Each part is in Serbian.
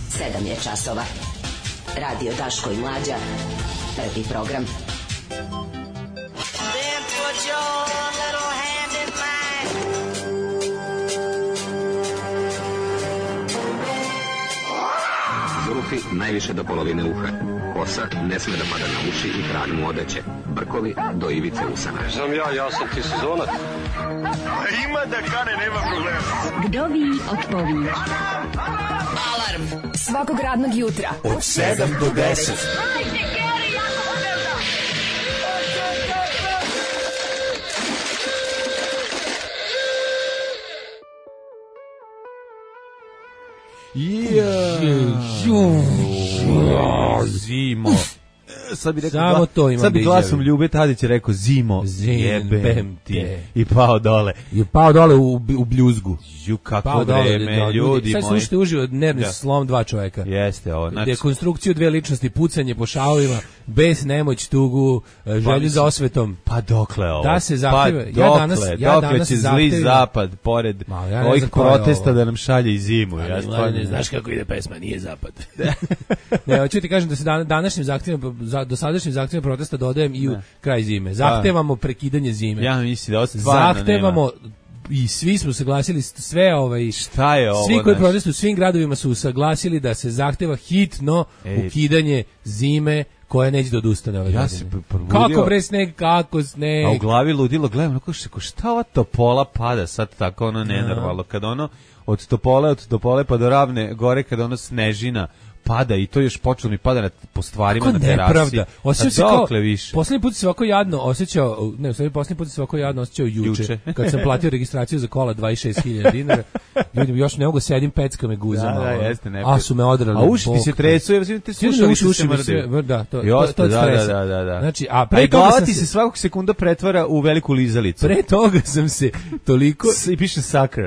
7 je časova. Radio Daško i Mlađa. Prvi program. Then put your little hand in mine. Zurufi najviše do polovine uha. Kosa ne sme da pada na uši i krag mu odeće. Brkovi do ivice usana. Znam ja sam ti sezonac. Ima da kane, nema problema. Vdovi otpovi. Alarm svakog radnog jutra Od 7 do 10. Zimo. Sad bi rekao, samo to imam. Sad bi glasom Ljube Tadić rekao zimo, jebem ti. I pao dole. I pao dole u bljuzgu. Ju, kako vreme, ljudi moji. Sad slušajte uživo nervni slom dva čoveka. Jeste ovo. Znači, dekonstrukciju dve ličnosti, pucanje po šalovima, bes, nemoć, tugu, želju za osvetom. Pa dokle ovo? Da se zahteva. Dokle će zli zapad, pored ovih protesta da nam šalje i zimu. Ja stvarno ne znaš kako ide pesma, nije zapad. Ne, hoću ti kažem da se današnjim zahtjevima, dosadašnjim zahtjevima protesta dodajem i u kraj zime. Zahtevamo prekidanje zime. Ja mislim da ovo stvarno zahtevamo i svi smo saglasili sve šta je ovo? Svi koji protestuju u svim gradovima su saglasili da se zahteva hitno ukidanje zime koja neće da odustane ove godine. Kako bre sneg, kako sneg. A u glavi ludilo, gledam, šta ova topola pada sad tako ono nenormalno, kad ono od topole pa do Ravne gore, kad ono snežina pada i to još počelo mi pada po stvarima kako na terasi. Nepravda. Osjećao se kao, više. Posljednji put se ovako jadno osjećao, posljednji put se ovako jadno osjećao juče. Kad sam platio registraciju za kola 26.000 dinara. Ljudi, još ne mogu sedim, pecka me guzama. Da, jeste, ne. A su me odrali. A uši ti se tresu, ja ti slušali se mrde. Da, to je stresa. Da. Znači, a glava ti se svakog sekunda pretvara u veliku lizalicu. Pre toga sam se toliko i piše sakr.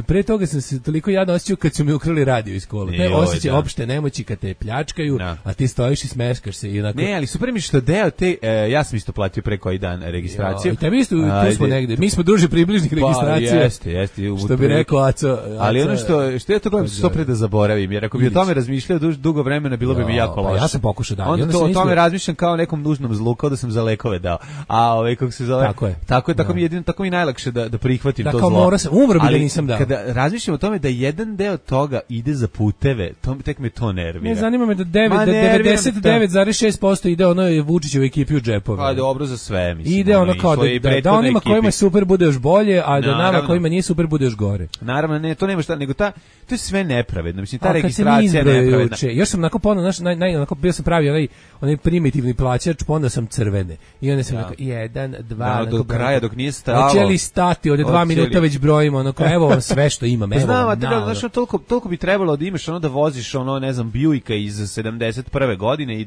Pre toga sam se toliko jadno osjećao kad su mi ukrali radio iz kola. Te osjećaj opšte nemoći kad te pljačkaju, a ti stojiš i smeškaš se i onako. Ne, ali super mi što deo te, ja sam isto platio pre koji dan registraciju. I tebi isto, tu smo negde. Mi smo duže približnih registracija. Jeste. Što bi rekao Aco. Ali ono što ja to gledam što pre da zaboravim, jer ako bi o tome razmišljao dugo vremena, bilo bi mi jako loše. Ja sam pokušao da. Onda o tome razmišljam kao nekom nužnom zlu, kao da sam za lekove dao. A kako se zove? Tako mi jedino, tako mi najlakše da prihvatim to zlo. Da, kao umro bi da nisam dao. Kada razmišljam o tome da jedan deo toga ide za puteve, tek me to nervira. Ne zanima me da 99,6% ide onoj Vučićevoj ekipi u džepove. A dobro za sve, mislim. Ide ono kao da onima kojima je super bude još bolje, a da nama kojima nije super bude još gore. Naravno, ne, to nema šta, nego to je sve nepravedno. Mislim, ta registracija je nepravedna. Još sam onako ponovno, onako bio sam pravi onaj primitivni plaćač, ponovno sam crvene. I onda sam rekao, 1, 2, do kraja, dok nije stalo. Hoće li stati, od 2 minuta već brojimo, ono kao, evo vam sve što imam, evo vam. Znaš, toliko bi trebalo da imaš, da voziš, ne znam, Buicka iz 71. godine i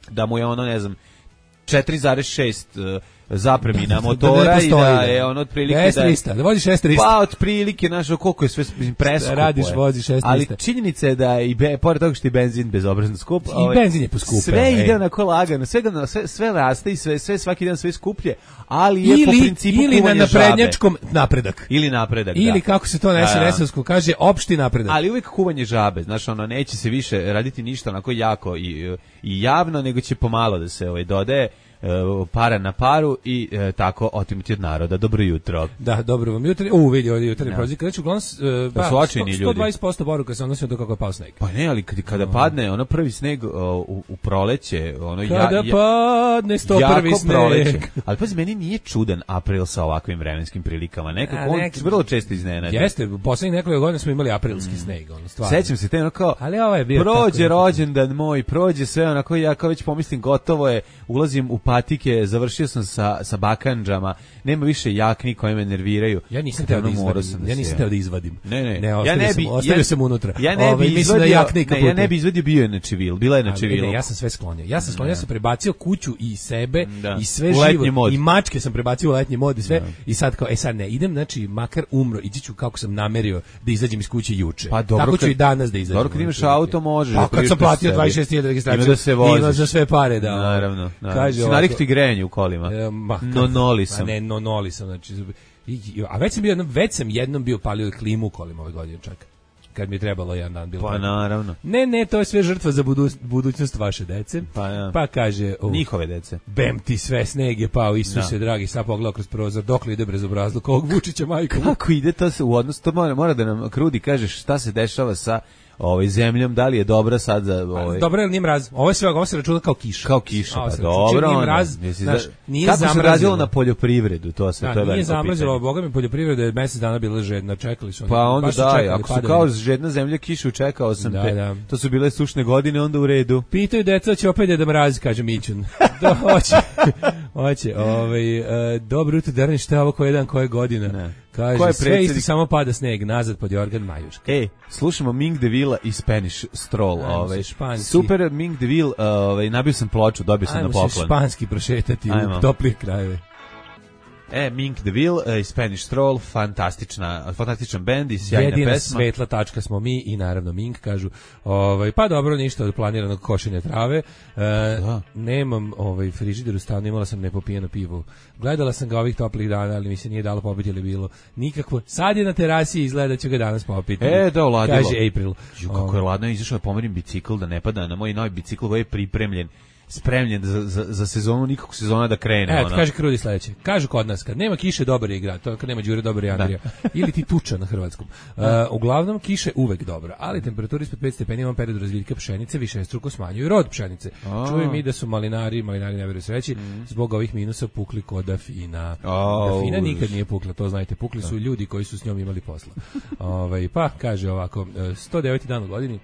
da mu je 4,6 zapremina motora i da je otprilike S300, da vozi 6-300. Pa otprilike, koliko je sve preskupo. Radiš, voziš 6-300. Ali činjenica je da i pored toga što je benzin bezobrazno skup. I benzin je poskupe. Sve ide onako lagano, sve raste i sve svaki dan sve skuplje, ali je po principu ili na naprednjačkom napredak. Ili napredak, ili kako se to na SNS-ovsku kaže, opšti napredak. Ali uvijek kuvanje žabe, znaš, neće se više raditi ništa onako jako i javno, nego će pomalo da se dodaje para na paru i tako otimati od naroda. Dobro jutro. Da, dobro vam jutro. Vidi ovdje jutarnji prozivka. Znači, uglavnom, 120% poruka se odnosi do kako je pao sneg. Pa ne, ali kada padne prvi sneg u proleće, kada padne 101. sneg. Proleće. Ali pazi, meni nije čudan april sa ovakvim vremenskim prilikama. Nekako on vrlo često iznenadi. Jeste, u poslednjih nekoliko godina smo imali aprilski sneg, stvarno. Sećam se te kao, ali ovo je bio prođe rođendan moj, prođe sve onako, ja kao već pomislim gotovo je, ulazim u patike, završio sam sa bakandžama, nema više jakni koje me nerviraju. Ja nisam teo da izvadim. Ne, ostavio sam unutra. Ja ne bi izvadio, bio je na čivil, bila je na čivilu. Ja sam sve sklonio. Ja sam prebacio kuću i sebe i sve živo. I mačke sam prebacio u letnji mod i sve. I sad kao, sad ne, idem, znači, makar umro, ići ću kako sam namerio da izađem iz kuće juče. Pa dobro, tako ću i danas da izađem. Dobro, kad imaš auto, možeš. Pa kad sam platio 26.000 registraciju, ima za sve pare da. Naravno. Navikti grenje u kolima. Nonoli sam. Ne, nonoli sam, znači. A već sam jednom bio palio klimu u kolima ove godine čak. kad mi je trebalo jedan dan bilo. Pa naravno. Ne, to je sve žrtva za budućnost vaše dece. Pa kaže, njihove dece. Bem ti sve, sneg je pao, Isuse dragi, sad pogledao kroz prozor, dokle ide bezobrazluk ovog Vučića, majko. Kako ide to se u odnosu, to mora da nam Krudi kaže šta se dešava sa zemljom, da li je dobra sad za Dobro ili nije mraz? Ovo se računa kao kiša. Kao kiša, pa dobro. Nije mraz, nije kako zamrazilo. se radilo na poljoprivredu, to se to je nije zamrazilo, boga mi poljoprivreda je mesec dana bila žedna, čekali su. Pa onda ako su kao žedna zemlja kišu, čekao sam to su bile sušne godine, onda u redu. Pitaju deca, će opet da mrazi, kaže Mićun. Da, hoće. Dobro jutro, Derni, šta je ovo koje dan, koje godina? Kaže, sve isto, samo pada sneg, nazad pod Jorgan Majuška. Slušamo Ming DeVille i Spanish Stroll. Španski. Super Ming DeVille, nabio sam ploču, dobio sam na poklon. Ajmo se španski prošetati u toplije krajeve. Mink DeVille i Spanish Stroll, fantastičan bend i sjajna pesma. Jedina svetla tačka smo mi i naravno Mink, kažu. Pa dobro, ništa od planiranog košenja trave. Nemam frižider u stanu, imala sam nepopijeno pivo. Gledala sam ga ovih toplih dana, ali mi se nije dalo popiti ili bilo nikakvo. Sad je na terasi i izgleda ću ga danas popiti. Da, uladilo. Kaže April. Kako je ladno, izašao da pomerim bicikl, da ne pada na moj novi bicikl koji je pripremljen, spremljen za sezonu, nikako sezona da krene. Kaže Krudi sledeće. Kažu kod nas, kad nema kiše, dobar je igra, to kad nema Đure, dobar je Andrija. Ili ti tuča na hrvatskom. Uglavnom, kiše uvek dobro, ali temperatura ispod 5 stepeni imam period razviljka pšenice, višestruko smanjuju rod pšenice. Čujem i da su malinari ne veruju sreći, zbog ovih minusa pukli kod Afina. Afina nikad nije pukla, to znajte, pukli su ljudi koji su s njom imali posla. Pa, kaže ovako, 109. dan u godini,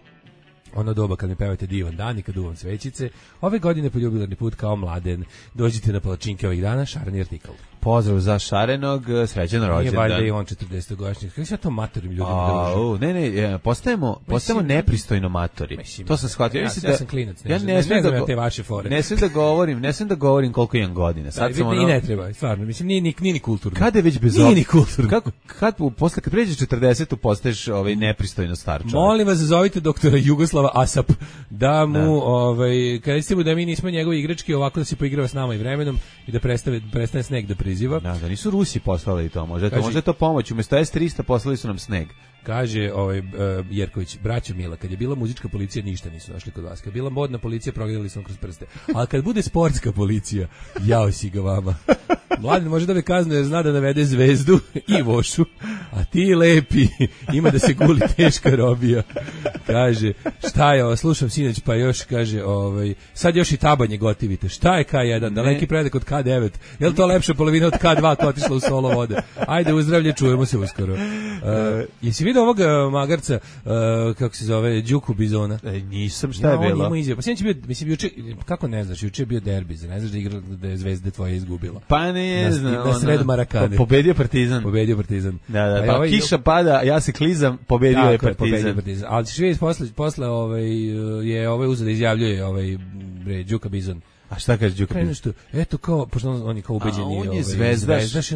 ono doba kad mi pevate divan dan i kad duvam svećice, ove godine poljubilarni put kao mladen. Dođite na palačinke ovih dana, šareni artikl. Pozdrav za Šarenog, srećan rođendan. Nije valjda i on 40-godišnjih. Kako se ja to matorim ljudima družim? Ne, postajemo nepristojno matori. To sam shvatio. Ja sam klinac, ne znam te vaše fore. Ne smijem da govorim koliko imam godina. Sad sam i ne treba, stvarno. Mislim, nije ni kulturno. Kada je već bez nije ni kulturno. Kad pređeš 40, postaješ nepristojno star čovjek. Molim vas, zovite doktora Jugoslava Asap, da mu, kada ste mu da mi nismo njegovi igrački, ovako da se poigrava s nama i vremenom i da prestane sneg da priziva. Da nisu Rusi poslali to, može to pomoć. Umesto S-300 poslali su nam sneg. Kaže Jerković, braćo Mila, kad je bila muzička policija ništa nisu našli kod vas. Kad je bila modna policija progledali smo kroz prste. Ali kad bude sportska policija, jao si ga vama. Mladen može da me kazne jer zna da navede Zvezdu i Vošu, a ti lepi, ima da se guli teška robija. Kaže, šta je ovo, slušam sinoć, pa još kaže, sad još i tabanje gotivite. Šta je K1, daleki predak od K9? Je li to lepša polovina od K2 koja otišla u solo vode? Ajde, uzdravlje, čujemo se uskoro. Jesi vidio ovog magarca, kako se zove, Đuku Bizona? Nisam, šta je bilo? On ima pa sinoć bio, mislim, juče, kako ne znaš, juče je bio derbi, ne znaš da igra da je Zvezda tvoja izgubila. Pa ne znam. Na sred Marakane. Pobedio Partizan. Da, pa kiša pada, ja se klizam, pobedio je Partizan. Ali ćeš vidjeti posle je uzeo da izjavljuje Đuka Bizon. A šta kaže Đuka Bizon? Eto kao, pošto on je kao ubeđeni. On je zvezdaš.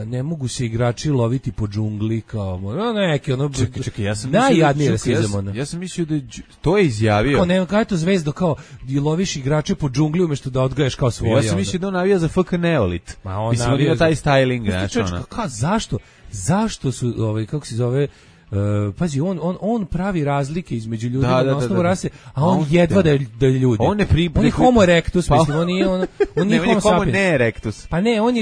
Ne mogu se igrači loviti po džungli kao, neki Čekaj, ja sam najjadniji rasizam. Ja sam mislio da to je izjavio. Kao ne, kao je to Zvezdo, kao loviš igrače po džungli umjesto da odgajaš kao svoje. Ja sam mislio da on navija za FK Neolit. Mislim, on ima taj styling. Zašto su, kako se zove, pazi, on pravi razlike između ljudi na osnovu rase, a on jedva da je ljudi. On je homo erectus, mislim, on nije homo sapiens. Ne erectus. Pa ne, on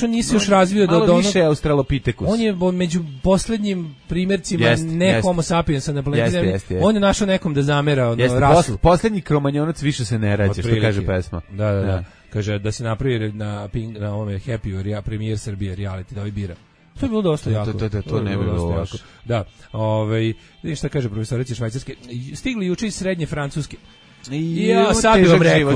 nije se još razvio do malo više australopithecus. On je među poslednjim primjercima ne homo sapiensa na planeti Zemlji. On je našao nekom da zamera rasu. Poslednji kromanjonac više se ne rađe, što kaže pesma. Da. Kaže da se napravi na ovome Happy premijer Srbije reality, da bira. To je bilo dosta jako. To ne bi bilo loše. Da, vidiš šta kaže profesorica Švajcarske. Stigli juče iz srednje Francuske.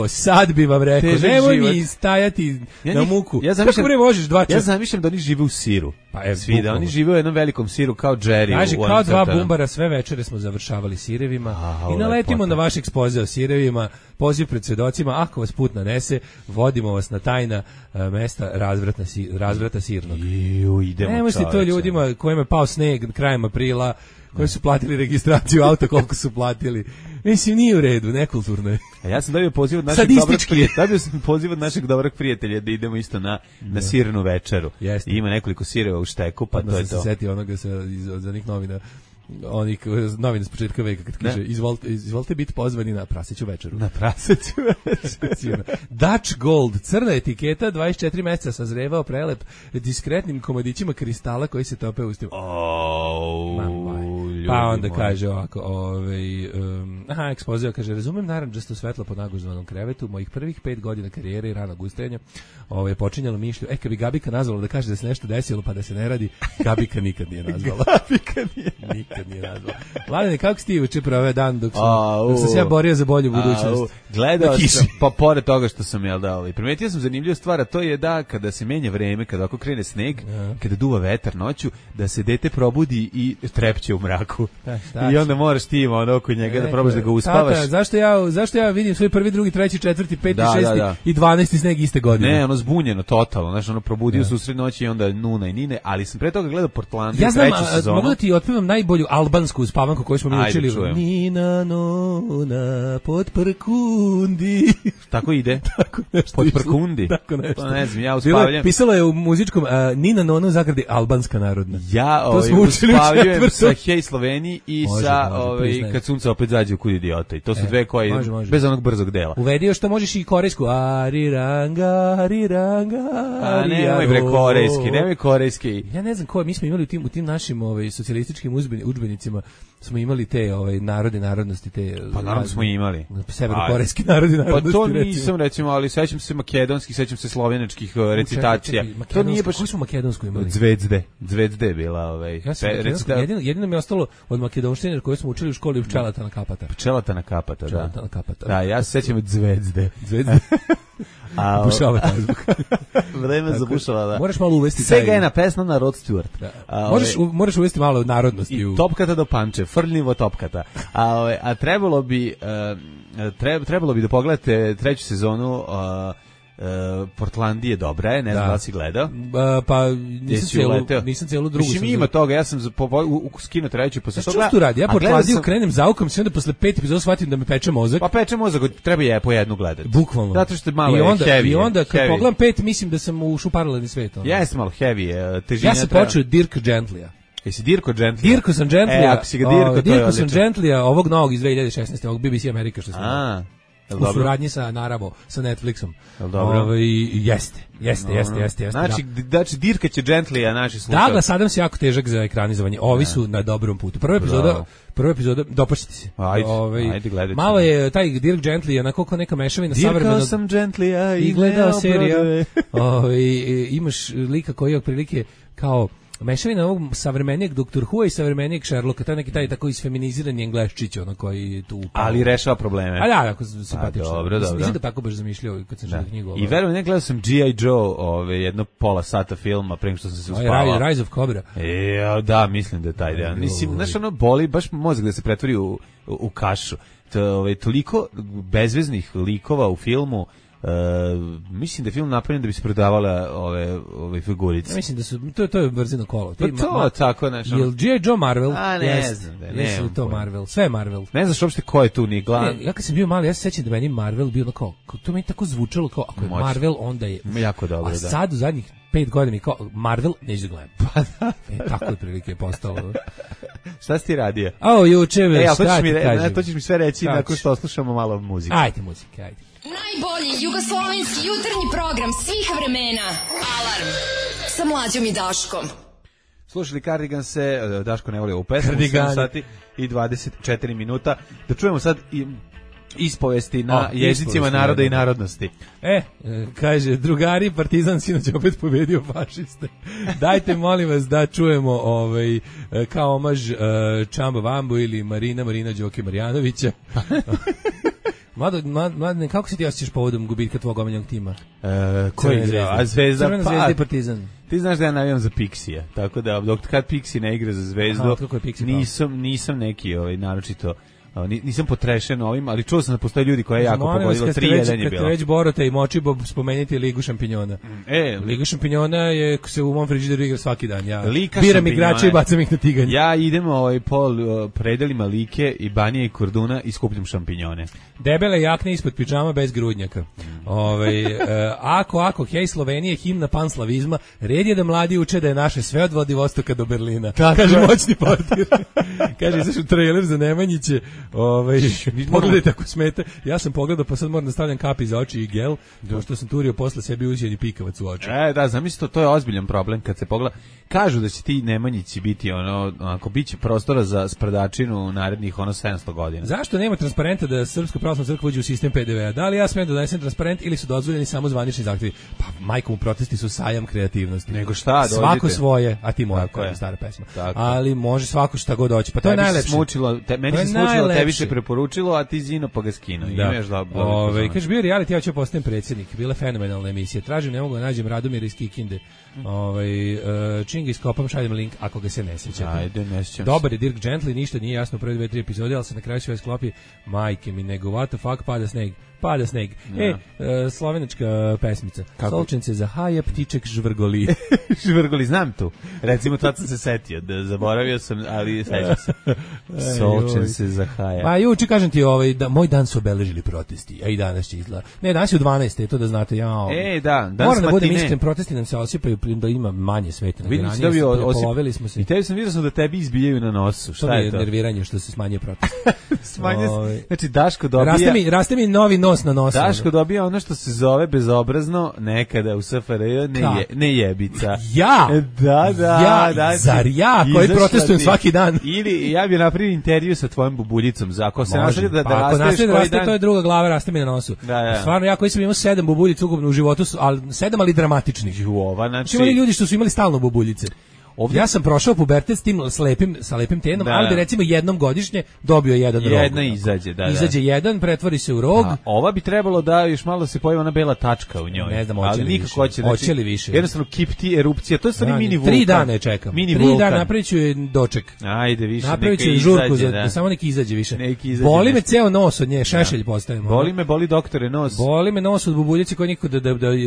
Sad bi vam rekao. Nemoj mi stajati na muku. Kako bre možeš 2 časa? Ja zamišljam da oni žive u siru. Pa svi da oni žive u jednom velikom siru kao Jerry. Kaže, kao dva bumbara sve večere smo završavali sirevima i naletimo na vaš ekspoze o sirevima, poziv pred svedocima, ako vas put nanese, vodimo vas na tajna mesta razvrata sirnog. Nemoj si to ljudima kojima je pao sneg krajem aprila, koji su platili registraciju auta, koliko su platili. Mislim, nije u redu, nekulturno je. A ja sam dobio poziv od našeg dobrog prijatelja da idemo isto na sirnu večeru. Jeste. Ima nekoliko sireva u šteku, pa to je to. Se seti onoga za onih novina. onih novina s početka veka kad kaže izvolite biti pozvani na praseću večeru. Na praseću večeru. Dutch Gold, crna etiketa, 24 meseca sazrevao, prelep, diskretnim komadićima kristala koji se tope u ustima. Pa onda kaže ovako, ekspozija, kaže, razumem narandžasto svetlo pod naguždovanom krevetu, mojih prvih 5 godina karijere i ranog ustajanja je počinjalo mišlju, kad bi Gabika nazvala da kaže da se nešto desilo pa da se ne radi, Gabika nikad nije nazvala. Nikad nije nazvala. Mladene, kako si ti uče prove dan dok sam se ja borio za bolju budućnost? Gledao sam, pa pored toga što sam, primetio sam zanimljivu stvar, a to je da kada se menja vreme, kada ako krene sneg, kada duva vetar noću, da se dete probudi i trepće u mraku. I onda moraš ti oko njega da probaš da ga uspavaš. Tata, zašto ja vidim svoj prvi, drugi, treći, četvrti, peti, šesti i 12. sneg iste godine? Ne, ono zbunjeno, totalno. Znaš, ono probudio se u sred noći i onda Nuna i Nine, ali sam pre toga gledao Portlandia, treću sezonu. Mogu da ti otpevam najbolju albansku uspavanku koju smo mi učili. Nina, Nona, pod prkundi. Tako ide? Tako nešto. Pod prkundi? Tako nešto. Pa ne znam, ja uspavljam. Pisalo je u muzičkom Nina, Nona, zagradi albanska narodna. Ja uspavljujem sa Hej Sloveniji i sa kad sunce opet zađe u kud idiota. I to su dve koje bez onog brzog dela. Uvedio što možeš i korejsku. Ariranga, ariranga. Nemoj korejski. Ja ne znam mi smo imali u tim našim socijalističkim udžbenicima smo imali te narodnosti te. Pa naravno smo imali. Severnokorejski narodnosti. Pa to nisam recimo, ali sećam se makedonskih, sećam se slovenačkih recitacija. To nije baš. Koji smo makedonsku imali? Zvezde bila jedino mi je ostalo od makedonštine koje smo učili u školi Pčelatana Kapata. Pčelatana Kapata. Da, ja se sećam od Zvezde. Bušava taj zvuk. Vreme zabušava, da. Moraš malo uvesti Svega je na pesma na Rod Stewart. Moraš uvesti malo narodnosti. I topkata do panče, frljivo topkata. A trebalo bi da pogledate treću sezonu Portlandije dobra je, ne znam da si gledao. Pa nisam cijelu drugu. Mislim ima toga, ja sam skinuo treću posle toga. Što tu radi? Ja Portlandiju krenem zaukom, se onda posle 5 epizoda shvatim da mi peče mozak. Pa peče mozak, treba je po jednu gledati. Bukvalno. Zato što je malo heavy. I onda kad pogledam 5 mislim da sam ušao u paralelni svet. Jeste malo heavy, težina. Ja sam počeo Dirk Gentlya. Jesi Dirko Gentlya? Dirko sam Gentlya. Ako si ga Dirko, to je odlično. Dirko sam Gentlya, ovog novog iz 2016. ovog BBC Amerika što smo u suradnji sa Naravo, sa Netflixom. Jeste. Znači Dirka će Gentlya naši slušati. Douglas Adams je jako težak za ekranizovanje. Ovi su na dobrom putu. Prva epizoda dopašćete se. Ajde gledajte. Malo je taj Dirk Gently, onako kao neka mešavina savremenog. Dirkao sam Gentlya i gledao serija. Imaš lika koji je otprilike kao mešavina ovog savremenijeg Dr. Who i savremenijeg Sherlocka, taj neki taj tako isfeminizirani Engleščić, ono koji tu upao. Ali rešava probleme. A da, jako simpatično. Dobro. Nisam ga tako baš zamišljao kad sam čitao knjigu. I verujem, ne gledao sam G.I. Joe, jedno pola sata filma pre nego što sam se uspavao. Rise of Cobra. Da, mislim da je taj deo. Mislim, znaš, ono boli baš mozak da se pretvori u kašu. Toliko bezveznih likova u filmu. Mislim da je film napravljen da bi se prodavale ove figurice. Ja mislim da su to je brzino kolo. Pa to tako nešto. Jel G.I. Joe Marvel? Ne znam. Jesu to Marvel. Sve je Marvel. Ne znaš uopšte ko je tu ni glavni. Ja kad sam bio mali, ja se sećam da meni Marvel bio kao to mi tako zvučalo kao ako je Marvel onda je jako dobro, da. A sad u zadnjih 5 godina mi kao Marvel neću da gledam. Pa da. Tako je prilike je postalo. Šta si ti radio? Juče to ćeš mi sve reći nakon što oslušamo malo muzike. Ajde muzike, ajde. Najbolji jugoslovenski jutarnji program svih vremena. Alarm sa Mlađom i Daškom. Slušali Cardiganse, Daško ne voli ovu pesmu, 7 sati i 24 minuta. Da čujemo sad i ispovesti na jezicima naroda i narodnosti. Kaže, drugari, Partizan sinoć opet pobedio fašiste. Dajte, molim vas, da čujemo kao omaž Čamba Vambu ili Marina Đoke Marjanovića. Mladene, kako se ti osjećaš povodom gubitka tvog omiljenog tima? Koji a Zvezda? Crvena Zvezda i Partizan. Ti znaš da ja navijam za Pixija, tako da dok kad Pixi ne igra za Zvezdu, nisam neki naročito Nisam potrešen ovim, ali čuo sam da postoje ljudi koji je jako pogodilo 3-1 je bilo. Kad ste već Borota i Močibo, spomenite Ligu šampiona. Liga šampiona je se u mom frižideru igra svaki dan. Ja biram igrače i bacam ih na tiganj. Ja idem po predelima Like i Banije i Korduna i skupljam šampinjone. Debele jakne ispod pidžama bez grudnjaka. Ako, hej Slovenije, himna panslavizma, red je da mladi uče da je naše sve od Vladivostoka do Berlina. Kaže moćni portir. Kaže, izašao trailer za Nemanjiće. Pogledajte ako smete. Ja sam pogledao, pa sad moram da stavljam kapi za oči i gel, pošto sam turio posle sebi uzjeni pikavac u oči. Da, zamisli to je ozbiljan problem kad se pogleda. Kažu da će ti Nemanjići biti ako biće prostora za sprdačinu u narednih 700 godina. Zašto nema transparenta da Srpska pravoslavna crkva uđe u sistem PDV-a? Da li ja smem da donesem transparent ili su dozvoljeni samo zvanični zahtevi? Pa majkom, protesti su sajam kreativnosti. Nego šta, dođite. Svako svoje, a ti moja, koja je stara pesma. Ali može svako šta god hoće. Pa to je najlepše. Meni se smučilo, tebi se preporučilo, a ti zino pa ga skino. Kaže, bio reality, ja ću postajem predsjednik. Bila fenomenalna emisija. Tražim, ne mogu da nađem Radomira iz Kikinde. Čim ga iskopam, šaljem link ako ga se ne sjećate. Ajde, ne sjećam. Dobar je Dirk Gently, ništa nije jasno u prve 2-3 epizode, ali se na kraju sve sklopi. Majke mi, nego what the fuck, pada sneg. Slovenačka pesmica. Solčence za haja, ptiček žvrgoli. Žvrgoli, znam tu. Recimo, tad sam se setio, da zaboravio sam, ali sećam se. Solčence za haja. Pa juče, kažem ti, da moj dan su obeležili protesti, a i danas će izgleda. Ne, danas je u 12. to da znate. Moram da budem iskren, protesti nam se osipaju, da ima manje sveta nego ranije. Polovili smo se. I tebi sam vidio da tebi izbijaju na nosu. Šta je to? Nerviranje što se smanjuje protest. Znači, Daško dobija... Raste mi novi nos na nosu. Daško dobija ono što se zove bezobrazno nekada u SFRJ nejebica. Ja? Da. Zar ja koji protestujem svaki dan? Ili ja bih napravio intervju sa tvojom bubuljicom. Ako se nastavi da raste, to je druga glava, raste mi na nosu. Stvarno, ja koji sam imao 7 bubuljica ukupno u životu, 7 ali dramatičnih. Znači, imali ljudi što su imali stalno bubuljice. Ovdje ja sam prošao pubertet s tim sa lepim tenom, ali bi recimo jednom godišnje dobio jedan rog. Jedna izađe, Izađe jedan, pretvori se u rog. Ova bi trebalo da još malo se pojavi ona bela tačka u njoj. Ne znam, hoće li više. Jednostavno kipti erupcija, to je stvari mini vulkan. 3 dana čekam. 3 dana napravit ću doček. Ajde više, napravit ću žurku, samo neki izađe više. Boli me ceo nos od nje, šešelj postavimo. Boli doktore nos. Boli me nos od bubuljice koji niko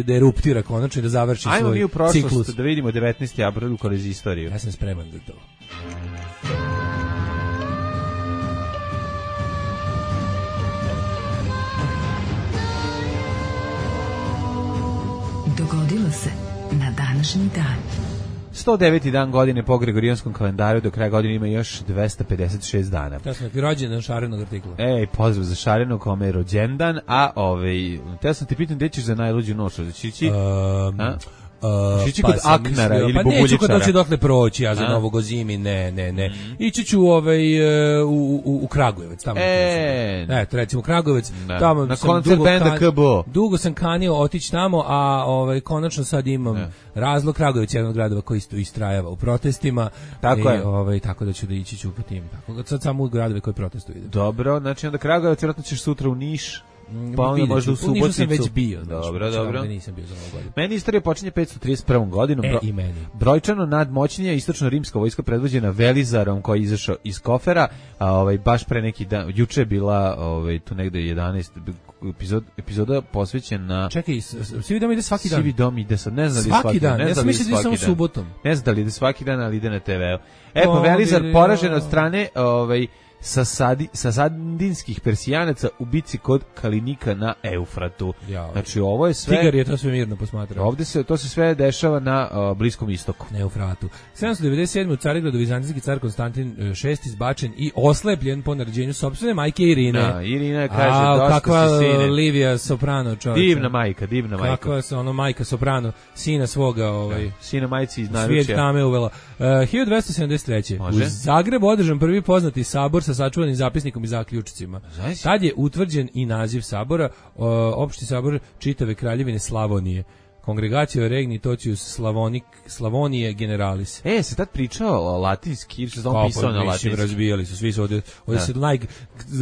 da eruptira konačno i da završi svoj ciklus. Ajmo mi u prošlost da vidimo 19. april kroz istoriju. Ja sam spreman za to. Dogodilo se na današnji dan. 109. dan godine po Gregorijanskom kalendaru, do kraja godine ima još 256 dana. To sam ti rođendan šarenog artikla. Pozdrav za šarenog kome je rođendan, a teo sam ti pitan gde ćeš za najluđu noć, da će ići... Ići kod Aknara ili Bubuljičara. Neću kod će dokle proći, ja za Novog o zimi, ne. Ići ću u Kragujevac, tamo. Eto, recimo Kragujevac, tamo na koncert benda KBO. Dugo sam kanio otići tamo, a konačno sad imam razlog. Kragujevac je jedan od gradova koji istrajava u protestima. Tako je. Tako da ću da ići ću po tim. Sad samo u gradove koji protestuju. Dobro, znači onda Kragujevac, vjerojatno ćeš sutra u Niš. Pa onda možda u Suboticu. Nišu sam već bio. Dobro. Nisam bio za Novu godinu. Meni istorija počinje 531. godinom. I meni. Brojčano nadmoćnija istočno-rimska vojska predvođena Velizarom koji je izašao iz Kofera, baš pre neki dan, juče je bila tu negde 11 epizoda posvećena. Čekaj, Sivi dom ide svaki dan. Sivi dom ide sad, ne znam da li svaki dan. Ja sam mislio da je samo subotom. Ne znam da li ide svaki dan, ali ide na TV-u. Velizar poražen od strane sasadinskih Persijanaca u bici kod Kalinika na Eufratu. Znači ovo je sve... Tigar je to sve mirno posmatrao. To se sve dešava na Bliskom istoku. Na Eufratu. 797. u Carigradu vizantijski car Konstantin VI izbačen i oslepljen po naređenju sopstvene majke Irine. Irina kaže, dosta kakva si sine. Livija Soprano, čovječe. Divna majka. Kakva je majka Soprano, sina svoga. Sina majci iz naručja. Svijet tame uvela. 1273. Može. U Zagrebu održan prvi poznati sabor sa sačuvanim zapisnikom i zaključcima. Tad je utvrđen i naziv sabora, opšti sabor čitave kraljevine Slavonije. Kongregacija Regni Tocius Slavonije Generalis. Se tad pričao latinski, ili se znam pisao na latinski? Razbijali su, svi su ovdje se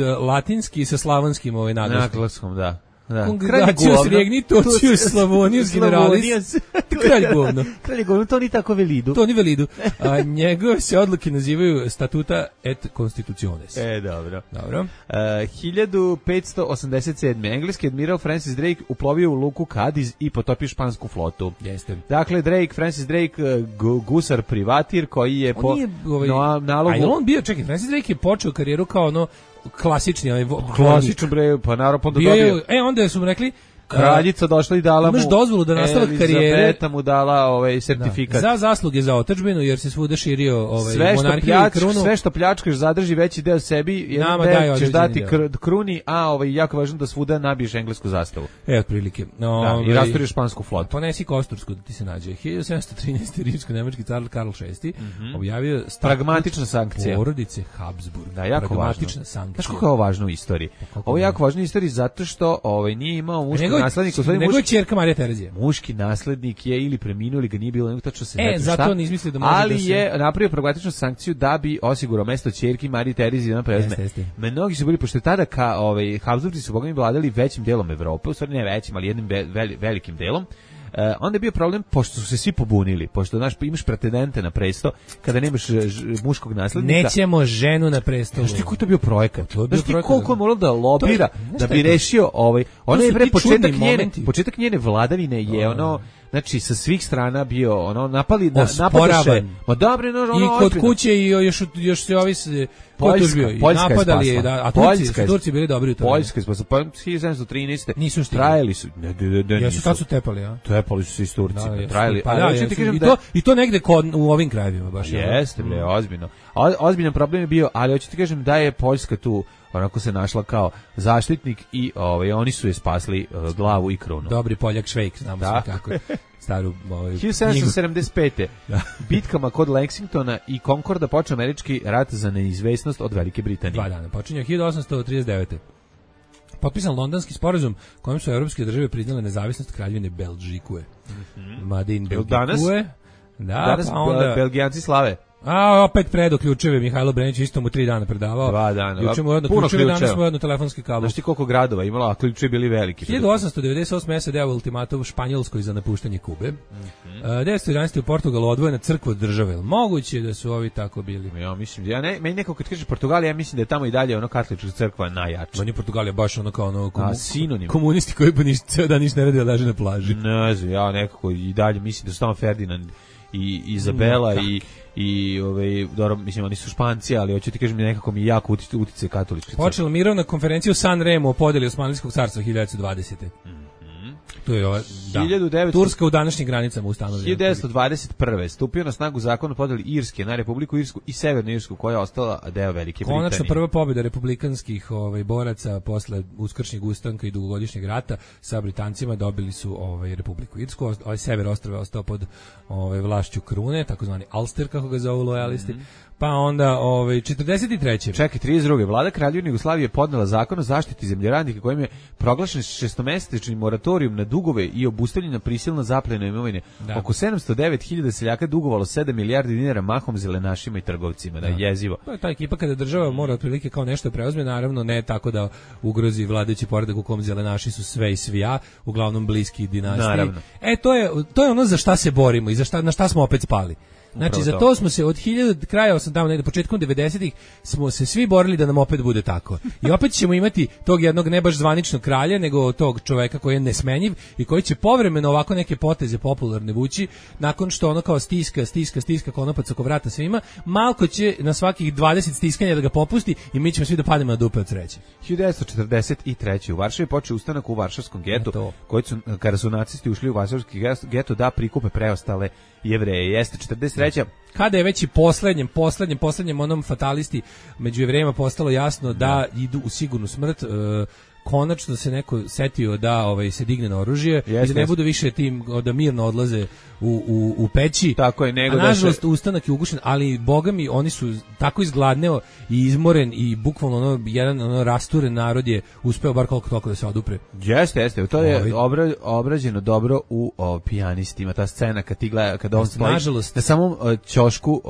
latinski sa slavonskim naglaskom. Da. Congratulacius regnitocius Slavonius generalis. Kralj govno. Kralj govno, to ni tako velidu. To ni velidu. A njegove se odluke nazivaju statuta et constitutiones. Dobro. Dobro. 1587. Engleski admiral Francis Drake uplovio u luku Cadiz i potopio špansku flotu. Jeste. Dakle, Francis Drake, gusar privatir koji je po nalogu... A je on bio, čekaj, Francis Drake je počeo karijeru kao ono klasični, klasičan bre, pa naravno onda dobio. Onda su mu rekli kraljica došla i dala mu imaš dozvolu da nastavak karijere. Elizabeta mu dala sertifikat. Za zasluge za otadžbinu, jer se svuda širio monarhija i krunu. Sve što pljačkaš zadrži veći deo sebi, jedan deo ćeš dati kruni, a jako važno da svuda nabiješ englesku zastavu. Otprilike. I rasturiš špansku flotu. Ponesi Kostorsku da ti se nađe. 1713. rimsko-nemački car Karl VI objavio pragmatična sankcija porodice Habsburg. Da, jako pragmatična sankcija. Znaš kako je ovo važno u istoriji? Ovo je jako važno u istoriji zato što nije imao muški naslednik, nego je ćerka Marija Terezija. Muški naslednik je ili preminuo ili ga nije bilo, nego tačno se ne zna šta. Zato ne izmislio da može ali da se... je napravio pragmatičnu sankciju da bi osigurao mesto ćerki Marije Terezije da preuzme. Mnogi su bili, pošto je tada Habsburgci su bogami vladali većim delom Evrope, u stvari ne većim, ali jednim velikim delom. Onda je bio problem, pošto su se svi pobunili, pošto imaš pretendente na presto, kada nemaš muškog naslednika. Nećemo ženu na prestolu. Znaš ti koji to bio projekat? Znaš ti koliko je moralo da lobira, da bi rešio ona je početak njene vladavine je znači sa svih strana bio napadaše. Ma dobre, i kod kuće i još se ovi Poljska napadali je, a Turci bili dobri u tome. Poljska je spasla, 1713. Nisu stigli. Trajali su. Jesu, tad su tepali, a? Tepali su se i s Turcima. Trajali. I to negde u ovim krajevima baš. Jeste, bre, ozbiljno. Ozbiljan problem je bio, ali hoću ti kažem da je Poljska tu onako se našla kao zaštitnik i oni su je spasli glavu i krunu. Dobri Poljak Švejk, znamo sve kako. Staru 1775. Bitkama kod Lexingtona i Concorda počeo američki rat za neizvesnost od Velike Britanije. 2 dana. Počinje 1839. Potpisan Londonski sporazum kojim su evropske države priznale nezavisnost Kraljevine Belžikue. Madin Belgikue. Danas Belgijanci slave. A opet predo ključeve Mihajlo Brenić, isto mu 3 dana predavao. 2 dana. Juče mu jedno ključeve, danas mu jedno telefonski kabel. Znaš ti koliko gradova imala, a ključevi bili veliki. 1898. SAD dao ultimatum Španjolskoj za napuštanje Kube. 1911. u Portugalu odvojena crkva od države. Moguće da su ovi tako bili. Ja mislim, meni neko kad kaže Portugalija, ja mislim da je tamo i dalje katolička crkva najjača. Meni Portugalija baš kao komunisti koji pa ceo dan ništa ne rade, leže na plaži. Ne znam, ja nekako i dalje mislim da su tamo Ferdinand i Izabela i dobro, mislim, oni su Španci, ali hoću ti kažem nekako mi jako utice katoličke crkve. Počela mirovna konferencija u San Remo o podeli Osmanlijskog carstva 1920. To je Turska u današnjim granicama ustanovljena. 1921. stupio na snagu zakon o podeli Irske na Republiku Irsku i Severnu Irsku, koja je ostala deo Velike Britanije. Konačno prva pobjeda republikanskih boraca posle uskršnjeg ustanka i dugogodišnjeg rata sa Britancima, dobili su Republiku Irsku. Sever ostrva ostao pod vlašću krune, takozvani Ulster, kako ga zovu lojalisti. Pa onda 43. Čekaj, 32. Vlada Kraljevine Jugoslavije podnela zakon o zaštiti zemljoradnika kojim je proglašen 6-mesečni moratorijum na dugove i obustavljena prisilna zapljena imovine. Oko 709.000 seljaka dugovalo 7 milijardi dinara mahom zelenašima i trgovcima. Da, jezivo. To je ta ekipa kada država mora otprilike kao nešto preuzme, naravno ne tako da ugrozi vladajući poredak u kom zelenaši su sve i svija, uglavnom bliski dinastiji. Naravno. To je ono za šta se borimo i na šta smo opet spali. Znači, za to smo se od početkom 90-ih smo se svi borili da nam opet bude tako. I opet ćemo imati tog jednog ne baš zvaničnog kralja, nego tog čoveka koji je nesmenjiv i koji će povremeno ovako neke poteze popularne vući, nakon što ono kao stiska konopac oko vrata svima, malko će na svakih 20 stiskanja da ga popusti i mi ćemo svi da pademo na dupe od sreće. 1943. u Varšavi počeo ustanak u Varšavskom getu, kada su nacisti ušli u Varšavski geto da prikupe preostale Jevreje. Jeste 43. Kada je već i poslednjem onom fatalisti među Jevrejima postalo jasno da idu u sigurnu smrt, konačno se neko setio da se digne na oružje i da ne budu više tim da mirno odlaze u peći. Tako je, nego nažalost ustanak je ugušen, ali bogami oni su tako izgladneo i izmoren i bukvalno jedan rasturen narod je uspeo bar koliko toliko da se odupre. Jeste, to je obrađeno dobro u Pijanistima, ta scena kad on stoji na samom ćošku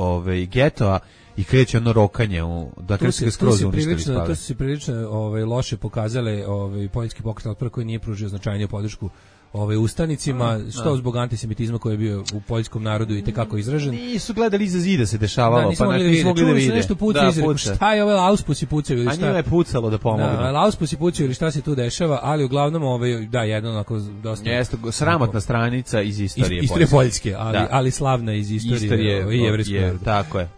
getoa i kreće ono rokanje dakle se skroz uništili spave. To su se prilično loše pokazale poljski pokret otpora koji nije pružio značajniju podršku ustanicima, što zbog antisemitizma koji je bio u poljskom narodu i tekako izražen. Nisu gledali iza zida se dešavalo, nisu mogli da vide. Nešto puca puca. Šta je ove lauspusi pucaju ili šta? A njima je pucalo da pomogne. Da, lauspusi pucaju ili šta se tu dešava, ali uglavnom jedno onako dosta... Jeste, sramotna stranica iz istorije Poljske, ali slavna iz istorije i jevrejskog naroda. Tako je.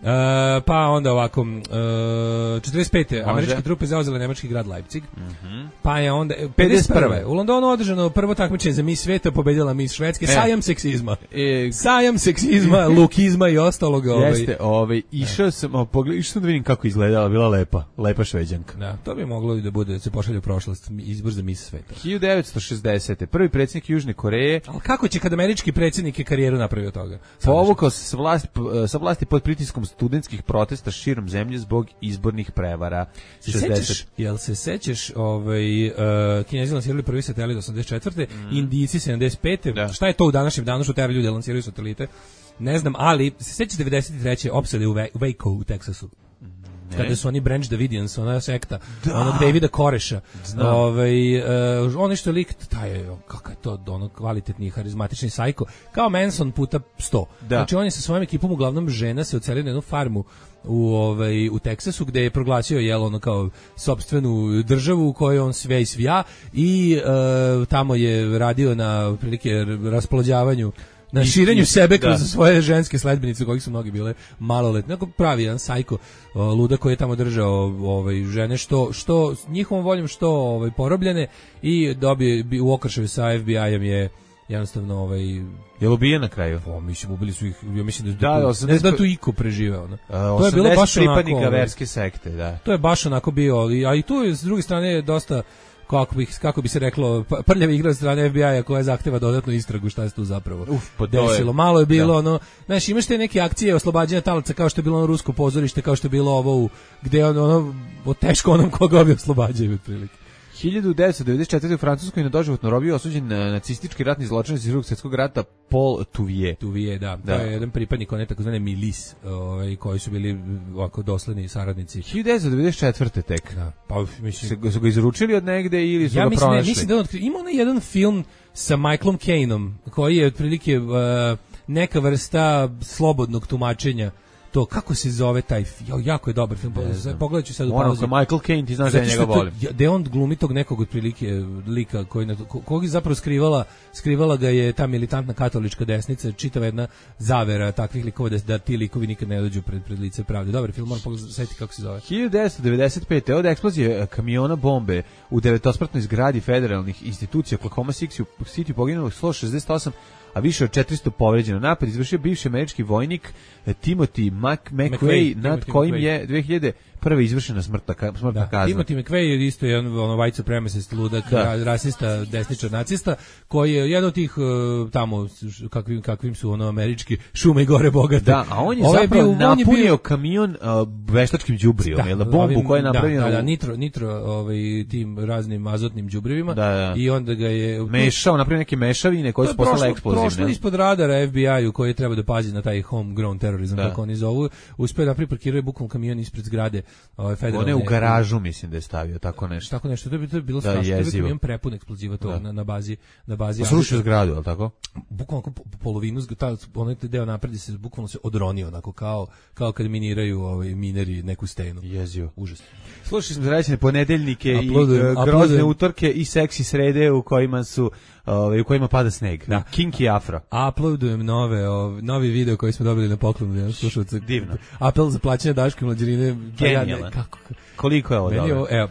Pa onda ovako, 45. američke trupe zauzele nemački grad Leipzig, pa je onda 51. U Londonu održano prvo takmičenje za Miss sveta, pobedila Miss Švedske, sajam seksizma. Sajam seksizma, lukizma i ostalog. Jeste, išao sam da vidim kako izgledala, bila lepa Šveđanka. Da, to bi moglo i da bude, da se pošalje u prošlost, izbor za Miss sveta. 1960. Prvi predsjednik Južne Koreje. Ali kako će kad američki predsjednik je karijeru napravio toga? Povukao se sa vlasti pod pritiskom studentskih protesta širom zemlje zbog izbornih prevara. Jel se sećaš, Kinezi lansirali prvi satelit 84. Indijci 75. Da. Šta je to u današnjem danu što tera ljudi lansiraju satelite? Ne znam, ali se sećaš 93. opsade u Waco u Teksasu. Kada su oni Branch Davidians, ona sekta, onog Davida Koreša. Oni što je lik, kakav je to ono kvalitetni, harizmatični sajko, kao Manson puta 100. Znači on je sa svojom ekipom, uglavnom žena, se ocelio na jednu farmu u Teksasu, gde je proglasio ono kao sopstvenu državu u kojoj on sve i svija i tamo je radio na prilike rasplođavanju, na širenju sebe kroz svoje ženske sledbenice, kojih su mnogi bile maloletne. Pravi jedan sajko luda koji je tamo držao žene što njihovom voljom, što porobljene, i dobio u okršaju sa FBI-em je jednostavno je li ubijen na kraju? Mislim, ubili su ih, ja mislim da ne znam da tu iko preživeo. To je bilo baš pripadnika verske sekte, da. To je baš onako bio, a i tu je s druge strane dosta, kako bi se reklo, prljavi igra od strane FBI-a koja zahteva dodatnu istragu šta se tu zapravo desilo. Malo je bilo znaš, imaš te neke akcije oslobađanja talaca, kao što je bilo ono rusko pozorište, kao što je bilo ovo gde teško onom koga ovi oslobađaju otprilike. 1994. u Francuskoj na doživotnu robiju osuđen nacistički ratni zločinac iz Drugog svjetskog rata Paul Touvier. Da. To je jedan pripadnik one takozvane milis, koji su bili ovako dosledni saradnici. 1994. tek. Da. Pa mislim su ga izručili od negde ili su ga pronašli? Mislim da ima onaj jedan film sa Michaelom Caineom koji je otprilike neka vrsta slobodnog tumačenja. To, kako se zove taj film? Jako je dobar film. Pogledat ću sad u pauzi. Michael Caine, ti znaš da njega volim. Da on glumi tog nekog otprilike lika kog je zapravo skrivala ga je ta militantna katolička desnica, čitava jedna zavera takvih likova da ti likovi nikad ne dođu pred lice pravde. Dobar film, moram pogledati kako se zove. 1995. od eksplozije kamiona bombe u 9-spratnoj zgradi federalnih institucija Oklahoma City poginulo 168, a više od 400 povređeno. Napad izvršio bivši američki vojnik Timothy McVeigh, nad kojim je 2001. izvršena smrtna kazna. Timothy McVeigh je isto jedan white supremacist, ludak, rasista, desničar, nacista, koji je jedan od tih tamo, kakvim su američki šume i gore bogate. Da, a on je zapravo napunio kamion veštačkim đubrijom, bombu koja je napravljena. Da, nitro tim raznim azotnim đubrivima, i onda ga je mešao, napravio neke mešavine koje su postale eksplozivne. Prošlo ispod radara FBI-u koji treba da pazi na taj homegrown terorizam, kako oni zovu. Uspeo da priparkiruje bukvalno kamion ispred zgrade federalne. On je u garažu, mislim da je stavio tako nešto. Tako nešto, to je bilo strašno. To je kamion prepun eksploziva tog na bazi. Srušio zgradu, je li tako? Bukvalno polovinu, onaj deo napred se bukvalno se odronio, onako kao kad miniraju mineri neku stenu. Jezivo. Užasno. Slušali smo zaraćene ponedeljnike i grozne utorke i seksi srede u kojima pada sneg. Da. Kinky afro. Uploadujem novi video koji smo dobili na poklonu. Slušalca. Divno. Apel za plaćanje Daške mlađerine. Genijalan. Koliko je ovo dobro? Evo,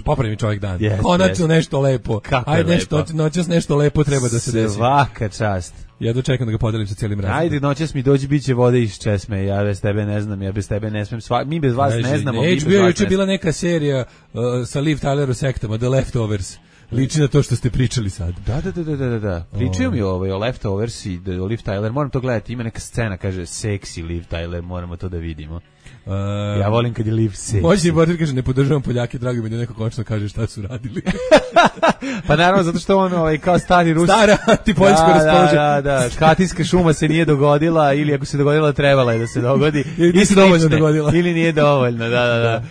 popravi mi čovjek dan. Konačno nešto lepo. Ajde, noćas nešto lepo treba da se desi. Svaka čast. Ja dočekam da ga podelim sa cijelim razredom. Ajde, noćas mi dođi, bit će vode iz česme, ja bez tebe ne znam, ja bez tebe ne smem, mi bez vas ne znamo, mi bez vas ne znamo. Bila neka serija sa Liv Tyler u sektama, The Leftovers. Liči na to što ste pričali sad. Da. Pričaju mi o Leftovers i o Liv Tyler, moram to gledati, ima neka scena, kaže, seksi Liv Tyler, moramo to da vidimo. Ja volim kad je liv seksi. Moćni portir kaže, ne podržavam Poljake, drago mi da neko konačno kaže šta su radili. Pa naravno, zato što on kao stari Rus. Stara antipoljsko raspoloženje. Da. Katinska šuma se nije dogodila, ili ako se dogodila, trebala je da se dogodi. Ili se dovoljno dogodila. Ili nije dovoljno, da.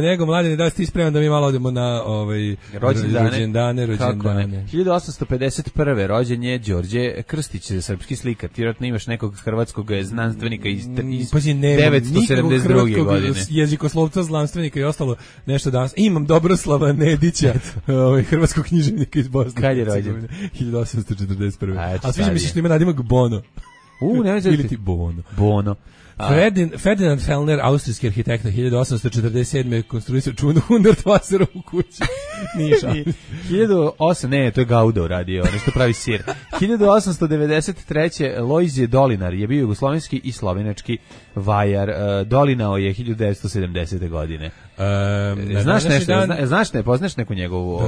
Nego, mladine, da si ti spreman da mi malo odemo na rođendane. 1851. rođen je Đorđe Krstić, srpski slikar. Ti vjerojatno imaš nekog hrvatskog znanstvenika iz 972. godine. Jezikoslovca, znanstvenika i ostalo nešto danas. Imam Dobroslava Nedića, hrvatskog književnika iz Bosne. Kad je rođen? 1841. A sviđa mi se što ima nadimak Bono. Ili ti Bono. Ferdinand Fellner, austrijski arhitekta, 1847. konstruisao čuvenu Hundertwasserovu kuću. Niša. 1008, ne, to je Gauda uradio, nešto pravi sir. 1893. Lojzije Dolinar je bio jugoslovenski i slovenački vajar. Dolinao je 1970. godine. Znaš nešto, poznaš neku njegovu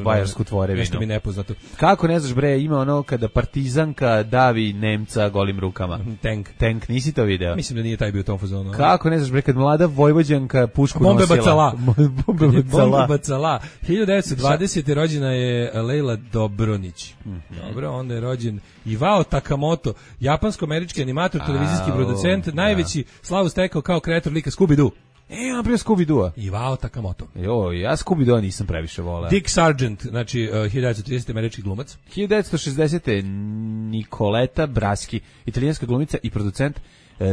vajarsku tvorevinu? Nešto mi nepoznato. Kako ne znaš, bre, ima ono kada partizanka davi Nemca golim rukama. Tank, nisi to video? Mislim da nije taj bio u tom fazonu. Kako ne znaš, bre, kad mlada Vojvođanka pušku Bombe nosila. Bombe bacala. 1920. rođena je Leila Dobronić. Dobro, onda je rođen Ivao Takamoto, japansko-američki animator, televizijski producent, najveći slavu stekao kao kreator lika Scooby-Doo. On prije Scooby-Doo. Ivao Takamoto. Ja Scooby-Doo nisam previše voleo. Dick Sargent, znači 1930. američki glumac. 1960. Nicoletta Braschi, italijanska glumica i producent,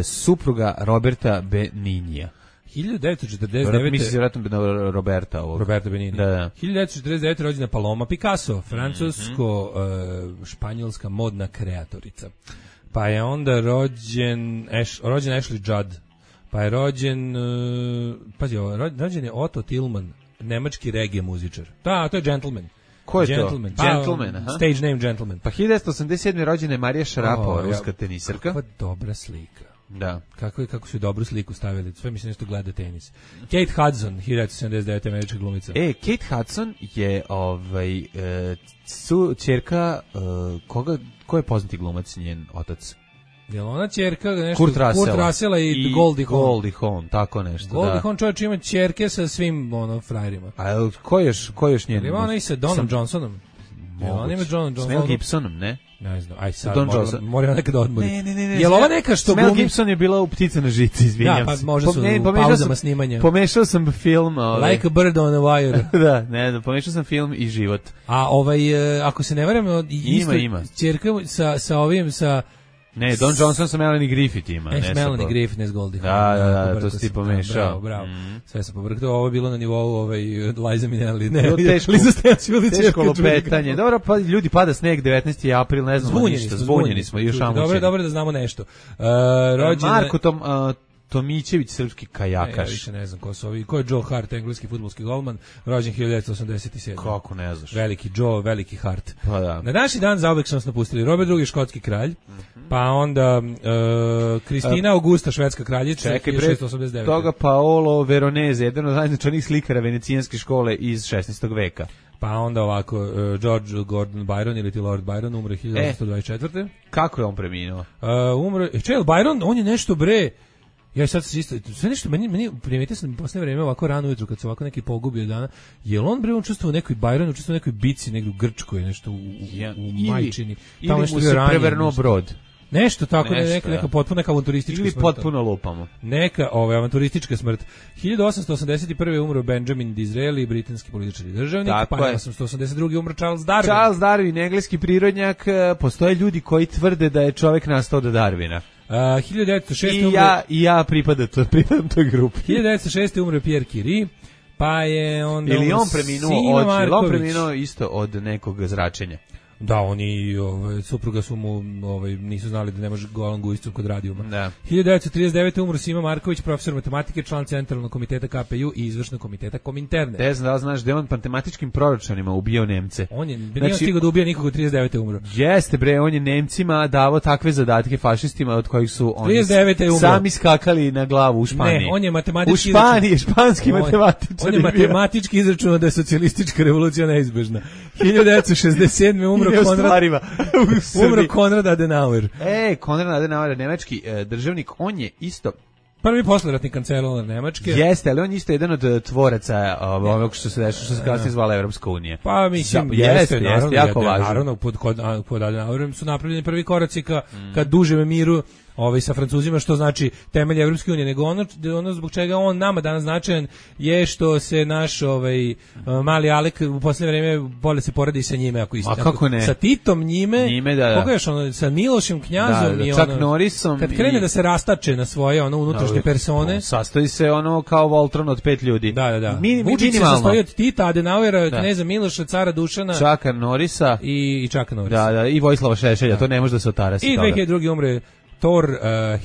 supruga Roberta Beninija. 1949. Misli se vratno na Roberta Benini. Da. 1949. rođena Paloma Picasso, francusko-španjolska modna kreatorica. Pa je onda rođen Ashley Judd. Pa je rođen rođen je Otto Tillman, nemački reggae muzičar. To je Gentleman. Ko je Gentleman. to? Gentleman, aha. Stage name Gentleman. Pa 1987. rođena je Marija Šarapova, ruska tenisarka. Kakva dobra slika. Da. Kako su dobru sliku stavili. Sve mi se nešto gleda tenis. Kate Hudson, 1979. američka glumica. Kate Hudson je ćerka ko je poznati glumac, njen otac? Je li ona ćerka nešto? Kurt Russella i Goldie Hawn. Goldie Hawn, tako nešto. Goldie Hawn čovječ ima ćerke sa svim frajerima. A ko još njen? Ima ona i sa Donom Johnsonom. Ona ima S Mel Gibsonom, ne? Ne znam, aj sad moram nekada odmoriti. Ne. Je li ova neka što glumi? Mel Gibson je bila u Ptice na žici, izvinjam se. Da, pa možda su u pauzama snimanja. Pomešao sam film. Like a bird on a wire. Da, pomešao sam film i život. A ako se ne varam, ima. Ćerka sa ovim, sa... Ne, Don Johnson sa Melanie Griffith ima. Melanie Griffith, ne s Goldie Hawn. Da, to si ti pomešao. Bravo. Sve sam pobrkao, ovo je bilo na nivou Liza Minnelli. Ne, teško lopetanje. Dobro, pa ljudi, pada sneg, 19. april, ne znamo ništa. Zbunjeni smo. Dobro da znamo nešto. Marko Tomićević, srpski kajakaš. Ja više ne znam ko su ovi. Ko je Joe Hart, engleski fudbalski golman, rođen 1987. Kako ne znaš? Veliki Joe, veliki Hart. Pa da. Na današnji dan zauvek su nas napustili Robert II, škotski kralj, pa onda Kristina Augusta, švedska kraljica, 1689. Toga Paolo Veronese, jedan od najznačajnijih slikara venecijanske škole iz 16. veka. Pa onda ovako, George Gordon Byron ili ti Lord Byron, umre 1824. Kako je on preminuo? Čel Byron, on je nešto bre. Ja sad se isto, sve nešto, meni primetio sam posle vreme ovako rano ujutru kad se ovako neki pogubio dana, je li on bre učestvovao u nekoj Bajronu, učestvovao u nekoj bici, negdje u Grčkoj, nešto u Majčini. Ili mu se prevrnuo brod. Nešto tako, neka potpuno neka avanturistička smrt. Ili potpuno lupamo. Neka avanturistička smrt. 1881. umro Benjamin Disraeli, britanski političar i državnik, pa 1882. umro Charles Darwin. Charles Darwin, engleski prirodnjak, postoje ljudi koji tvrde da je čovjek nastao od Darwina. 1906. Ja pripadam toj grupi. 1906. umre Pierre Curie, pa je onda Ili on preminuo isto od nekog zračenja. Da, oni supruga su mu nisu znali da ne može golan gujicom kod radijuma. Da. 1939. umro Sima Marković, profesor matematike, član Centralnog komiteta KPU i izvršnog komiteta Kominterne. Ne znam da li znaš da je on matematičkim proračunima ubio Nemce. On je nije stigao da ubije nikog, 39. umro. Jeste bre, on je Nemcima davao takve zadatke fašistima od kojih su oni sami skakali na glavu u Španiji. Ne, on je matematički španski matematičar. On je matematički izračunao da je socijalistička revolucija neizbežna. 1967. umro Konrad Adenauer. Konrad Adenauer, nemački državnik, on je isto prvi posleratni kancelar Nemačke. Jeste, ali on je isto jedan od tvoraca ovog što se dešava, što se kasnije zvala Evropska unija. Pa mislim, jeste, jako važno. Naravno, pod Adenauerom su napravljeni prvi koraci ka dužem miru sa Francuzima, što znači temelj Evropske unije, nego ono zbog čega on nama danas značajan je što se naš mali Alek u posljednje vreme bolje se poradi sa njime, ako isto. A kako ne? Sa Titom njime da. Koga još sa Milošem Knjazom i Chuck Norrisom. Kad krene da se rastače na svoje unutrašnje persone, sastoji se kao Voltron od 5 ljudi. Da. Vučić se sastoji od Tita, Adenauera, kneza Miloša, cara Dušana, Chucka Norrisa i Chucka Norrisa. Da, i Vojislava Šešelja, to ne može da se otarasi. I 2002. umre Thor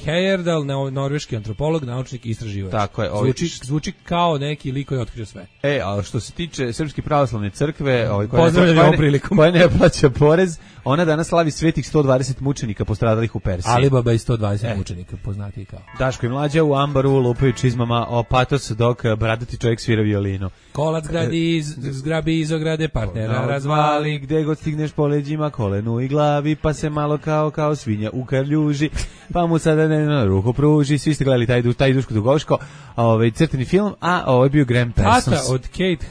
Heyerdahl, norveški antropolog, naučnik i istraživač. Tako je. Zvuči kao neki lik koji je otkrio sve. A što se tiče Srpske pravoslavne crkve, koja ne plaća porez, ona danas slavi svetih 120 mučenika postradalih u Persiji. Alibaba i 120 mučenika, poznati kao. Daško i Mlađa u ambaru lupaju čizmama o patos, dok bradati čovjek svira violinu. Kolac zgrabi iz ograde, partnera razvali. Gde god stigneš po leđima, kolenu i glavi, pa se malo kao svinja ukarljuži. Pa mu sada na ruku pruži. Svi ste gledali taj Duško Dugovško crteni film, a ovo je bio Graham Parsons. Tata od Kate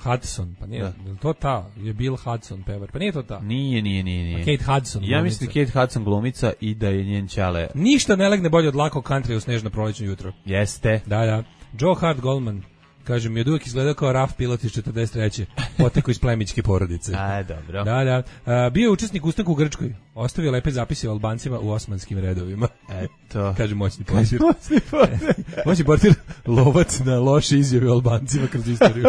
Hudson, pa nije, to je Bill Hudson pevar, pa nije to ta. Nije. Kate Hudson. Ja mislim da Kate Hudson glumica i da je njen ćale. Ništa ne legne bolje od lakog country u snežno prolećno jutro. Jeste. Da. Joe Hart Goldman, kažem, je od uvijek izgledao kao RAF pilot iz 43. Poteko iz plemićke porodice. Dobro. Da. Bio je učesnik ustanka u Grčkoj. Ostavio lepe zapise o Albancima u osmanskim redovima. Eto. Kaže moćni portir. Moćni portir, lovac na loše izjave o Albancima kroz istoriju.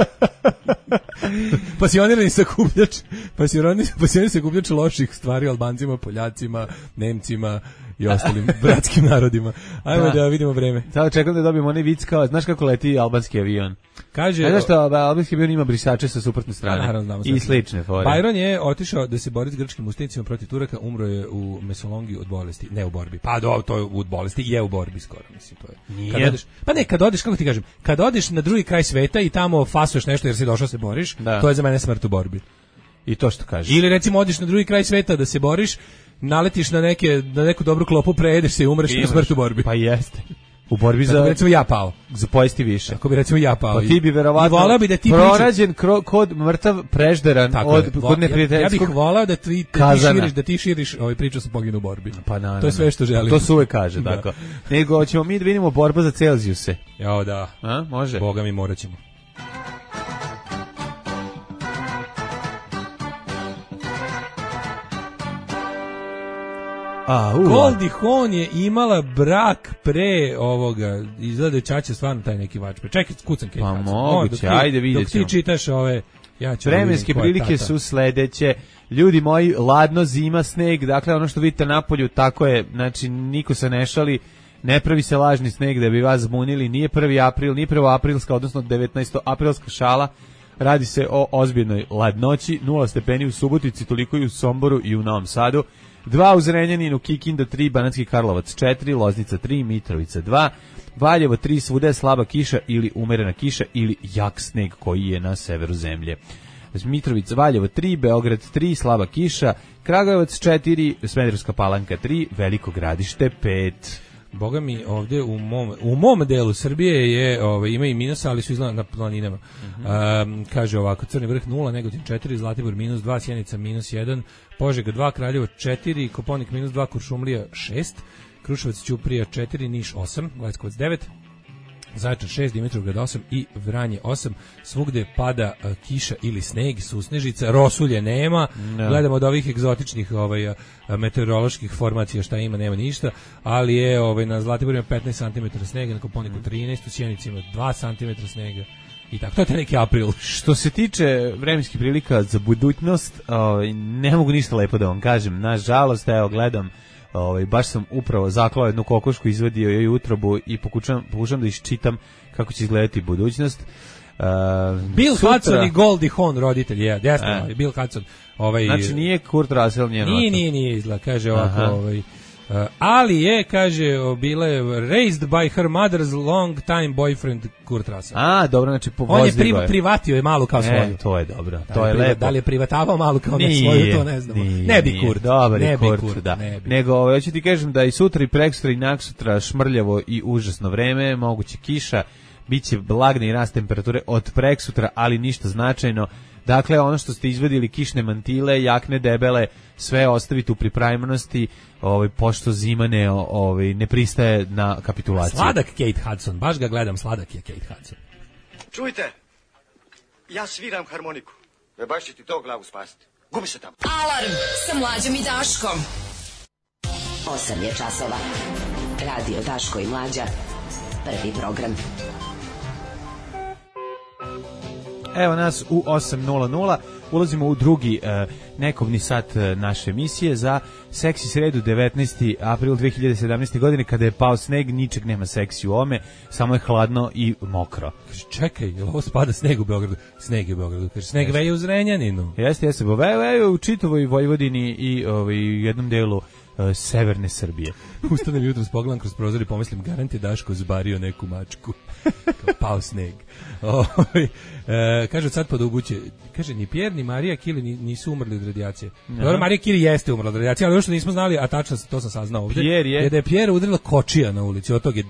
Pasionirani sakupljač. Pasionirani sakupljač loših stvari o Albancima, Poljacima, Nemcima i ostalim bratskim narodima. Ajmo da vidimo vreme. Sada čekam da dobijemo onaj vic kao, znaš kako leti albanski avion? Kaže, znaš što albanski avion ima brisače sa suprotne strane? Naravno, i slične fore. Byron je otišao da se bori s grčkim ustanicima protiv Turaka, umro je u Mesolongi od bolesti, ne u borbi. Pa to je u bolesti, je u borbi skoro, mislim, to je. Nije. Kad odeš, kako ti kažem, kad odeš na drugi kraj sveta i tamo fasuješ nešto jer si došao se boriš, to je za mene smrt u borbi. I to što kažeš. Ili recimo odeš na drugi kraj sveta da se boriš, naletiš na neku dobru klopu, prejedeš se i umreš na smrt u borbi. Pa jeste. U borbi za, recimo ja pao. Za pojesti više. Ako bi recimo ja pao. Pa ti bi verovatno bi da ti pronađen kod mrtav prežderan kod neprijateljskog. Ja bih volao da ti širiš priču sa poginu u borbi. Pa naravno. To je sve što želim. To se uvek kaže, tako. Nego ćemo mi da vidimo borba za Celzijuse. Jao da. A, može. Boga mi morat ćemo. Goldie Hawn je imala brak pre ovoga, izgleda da Čača stvarno taj neki vač. Čekaj, kucam Kate Hudson. Pa moguće, ajde vidjet ćemo. Dok ti čitaš ja ću vremenske prilike su sledeće. Ljudi moji, ladno, zima, sneg, dakle ono što vidite napolju, tako je, znači niko se ne šali, ne pravi se lažni sneg da bi vas zbunili, nije 1. april, nije 1. aprilska, odnosno 19. aprilska šala. Radi se o ozbiljnoj ladnoći, 0 stepeni u Subotici, toliko i u Somboru i u Novom Sadu. 2 u Zrenjaninu, Kikinda 3, Banatski Karlovac 4, Loznica 3, Mitrovica 2, Valjevo 3, svuda je slaba kiša ili umerena kiša ili jak sneg koji je na severu zemlje. Mitrovica, Valjevo 3, Beograd 3, slaba kiša, Kragujevac 4, Smederevska Palanka 3, Veliko Gradište 5. Boga mi ovdje u mom delu Srbije je ima i minus, ali su izgleda na planinama. Kaže ovako: Crni vrh 0, Negotin 4, Zlatibor minus 2, Sjenica minus 1, Požega 2, Kraljevo 4, Koponik minus 2, Kuršumlija 6, Kruševac, Ćuprija 4, Niš 8, Leskovac 9, Zaječar 6, Dimitrovgrad 8 i Vranje 8. Svugde pada kiša ili sneg, susnežica, rosulje nema. Gledamo od ovih egzotičnih meteoroloških formacija šta ima, nema ništa, ali je na Zlatiboru ima 15 cm snega, na Koponiku 13, u Sjenici ima 2 cm snega. I tako, to je neki april. Što se tiče vremenskih prilika za budućnost, ne mogu ništa lepo da vam kažem. Nažalost, evo, gledam, baš sam upravo zaklao jednu kokošku, izvadio joj utrobu i pokušam da iščitam kako će izgledati budućnost. Bill Hudson i Goldie Hawn, roditelj, Bill Hudson. Znači nije Kurt Russell njeno. Nije izgleda, kaže ovako, Ali je, kaže, bila je raised by her mother's long time boyfriend Kurt Russell. A, dobro, znači On je privatio je malu kao svoju. To je dobro, to je lepo. Da li je privatavao malu kao svoju, to ne znamo. Ne bi Kurt. Dobar je Kurt, Kurt, da. Ne bi. Nego, hoću ti kažem da i sutra i preksutra i naksutra šmrljavo i užasno vreme, moguće kiša, biće blagni rast temperature od preksutra, ali ništa značajno. Dakle, ono što ste izvadili, kišne mantile, jakne debele, sve ostavite u pripremnosti, pošto zima ne pristaje na kapitulaciju. Sladak Kate Hudson, baš ga gledam, sladak je Kate Hudson. Čujte, ja sviram harmoniku. Baš će ti to glavu spasiti. Gubi se tamo. Alarm sa Mlađom i Daškom. 8 je časova. Radio Daško i Mlađa. Prvi program. Evo nas u 8:00, ulazimo u drugi nekobni sat naše emisije za seksi sredu 19. april 2017. godine, kada je pao sneg, ničeg nema seksi u ome, samo je hladno i mokro. Kaže, čekaj, je ovo spada sneg u Beogradu? Sneg je u Beogradu, kaže, sneg veje u Zrenjaninu. Jeste, veje u čitavoj Vojvodini i jednom delu severne Srbije. Ustanem jutro, pogledam kroz prozor i pomislim, garant je Daško zbario neku mačku. Pao sneg. Kaže, od sad pa do ubuće, kaže, ni Pierre ni Marija Kili nisu umrli od radijacije. Dobro, Marija Kili jeste umrla od radijacije, ali ono što nismo znali, a tačno to sam saznao ovdje, je da je Pierre udarila kočija na ulici, od tog je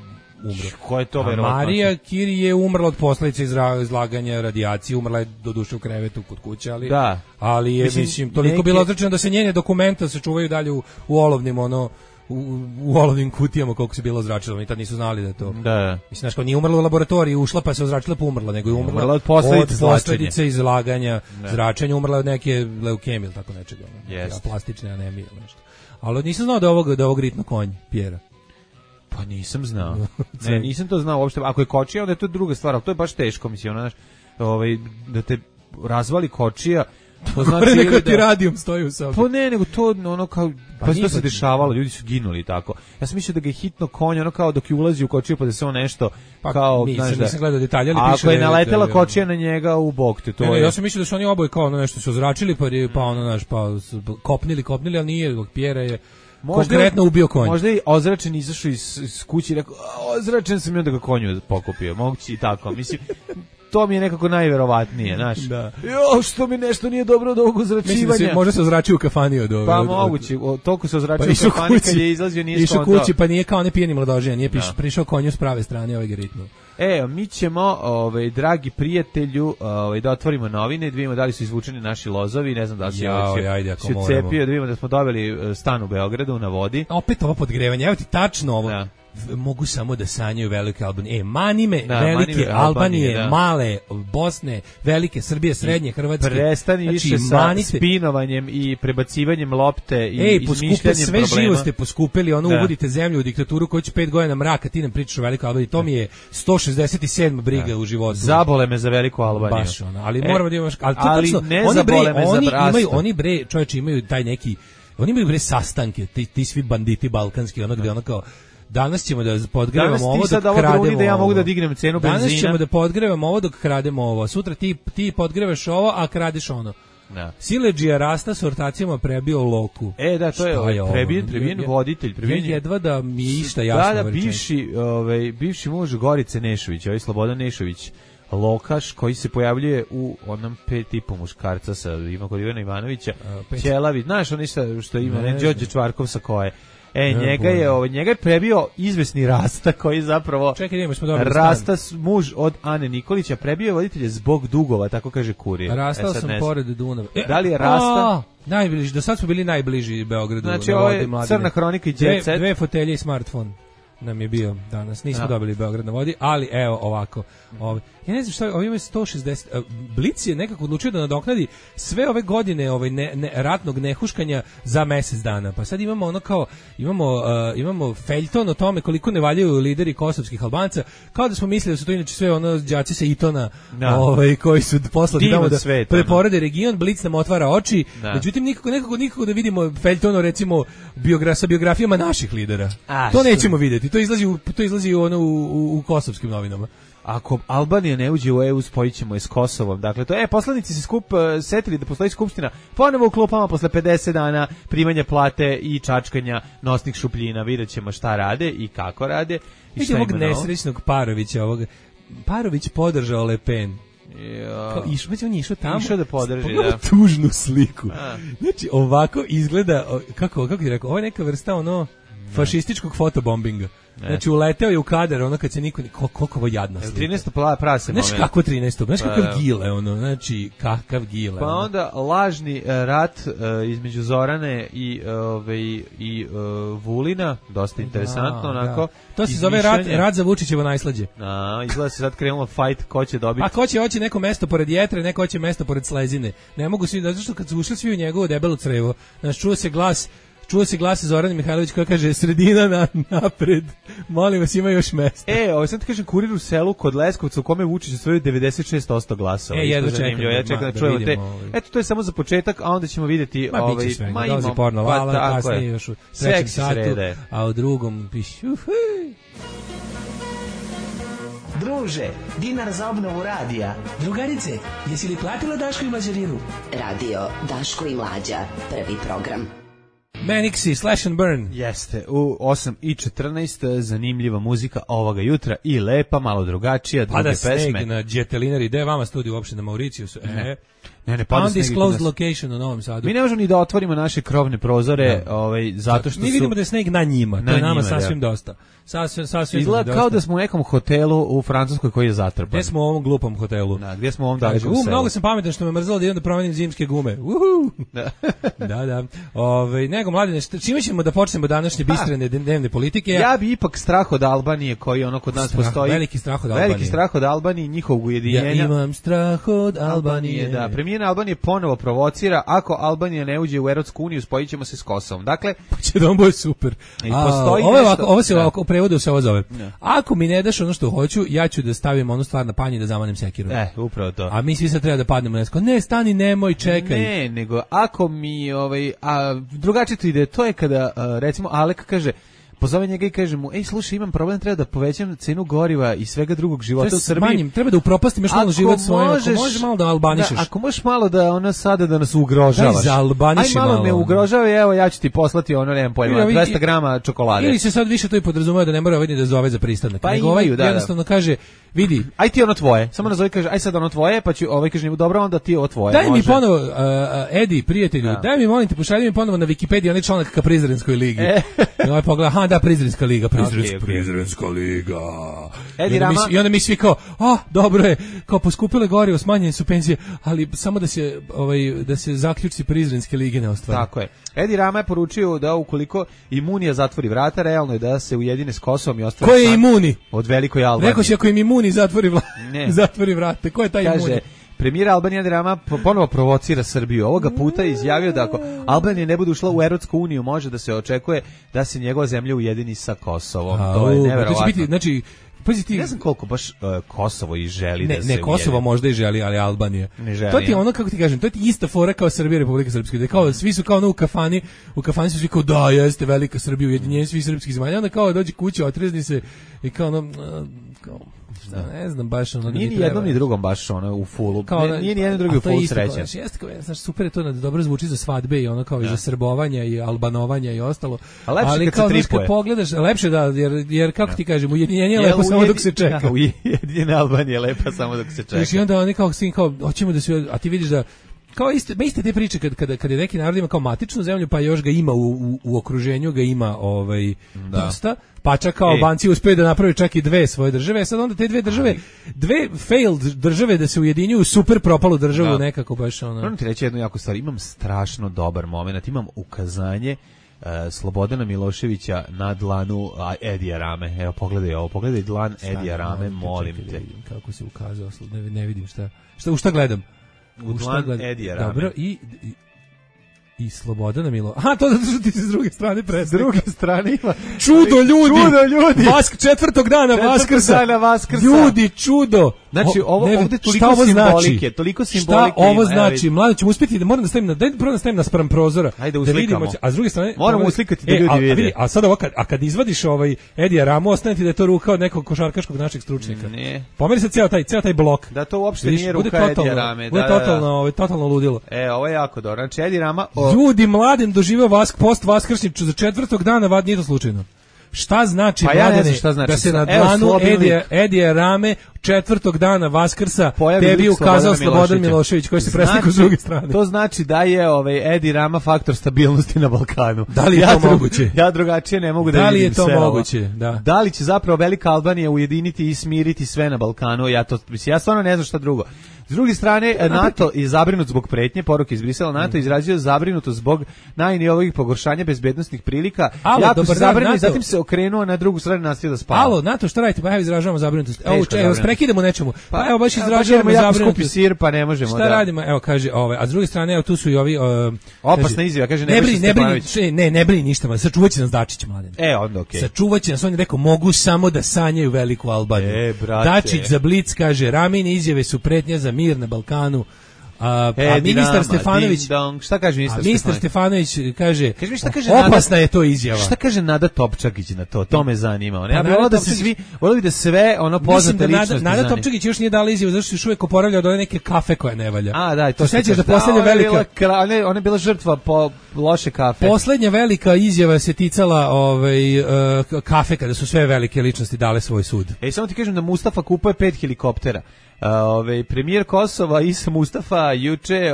umro. Ko je to verovatno? Marija Kiri je umrla od posledica izlaganja radijacije, umrla je doduše u krevetu kod kuće, ali da. Ali je mislim toliko bilo odrečeno da se njene dokumenta se čuvaju dalje u olovnim u olovnim kutijama koliko se bilo ozračilo, oni tad nisu znali da je to. Da. Mislim, znaš, kao nije umrla u laboratoriji, ušla pa se ozračila pa umrla, nego je umrla od posljedice izlaganja zračenja, umrla od neke leukemije ili tako nečega, plastične anemije ili nešto. Ali nisam znao da ovog ritno konj Pjera. Pa nisam znao. Ne, nisam to znao uopšte. Ako je kočija, onda je to druga stvar, ali to je baš teško, mislim, da te razvali kočija. To znači neka ti radijum stoji u sobi. Pa ne, nego to ono kao pa to se dešavalo, ljudi su ginuli tako. Ja sam mislio da ga je hitno konj, ono kao dok je ulazi u kočiju pa da se on nešto kao, znaš da. Nisam gledao detalje, ali piše. Ako je naletela kočija na njega u bok te, to je. Ja sam mislio da su oni oboje kao ono nešto su ozračili pa ono naš pa kopnili, ali nije, dok Pjera je konkretno ubio konj. Možda je ozračen izašao iz kuće i rekao, ozračen sam i onda ga konju pokupio. Moguće i tako, mislim. To mi je nekako najverovatnije, znaš. Da. Što mi nešto nije dobro od ovog ozračivanja. Mislim da se može se ozračio u kafani od ovog. Pa moguće, toliko se ozračio u kafani kad je izlazio, nije išao kući, pa nije kao ne pijeni mladoženja, nije prišao konju s prave strane ovaj ritmu. Mi ćemo, dragi prijatelju, da otvorimo novine, da vidimo da li su izvučeni naši lozovi, ne znam da li se cepio, da vidimo da smo dobili stan u Beogradu na vodi. Opet ovo podgrevanje, evo ti tačno ovo. Da. Mogu samo da sanjaju velike Albanije. Manime, velike Albanije, male Bosne, velike Srbije, srednje Hrvatske. Prestani više sa spinovanjem i prebacivanjem lopte i izmišljanjem problema. Sve živo ste poskupili, uvodite zemlju u diktaturu koju će 5 godina mraka, ti nam pričaš o velikoj Albaniji. To mi je 167 briga u životu. Zabole me za veliku Albaniju. Baš ali moramo da imamo... Ali ne zabole me za Brasto. Oni čovječe imaju taj neki... Oni imaju sastanke, ti svi banditi balkanski, gde ono kao... Danas ćemo da podgrevamo ovo dok krademo da ja mogu da dignem cenu benzina. Danas ćemo da podgrevamo ovo dok krademo ovo. Sutra ti podgrevaš ovo, a kradeš ono. Da. Siledžija Rasta s ortacijama prebio Loku. Da, to je prebijen voditelj. Jedva da mi je išta jasno. Da, bivši muž Gorice Nešović, Slobodan Nešović, Lokaš, koji se pojavljuje u onom 5,5 muškarca kod Ivana Ivanovića. Ćelavi, znaš on što ima, Đorđe Čvarkov sa koje. Njega je prebio izvesni Rasta koji zapravo Rasta muž od Ane Nikolića, prebio je voditelje zbog dugova, tako kaže Kurir. Rastao sam pored Dunava. Da li je Rasta? Najbliži, do sad smo bili najbliži Beogradu. Znači ovo je Crna hronika i Jet Set. Dve fotelje i smartfon nam je bio danas. Nismo dobili Beograd na vodi, ali evo ovako. Ja ne znam šta, ovo ima 160. Blic je nekako odlučio da nadoknadi sve ove godine ratnog nehuškanja za mesec dana. Pa sad imamo ono kao, imamo feljton o tome koliko ne valjaju lideri kosovskih Albanca, kao da smo mislili da su to inače sve đaci sa Itona, koji su poslali tamo da preporede region. Blic nam otvara oči, međutim nikako da vidimo feljtono recimo sa biografijama naših lidera. To nećemo vidjeti. To izlazi u kosovskim novinama. ako Albanija ne uđe u EU, spojit ćemo je s Kosovom. Dakle, to poslanici se setili da postoji skupština ponovo u klupama posle 50 dana primanja plate i čačkanja nosnih šupljina. Vidjet ćemo šta rade i kako rade. I šta ovog ima novo. nesrećnog Parovića, Parović podržao Le Pen. Ja. On je išao tamo. Išao da podrži, pogledaj da. tužnu sliku. Znači, ovako izgleda, kako ti rekao, ovo je neka vrsta fašističkog fotobombinga. Znači, uleteo je u kadar, kad se niko... Koliko ovo jadna slika. 13. prase moment. Znači, kako 13. Znači, kakav gile, znači, kakav gile. Pa onda lažni rat između Zorane i Vulina, dosta interesantno, onako. To se zove rat za Vučićevo najslađe. Izgleda se sad krenulo fight ko će dobiti. A ko će hoće neko mesto pored jetre, neko hoće mesto pored slezine. Ne mogu svi, zato što kad su ušli svi u njegovo debelo crevo, znači, čuo se glas Zorana Mihajlović koja kaže sredina napred, molim vas, ima još mesta. Sad ti kažem, Kurir u selu kod Leskovca u kome Vučić osvojio 96% glasova. Jedno čekam. Ja čekam da čujemo te. Eto, to je samo za početak, a onda ćemo vidjeti... biće svega, dolazi porno Lala, kasnije još u trećem satu, a u drugom piši... Druže, dinar za obnovu radija. Drugarice, jesi li platila Daško i Mlađarinu? Radio Daško i Mlađa, prvi program. Manixi, Slash and Burn. Jeste, u 8:14 zanimljiva muzika ovoga jutra i lepa, malo drugačija, druge pesme. Pada sneg na Džetelinari, gde je vama studiju uopšte na Mauricijusu? Ne, pada sneg. Undisclosed location u Novom Sadu. Mi ne možemo ni da otvorimo naše krovne prozore, zato što mi vidimo da je sneg na njima, to je nama sasvim dosta. Sasvim izgleda kao da smo u nekom hotelu u Francuskoj koji je zatrpan. Gde smo u ovom glupom hotelu? Gdje smo u ovom dalekom selu? Mnogo sam pametan što me mrzelo da idem da promenim zimske gume. Da. Nego, mladine, čime ćemo da počnemo današnje bistrene dnevne politike? Ja bi ipak strah od Albanije koji kod nas postoji. Veliki strah od Albanije. Njihovog ujedinjenja. Ja imam strah od Albanije. Da, premijer Albanije ponovo provocira, ako Albanija ne uđe u Evropsku uniju, spojit ćemo se s Kosovom. Dakle, će da on bude super. Ovo se ovako prevodu se ovo zove. Ako mi ne daš ono što hoću, ja ću da stavim onu stvar na panj i da zamanem sekiru. Upravo to. A mi svi sad treba da padnemo na ne, stani, nemoj, čekaj. Ne, nego ako mi drugačije to ide, to je kada recimo Alek kaže, pozove njega i kaže mu, slušaj, imam problem, treba da povećam cenu goriva i svega drugog života u Srbiji. Treba da upropastim još malo život svojim, ako možeš malo da albanišeš. Ako možeš malo da sada da nas ugrožavaš. Daj za albaniši malo. Aj malo me ugrožava, evo ja ću ti poslati nemam pojma, 200 grama čokolade. Ili se sad više to i podrazumeva da ne mora da zove za pristanak. Pa nego jednostavno kaže, vidi. Aj ti ono tvoje, samo nazovi kaže, aj sad ono tvoje, pa ću kaže njemu, dobro, onda ti ovo tvoje. Daj mi ponovo, Edi, prijatelju, daj mi, molim te, pošalji mi ponovo na Wikipediji onaj članak ka Prizrenskoj ligi. I pogleda, da, Prizrenska liga. Prizrenska liga. I onda mi svi kao, dobro je, kao poskupile gorivo, smanjene su penzije, ali samo da se zaključci Prizrenske lige ne ostvari. Tako je. Edi Rama je poručio da ukoliko Imunija zatvori vrata, realno je da se ujedine s Kosovom i ostvari. Ko je Imuni? Od Velikoj Albanije. Rekao si ako im Imuni zatvori vrata. Ko je taj Imuni? Premijer Albanije Edi Rama ponovo provocira Srbiju. Ovoga puta je izjavio da ako Albanija ne bude ušla u Evropsku uniju, može da se očekuje da se njegova zemlja ujedini sa Kosovom. To je neverovatno. To će biti, znači, ne znam koliko baš Kosovo i želi da se ne, Kosovo možda i želi, ali Albanija. Ne želi. To ti je ono, kako ti kažem, to je ti ista fora kao Srbija, Republika Srpska. Da kao, svi su kao u kafani su svi kao, da, jeste velika Srbija, ujedinjenje svih srpskih zemalja. Onda kao dođe kuća, otrezni se i kao ne znam baš nije ni jednom ni drugom baš u fullu. Nije ni jedan drugi u fullu srećan. Jeste, super je to da dobro zvuči za svadbe i ono kao i za srbovanja i albanovanja i ostalo. Ali kao kad pogledaš, lepše da, jer kako ti kažem, ujedinjenje je lepo samo dok se čeka. Ujedinjena Albanija je lepa samo dok se čeka. I onda oni kao hoćemo da se, a ti vidiš da kao iste te priče kad je neki narod ima kao matičnu zemlju, pa još ga ima u okruženju, ga ima dosta, pa čak kao Albanci uspeju da naprave čak i dve svoje države, sad onda te dve države, dve failed države da se ujedinjuju super propalu državu nekako baš ono. Moram ti reći jednu jako stvar, imam strašno dobar moment, imam ukazanje Slobodana Miloševića na dlanu Edija Rame. Evo pogledaj dlan Edija Rame, molim te. Kako se ukazao, ne vidim u šta gledam. U dlan Edija Rame. Dobro, i Slobodana Milo. Aha, to zato što ti se s druge strane preslikao. S druge strane ima. Čudo ljudi! Četvrtog dana Vaskrsa. Vaskrsa. Ljudi, čudo! Znači, ovde toliko simbolike. Šta ovo znači? Mlade, ćemo uspjeti da moram da stavim na spram prozora. Ajde, da uslikamo. vidimo, a s druge strane moramo uslikati da ljudi vide. A sad ovo kad izvadiš Edija Ramu, ostane ti da je to ruka od nekog košarkaškog našeg stručnjaka. Ne. Pomeri se ceo taj blok. Da to uopšte nije ruka Edija Rame. Bude totalno ludilo. Ovo je jako dobro. Znači, Edi Rama... Ljudi, Mladen doživeo post vaskršnjicu za 4. dana, nije to slučajno. Šta znači, Mladene, da se na dlanu Edija Rame 4. dana Vaskrsa tebi ukazao Slobodan Milošević, koji se preslikao s druge strane? To znači da je Edi Rama faktor stabilnosti na Balkanu. Da li je to moguće? Ja drugačije ne mogu da vidim. Da li je to moguće? Da li će zapravo Velika Albanija ujediniti i smiriti sve na Balkanu? Ja stvarno ne znam šta drugo. S druge strane, NATO je zabrinut zbog pretnje, poruke iz Brisela, NATO izrazio zabrinutost zbog najnovijih pogoršanja bezbednosnih prilika. Jako se zabrinuo i zatim se okrenuo na drugu stranu, nastavio da spava. Alo, NATO, šta radite? Pa evo izražavamo zabrinutost. Evo, prekidamo nečemu. Pa evo baš izražavamo zabrinutost. Skupi sir, pa ne možemo. Šta radimo? Evo kaže, a s druge strane, evo tu su i ovi opasna izjava, kaže Nebojša Stefanović. Ne brini ništa, sačuvaće nas Dačić, Mladen. Onda okej. Sačuvaće nas, on je rekao, mogu samo da sanjaju veliku Albaniju. Dačić za Blic kaže, Ramine izjave su pretnja za mir na Balkanu. A ministar Stefanović, šta kaže ministar Stefanović kaže, opasna je to izjava. Šta kaže Nada Topčagić na to? To me zanima. Ja bih volio da sve poznate ličnosti. Nada Topčagić još nije dala izjavu, zato što još uvijek oporavlja od one neke kafe koja ne valja. To sećaš da poslednja velika, ona je bila žrtva po loše kafe. Poslednja velika izjava se ticala kafe, kada su sve velike ličnosti dale svoj sud. Samo ti kažem da Mustafa kupuje 5 helikoptera. Premijer Kosova Isa Mustafa juče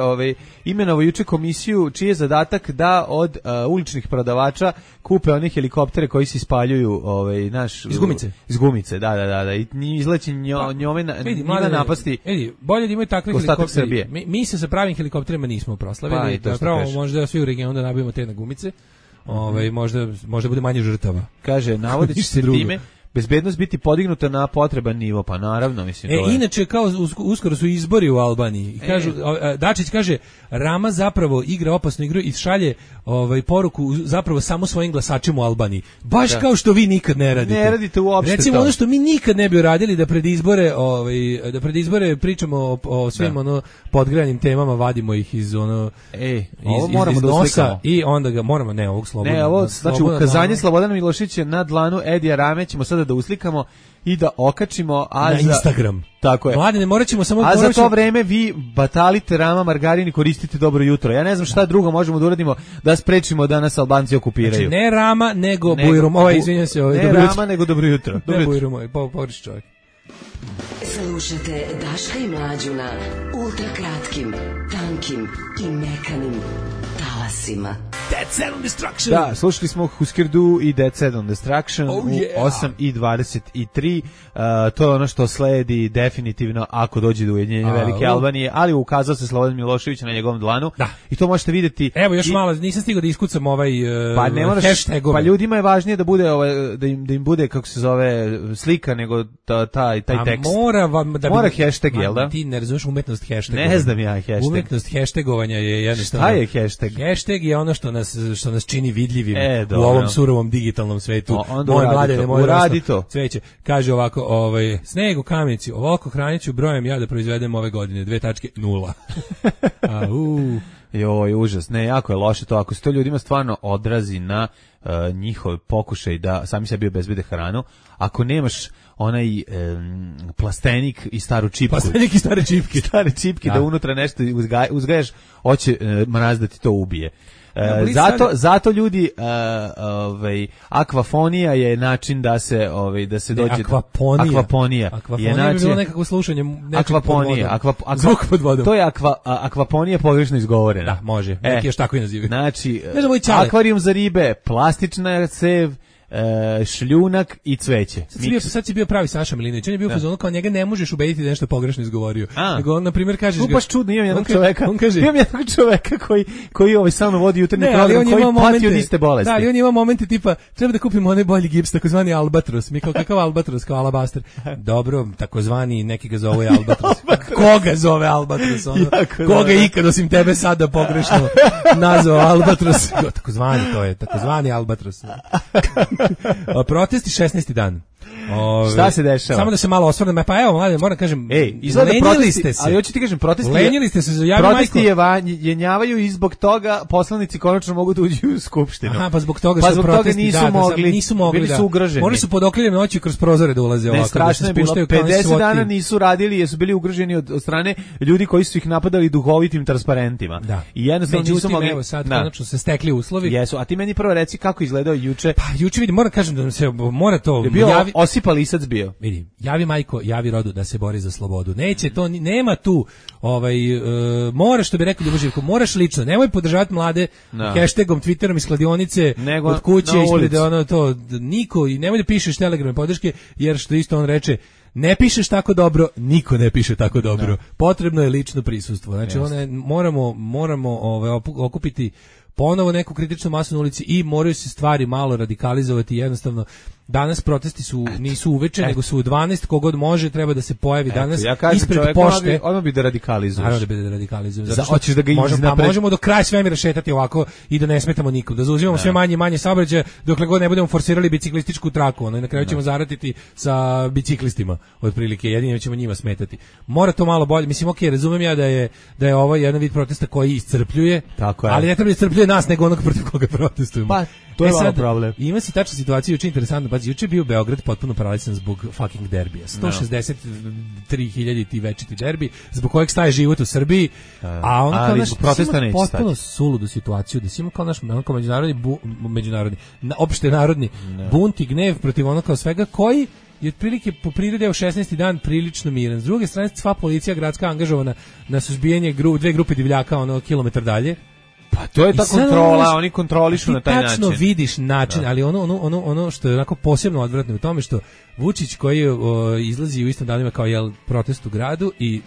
imenovao juče komisiju čiji je zadatak da od uličnih prodavača kupe one helikoptere koji se ispaljuju iz gumice, da i izleće njome na napasti. Bolje da imaju takve helikoptere. Mi se sa pravim helikopterima nismo proslavili, pravo možda svi u regionu da nabijemo te na gumice. Možda bude manje žrtava. Kaže, navodići se time bezbednost biti podignuta na potreban nivo, pa naravno, mislim. Inače, kao uskoro su izbori u Albaniji. Kažu, Dačić kaže, Rama zapravo igra opasnu igru i šalje poruku zapravo samo svojim glasačima u Albaniji. Baš kao što vi nikad ne radite. Ne radite uopšte. Recimo, ono što mi nikad ne bi uradili da pred izbore pričamo o svim podgranim temama, vadimo ih iz iz nosa i onda ga moramo, ovog Slobodana. Ovo, znači, ukazanje Slobodana Miloševića na dlanu Edija Rame ćemo sada da uslikamo i da okačimo na Instagram. Tako je. Mladene, morat ćemo samo... za to vreme vi batalite Rama, margarini, koristite dobro jutro. Ja ne znam šta drugo možemo da uradimo da sprečimo da nas Albanci okupiraju. Znači, ne Rama, nego Bujrum. Izvinjam se. Ne Rama, nego dobro jutro. Ne Bujrum, pogreši čovjek. Slušate Daška i Mlađu na ultrakratkim, tankim i mekanim talasima. Dead Set on Destruction. Da, slušali smo Husker Du i Dead Set on Destruction u 8:23. To je ono što sledi definitivno ako dođe do ujedinjenja Velike Albanije, ali ukazao se Slobodan Milošević na njegovom dlanu. Da. I to možete vidjeti. Evo još malo, nisam stigao da iskucam hashtagove. Pa ljudima je važnije da bude da im bude, kako se zove, slika nego taj tekst. Mora hashtag, jel da? Ti ne razumeš umetnost hashtagovanja. Ne znam ja hashtag. Umetnost hashtagovanja je jednostavno. Šta je hashtag? Hashtag je ono što nas čini vidljivim u ovom surovom digitalnom svetu. Moje Mladene, uradi to. Cveće. Kaže ovako, sneg u Kamenici, ovoliko hranjeću brojem ja da proizvedem ove godine, 2.0. Joj, užas. Ne, jako je loše to. Ako se to ljudima stvarno odrazi na njihov pokušaj da sami sebi obezbede hranu, ako nemaš onaj plastenik i staru čipku. Plastenik i stare čipke. Stare čipke da unutra nešto uzgajaš, hoće mraz da ti to ubije. Zato ljudi akvafonija je način da se dođe akvaponija je način, bi bilo nekako slušanje zvuk pod vodom. To je akvaponija pogrešno izgovorena. Da, može. Neki još tako i nazivaju. Znači, akvarijum za ribe, plastična cev, šljunak i cveće. Sad si bio pravi Saša Milinović. On je bio u fazonu kao njega ne možeš ubediti da nešto pogrešno izgovorio. Nego on, na primjer, kažeš ga... baš čudno, imam jednog čoveka koji samo vodi jutarnji program, koji pati od iste bolesti. Da, ali on ima momente tipa, treba da kupimo onaj bolji gips, takozvani albatros. Mi kao kakav albatros, kao alabaster. Dobro, takozvani, neki ga zove albatros. Koga zove albatros? Koga ikad osim tebe sada pogrešno nazvao albatros? Takozvani, to je, takozvani albatros. Protesti 16. dan. Šta se dešava? Samo da se malo osvrnem, pa evo, mlade, moram kažem, izgleda protesti, ali hoću ti kažem, lenjili ste se za javi protesti jenjavaju i zbog toga poslanici konačno mogu da uđu u skupštinu. Aha, pa zbog toga su protesti, nisu mogli, bili su ugroženi. Morali su pod okriljem noći kroz prozore da ulaze ovako. Strašno je bilo, 50 dana nisu radili jer su bili ugroženi od strane ljudi koji su ih napadali duhovitim transparentima. Da. I jednostavno nisu mogli. Evo sad konačno se stekli uslovi. Jesu, a ti meni prvo reci kako izgledao juče. Pa juče vidim, moram kažem da se mora to Osipa Lisac bio. Vidi, javi majko, javi rodu da se bori za slobodu. Neće to, nema tu, moraš, što bi rekao Ljubo Živko, moraš lično, nemoj podržavati mlade hashtagom, Twitterom iz kladionice, od kuće, ispred niko, i nemoj da pišeš telegrame podrške, jer što isto on reče, ne pišeš tako dobro, niko ne piše tako dobro. Potrebno je lično prisustvo. Znači, moramo okupiti ponovo neku kritičnu masu na ulici i moraju se stvari malo radikalizovati. Jednostavno, danas protesti nisu uveče, nego su u 12, kogod može, treba da se pojavi danas ispred pošte. Odmah bi da radikalizuješ. Naravno da bi da radikalizuješ. Hoćeš da ga možemo do kraja svemira šetati ovako i da ne smetamo nikom, da zauzimamo sve manje i manje saobraćaja dokle god ne budemo forsirali biciklističku traku, i na kraju ćemo zaratiti sa biciklistima, otprilike, jedino ćemo njima smetati. Mora to malo bolje, mislim, razumem ja da je ovo jedan vid protesta koji iscrpljuje, ali ne treba da iscrpljuje nas, nego onog protiv koga protestujemo. Pa, to je malo problem. Ima se tačna situacija, juče interesantno, pa juče je bio Beograd potpuno paralisan zbog fucking derbija. 163.000 ti večiti derbi, zbog kojeg staje život u Srbiji, a ono kao naš potpuno suludu situaciju, da si ima kao naš međunarodni, opšte narodni bunt i gnev protiv ono kao svega, koji je otprilike po prirodi u 16. dan prilično miran. S druge strane, sva policija gradska angažovana na suzbijanje dve grupe divljaka kilometar dalje. Pa to je ta kontrola, oni kontrolišu na taj način. Ti tačno vidiš način, ali ono što je onako posebno odvratno u tome što Vučić koji izlazi u istom danima kao protest u gradu i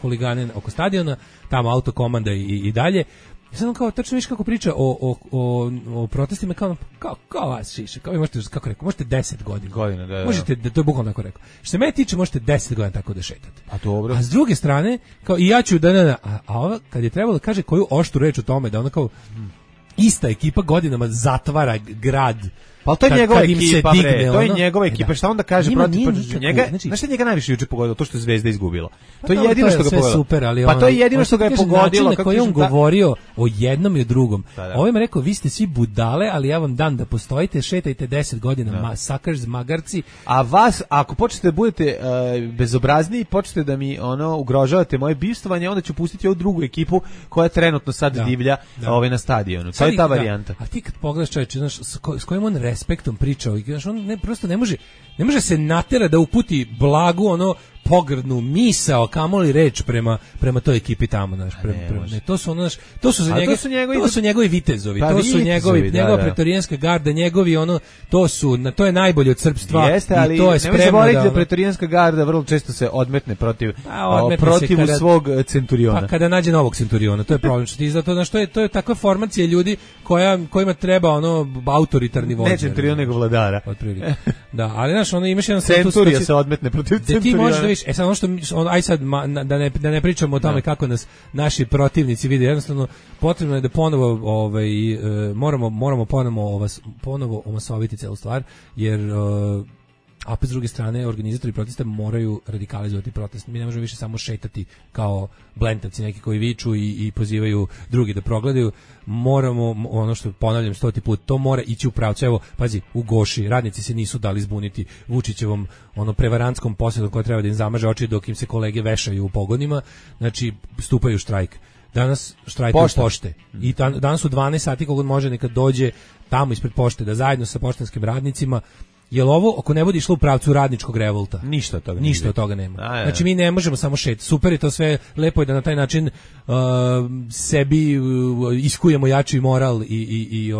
huligane oko stadiona, tamo autokomanda i dalje. Sad on kao tačno viš kako priča o protestima kao vas šiše, kao vi možete, kako rekao, možete 10 godina. Da. Možete, to je bukvalno tako rekao. Što se mene tiče, možete 10 godina tako da šetate. A dobro. A s druge strane, kao i ja ću a ova kad je trebalo da kaže koju oštru reč o tome, da ona kao ista ekipa godinama zatvara grad. Pa to je njegova ekipa, to je njegova ekipa. ekipa, šta onda kaže protiv njega? Znaš šta njega najviše juče pogodilo? To što je Zvezda izgubila. To je jedino što ga pogodilo. Super, ali pa to je jedino što ga je pogodilo. Kako je on govorio o jednom i o drugom. Ovaj mi rekao, vi ste svi budale, ali ja vam dam da postojite, šetajte 10 godina, sakrš, magarci. A vas, ako počnete da budete bezobrazniji, počnete da mi ugrožavate moje bivstvovanje, onda ću pustiti ovu drugu ekipu koja trenutno sad divlja na stadionu. To je ta varijanta. A ti kad pogledaš, čoveče, s kojim on respektom pričao, on prosto ne može se natera da uputi blagu pogrdnu misao, kamoli reč prema toj ekipi tamo, to su njegovi vitezovi, to su njegova pretorijanska garda, njegovi to je najbolje od srpstva. Jeste, ali to je nemoj zaboraviti da pretorijanska garda vrlo često se odmetne protiv svog centuriona. Pa kada nađe novog centuriona, to je problem, to je takva formacija ljudi kojima treba autoritarni vođa. Ne centurion, nego vladara. Otprilike. Da, ali imaš jedan centurija se odmetne protiv centuriona. Da ne pričamo o tome kako nas naši protivnici vide, jednostavno potrebno je da ponovo moramo ponovo omasoviti celu stvar, jer a s druge strane organizatori protesta moraju radikalizovati protest. Mi ne možemo više samo šetati kao blentavci neki koji viču i pozivaju drugi da progledaju. Moramo, ono što ponavljam 100. put, to mora ići u pravcu. Evo, pazi, u Goši radnici se nisu dali zbuniti Vučićevom prevarantskom posjedom koja treba da im zamaže oči dok im se kolege vešaju u pogonima. Znači, stupaju u štrajk. Danas štrajkuju pošte. I danas u 12 sati kogod može neka dođe tamo ispred pošte da zajedno sa poštanskim radnicima. Jel ovo, ako ne bude išlo u pravcu radničkog revolta? Ništa od toga nema. Znači, mi ne možemo samo šetati. Super je to sve, lepo je da na taj način sebi iskujemo jači moral i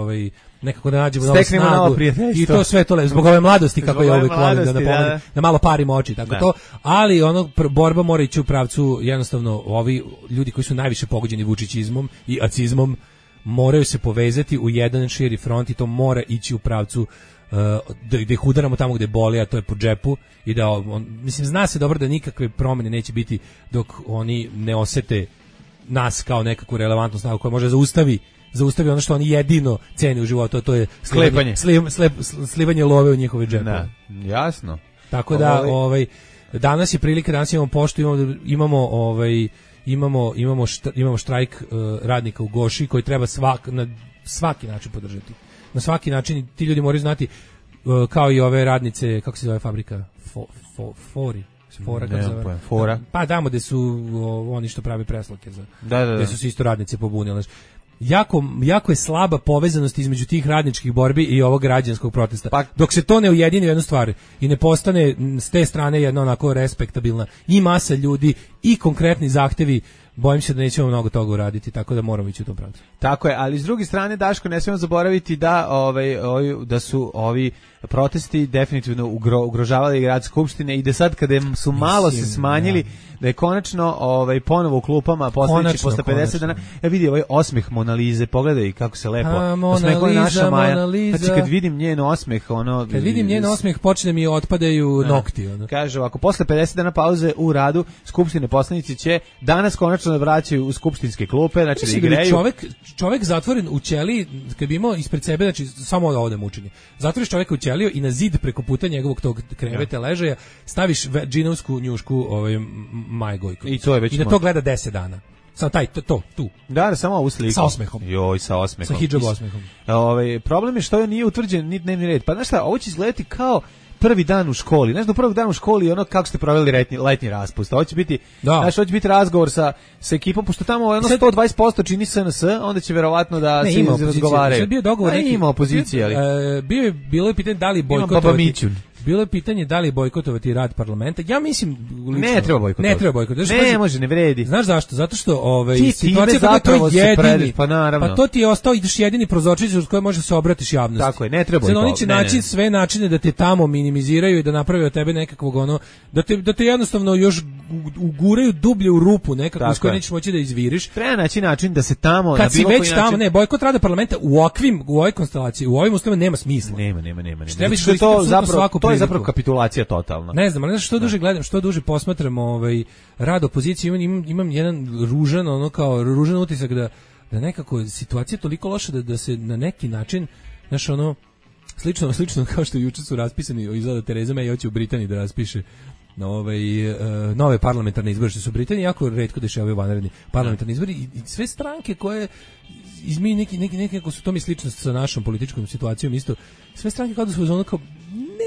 nekako da nađemo novu snagu. I to sve to lepo. Zbog ove mladosti, kako je uvijek volim da napomenem, da malo parimo oči, tako to. Ali borba mora ići u pravcu, jednostavno, ovi ljudi koji su najviše pogođeni vučićizmom i acizmom moraju se povezati u jedan širi front i to mora ići u pravcu da ih udaramo tamo gde boli, a to je po džepu i da mislim, zna se dobro da nikakve promjene neće biti dok oni ne osete nas kao nekakvu relevantnu snagu koja može zaustavi ono što oni jedino cene u životu, a to je slivanje love u njihove džepove. Jasno. Tako da, danas je prilika, danas imamo poštu, imamo štrajk radnika u Goši koji treba na svaki način podržati. Na svaki način ti ljudi moraju znati, kao i ove radnice, kako se zove fabrika? Fora. Pa damo gde su oni što pravi presloke gde su se isto radnice pobunile. Jako je slaba povezanost između tih radničkih borbi i ovog građanskog protesta. Pa, dok se to ne ujedini u jednu stvar i ne postane s te strane jedna onako respektabilna i masa ljudi i konkretni zahtevi, bojim se da nećemo mnogo toga uraditi, tako da moramo ići u tom pravcu. Tako je, ali s druge strane, Daško, ne smijemo zaboraviti da su ovi protesti definitivno ugrožavali grad Skupštine i da sad kada su malo se smanjili, da je konačno ponovo u klupama postojeći posle 50 dana. Vidi ovaj osmeh Monalize, pogledaj kako se lepo osmehuje naša Maja. Znači kad vidim njen osmeh, kad vidim njen osmeh počne mi otpadaju nokti. Kaže ovako, posle 50 dana pauze u radu Skupštine poslanici će danas konačno da vraćaju u skupštinske klupe, znači da igraju. Čovek zatvoren u ćeliji, kad bi imao ispred sebe, znači samo ovde mučenje. Zatvoriš čoveka u ćeliju i na zid preko puta njegovog tog kreveta ležaja staviš džinovsku njušku Maje Gojković. I to je već i da to gleda 10 dana. Samo tu. Da, samo ovu sliku. Sa osmehom. Joj, sa osmehom. Sa hidžab osmehom. Problem je što nije utvrđen ni dnevni red. Pa znaš šta, ovo će izgledati kao prvi dan u školi. Znaš, do prvog dana u školi ono kako ste proveli letnji raspust. Ovo će biti, hoće biti razgovor sa ekipom, pošto tamo 120% čini SNS, onda će verovatno da se razgovaraju. Sad bio dogovor neki. Ima opozicije, ali bilo je pitanje da li bojkotovati. Bilo je pitanje da li bojkotovati rad parlamenta. Ja mislim lično, ne treba bojkotovati. Ne može, ne vredi. Znaš zašto? Zato što situacija zapravo se jedini. Pa naravno. Pa to ti je ostao, ideš jedini prozorčić uz koji možeš se obratiš javnosti. Tako je, ne treba bojkotovati. Oni će naći sve načine da te tamo minimiziraju i da naprave od tebe nekakvog da te jednostavno još uguraju dublje u rupu nekako s kojoj nećeš moći da izviriš. Treba naći način da se tamo kad si već tamo, ne, bojkot rada parlamenta u ovoj konstelaciji, u ovim uslovima nema smisla. Nema. To je zapravo kapitulacija totalna. Ne znam, ali što duže gledam, što duže posmatram rad opozicije, imam jedan ružan utisak da nekako situacija je toliko loša da se na neki način, znaš, slično kao što juče su raspisani, izgleda Tereza May hoće u Britaniji da raspiše nove parlamentarne izbore, što su u Britaniji jako retko dešavaju vanredni parlamentarni izbori i sve stranke koje izmiju neki su to mi slično sa našom političkom situacijom isto, sve stranke kao da su ono kao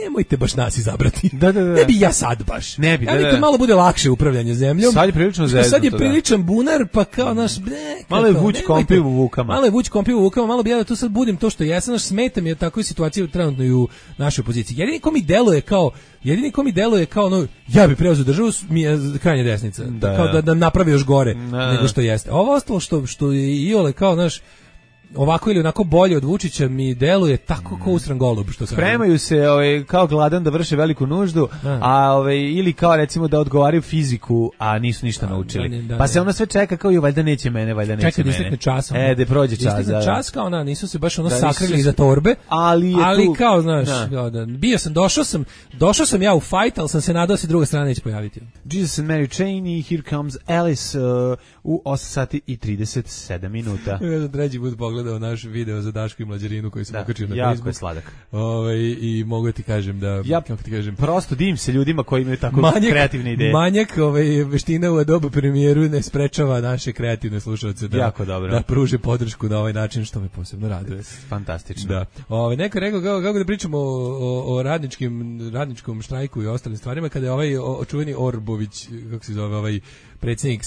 nemojte baš nas izabrati. Ne bi ja sad baš. Ne bi. Kad malo bude lakše upravljanje zemljom. Sad je prilično zeznuto. Sad je priličan bunar, pa kao naš malo je vuć kompiv u vukama. Malo bi ja da tu sad budim to što jesam, naš smeta mi je takva situacija trenutno i u našoj opoziciji. Jedini ko mi deluje kao ja bi preuzeo državu, mi je krajnja desnica. Kao da napravi još gore nego što jeste. Ovo ostalo što je iole kao naš ovako ili onako bolje od Vučića mi deluje tako kao usran golub, što spremaju se kao gladan da vrše veliku nuždu, ili kao recimo da odgovaraju fiziku, a nisu ništa naučili. Pa se ono sve čeka kao valjda neće mene. Čeka da istekne čas. Da prođe čas. Istekne čas kao nisu se baš sakrili iza torbe, ali kao znaš, došao sam ja u fight, ali sam se nadao se druga strana neće pojaviti. Jesus and Mary Chain i Here Comes Alice u 8 sati i 37 minuta. Treći put pogledao naš video za Daško i Mlađarinu koji sam ukačio na jako Facebook. Je sladak. I mogu ti kažem da kako ti kažem, prosto divim se ljudima koji imaju tako kreativne ideje. Manjak veština u Adobe premijeru ne sprečava naše kreativne slušaoce da pruže podršku na ovaj način, što me posebno raduje. Fantastično. Da. Neko rekao kako da pričamo o radničkom štrajku i ostalim stvarima kada je ovaj čuveni Orbović, kako se zove predsjednik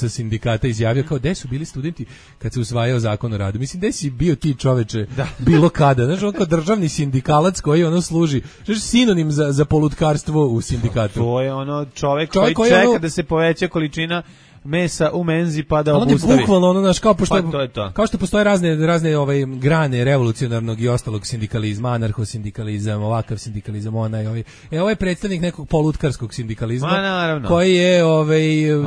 sindikata izjavio kao gde su bili studenti kad se usvajao zakon o radu. Mislim, gde si bio ti čoveče bilo kada? Znaš, on kao državni sindikalac koji služi, znaš, sinonim za polutkarstvo u sindikatu. To je čovek koji čeka da se poveća količina mesa u menzi pa da obustavi. Bukvalno kao što postoje razne grane revolucionarnog i ostalog sindikalizma, anarhosindikalizam, ovakav sindikalizam, ovo je predstavnik nekog polutkarskog sindikalizma, koji je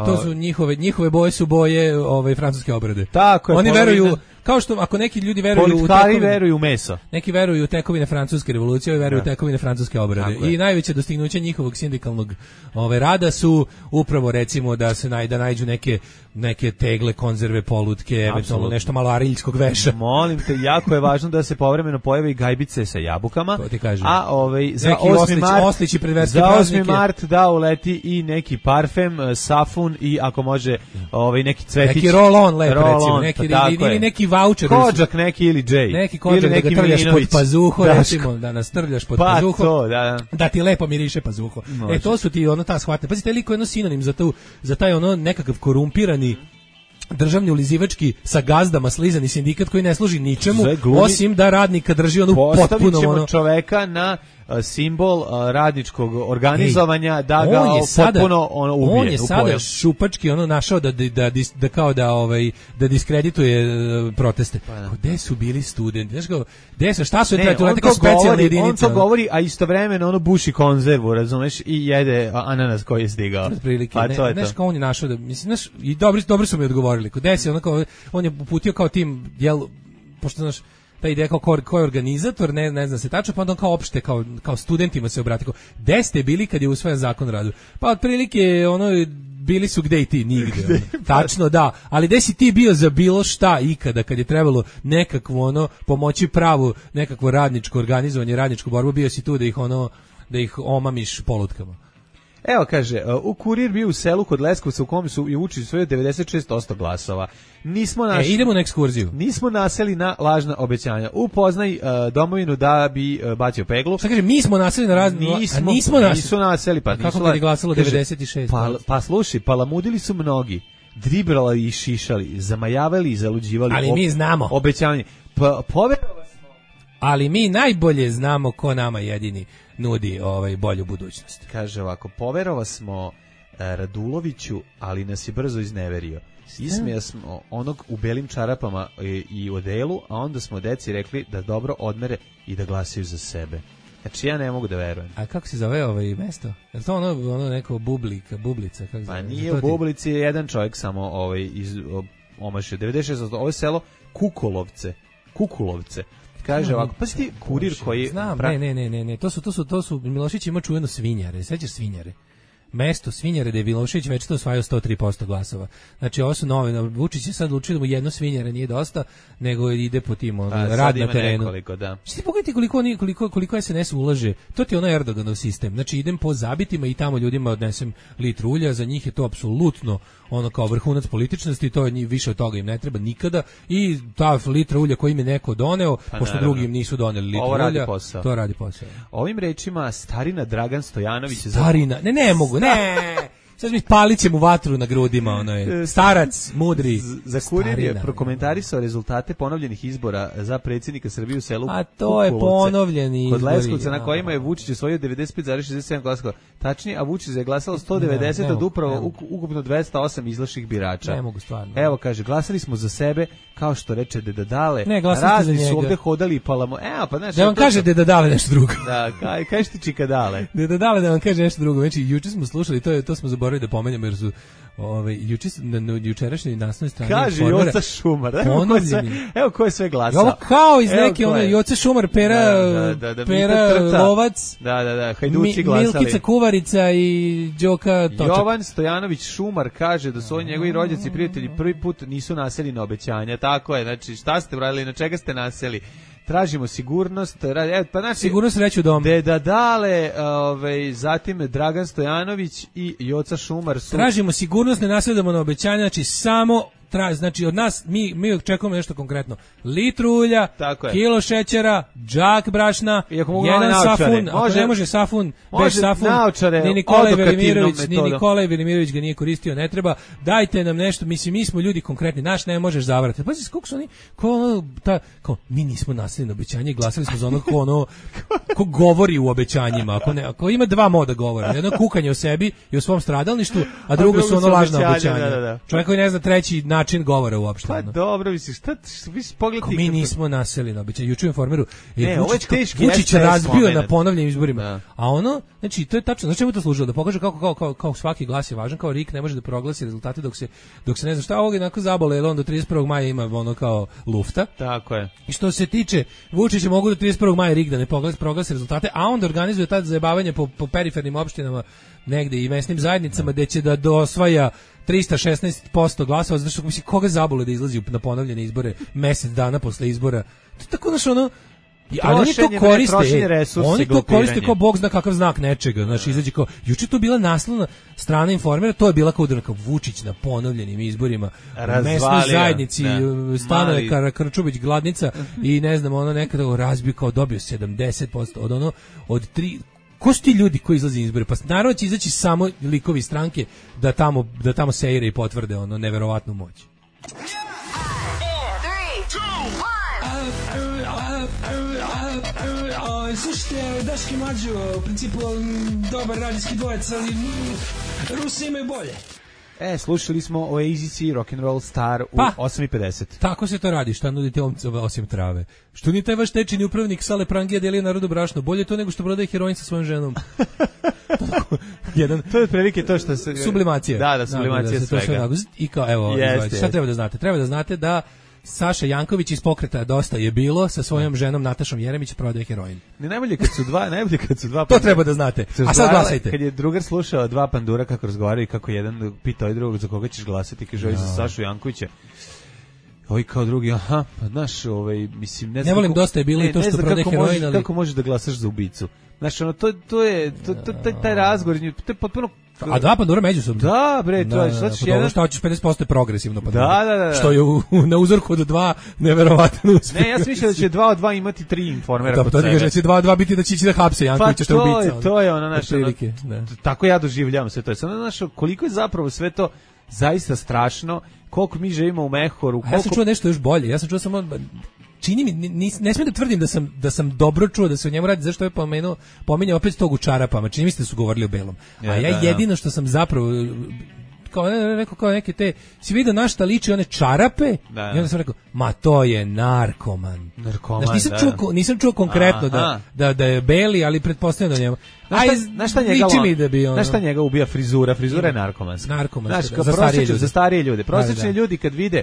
to su njihove boje su boje francuske obrade. Tako je. Oni veruju, kao što ako neki ljudi veruju u meso. Neki veruju u tekovine francuske revolucije, ovi veruju u tekovine francuske obrade. I najveće dostignuće njihovog sindikalnog rada su upravo recimo da nađu neke neke tegle, konzerve, polutke, eventualno nešto malo ariljskog veša. Molim te, jako je važno da se povremeno pojave i gajbice sa jabukama. To ti kažem. A za neki 8. mart da uleti i neki parfem, safun i ako može neki cvetić. Neki roll-on lep, recimo. Ili neki voucher. Kođak neki ili Jay. Neki kođak da ga trljaš pod pazuho, recimo, da nas trljaš pod pazuho. To, da ti lepo miriše pazuho. To su ti ta shvatne. Pazite, liko je jedno sinonim za taj nekakav korumpirani državni ulizivački sa gazdama slizani sindikat koji ne služi ničemu osim da radnika drži potpuno postavit ćemo čoveka na simbol radničkog organizovanja da ga potpuno ubije. On je sada šupački našao da kao da diskredituje proteste. Gde su bili studenti? Znaš kao, šta su kao specijalna jedinica? On to govori, a istovremeno buši konzervu, razumeš, i jede ananas koji je stigao. Pa to je to. Znaš kao on je našao da, mislim, i dobro su mi odgovorili. Gde se on je uputio kao tim, pošto znaš, ta ideja kao ko je organizator, ne zna se tačno, pa onda kao opšte, kao studentima se obrati. Gde ste bili kad je usvojen zakon o radu? Pa otprilike bili su gde i ti, nigde. Tačno, da. Ali gde si ti bio za bilo šta ikada kad je trebalo nekakvo pomoći pravu, nekakvo radničko organizovanje, radničku borbu, bio si tu da ih omamiš polutkama. Evo kaže, u Kurir bio u selu kod Leskovca u kome su i Vučić svojio 96% glasova. Idemo na ekskurziju. Nismo naseli na lažna obećanja. Upoznaj domovinu da bi bacio peglu. Šta kaže, mi smo naseli na Nisu naseli. Pa kako kad je glasalo 96%? Pa slušaj, palamudili su mnogi. Dribrali i šišali, zamajavali i zaluđivali. Ali mi znamo. Obećanje. Poverovali smo. Ali mi najbolje znamo ko nama jedini nudi bolju budućnost. Kaže ovako, poverova smo Raduloviću, ali nas je brzo izneverio. Ismeja smo onog u belim čarapama i odelu, a onda smo deci rekli da dobro odmere i da glasaju za sebe. Znači ja ne mogu da verujem. A kako se zove mesto? Je to ono neko bublica? Kako pa nije u Bublici, je jedan čovjek samo iz omašio. 96, ovo je selo Kukulovce. Kaže ovako, pa si ti Kurir koji... Znam, ne, to su, Milošević ima čuveno Svinjare, sećaš Svinjare? Mesto Svinjare da je Milošević već to osvajao 103% glasova. Znači ovo su nove, Vučić je sad odlučio da mu jedno Svinjare nije dosta, nego ide po tim rad na terenu. Nekoliko, da. Što ti pogledajte koliko SNS ulaže, to ti je Erdoganov sistem. Znači idem po zabitima i tamo ljudima odnesem litru ulja, za njih je to apsolutno kao vrhunac političnosti, to je više od toga im ne treba nikada i ta litra ulja koju im je neko doneo, pošto drugi im nisu doneli litru ulja, to radi posao. Ovim rečima starina Dragan Stojanović ne mogu, sad mi palit će mu vatru na grudima, starac, mudri. Za Kurir je prokomentarisao rezultate ponovljenih izbora za predsjednika Srbije u selu a to je ponovljeni izbori. Kod Leskovca na kojima je Vučić osvojio 95,67 glasova. Tačnije, a Vučić je glasalo 190 od upravo ukupno 208 izašlih birača. Ne mogu stvarno. Evo kaže, glasali smo za sebe, kao što reče Deda Dale. Ne, glasali za njega. Su ovde hodali i palamo. Evo, pa znači. Da vam kaže Deda Dale nešto drugo. Da, kažeš ti Čika Dale. Deda Dale da vam kaže nešto drugo. Znači, juče smo slušali, to smo zaboravili da pomenemo jer su jučerašnji naslovnoj strani kaže Joca Šumar. Evo ko je sve glasao. Ovo kao iz neke Joca Šumar, Pera Lovac. Da, Hajduci glasali. Milkica Kuvarica i Đoka Točak. Jovan Stojanović Šumar kaže da su oni njegovi rođaci i prijatelji prvi put nisu naseli na obećanja. Tako je, znači šta ste uradili, na čega ste naseli? Tražimo sigurnost, pa znači sigurnost reći u domu. Deda Dale, zatim Dragan Stojanović i Joca Šumar su... Tražimo sigurnost, ne nasjedamo na obećanja, znači samo znači od nas mi očekujemo nešto konkretno. Litru ulja, kilo šećera, džak brašna, jedan safun, ako ne može safun, bez safun, ni Nikolaj Velimirović ga nije koristio, ne treba, dajte nam nešto, mislim, mi smo ljudi konkretni, naš ne možeš zavarati. Pa znači, koliko su oni, kao mi nismo nasledili na obećanje, glasali smo za ono ko govori u obećanjima, ako ima dva moda govora, jedno kukanje o sebi i o svom stradalništvu, a drugo su ono lažna obećanja. Čovjek koji ne zna treći način govora uopšte. Pa dobro, misliš, vi pogledajte... Mi nismo naseli na obećanje. Juče u Informeru Vučić razbio na ponovljenim izborima. Da. A znači, to je tačno. Znači, čemu to služilo? Da pokaže kao svaki glas je važan, kao RIK ne može da proglasi rezultate dok se ne zna šta ovog jednako zabole, jer on do 31. maja ima kao lufta. Tako je. I što se tiče Vučića, mogu do 31. maja RIK da ne proglasi rezultate, a onda organizuje tad zajebavanje po perifernim opštinama negde i mesnim zajednicama gde će da osvaja 316% glasova, zato što mislim, koga zabole da izlazi na ponovljene izbore mesec dana posle izbora. To je tako znaš ono, ali oni to koriste, kao bog zna kakav znak nečega, znači izađe kao, juče to bila naslovna strana Informera, to je bila kao Vučić na ponovljenim izborima, mesnoj zajednici, stanove Krčubić, Gladnica i ne znam, ono nekada razbio kao dobio 70% od 3. Ko su ti ljudi koji izlaze iz izbore? Pa naravno će izaći samo likovi stranke da tamo seire i potvrde ono neverovatnu moć. Slušajte, Daški Mlađo, u principu dobar radijski dvojec, ali Rusi imaju bolje. Slušali smo Oasis i Rock'n'Roll Star u 8:50. Tako se to radi, šta nudite osim trave? Što ni taj vaš tečini upravnik Sale Prangija delio narodu brašno? Bolje to nego što prodaje heroin sa svojom ženom. To je otprilike to što se... Sublimacija. Da, sublimacija svega. I kao, evo, šta treba da znate? Treba da znate da Saša Janković iz Pokreta Dosta je bilo sa svojom ženom Natašom Jeremić prodaje heroin. Najbolje kad su dva to treba da znate. A sad glasajte. Kad je drugar slušao dva pandura kako razgovaraju i kako jedan pita drugog za koga ćeš glasati, kaže za Sašu Jankovića. Ovaj kao drugi, pa znaš, mislim ne znam. Ne volim Dosta je bilo i to što prodaje heroin, ali kako možeš da glasaš za ubicu? Znaš, to je taj razgovor, to je potpuno. A dva pandura međusobno. Da, bre, to je što hoćeš 50% je progresivno pandura. Da. Što je na uzorku od 2 neverovatno uspeh. Ne, ja sam mislio da će 2 od 2 imati 3 Informera kod sebe. To ne kaže da će 2 od 2 biti da će ići da hapse Jankovića što je ubica. To je ono naše. Tako ja doživljavam sve to. Samo znaš koliko je zapravo sve to zaista strašno, koliko mi živimo u mehoru. Ja sam čuo nešto još bolje. Ja sam čuo samo čini mi, ne smijem da tvrdim da sam dobro čuo da se o njemu radi, zašto je pominjao opet tog u čarapama, čini mi se da su govorili o belom. A ja jedino što sam zapravo kao neke te, si vidio na šta liči one čarape, i onda sam rekao, ma to je narkoman. Znači, nisam čuo konkretno da je beli, ali pretpostavljam da njemu. Znaš šta njega ubija frizura? Frizura je narkomanska. Za starije ljude. Prosječni ljudi kad vide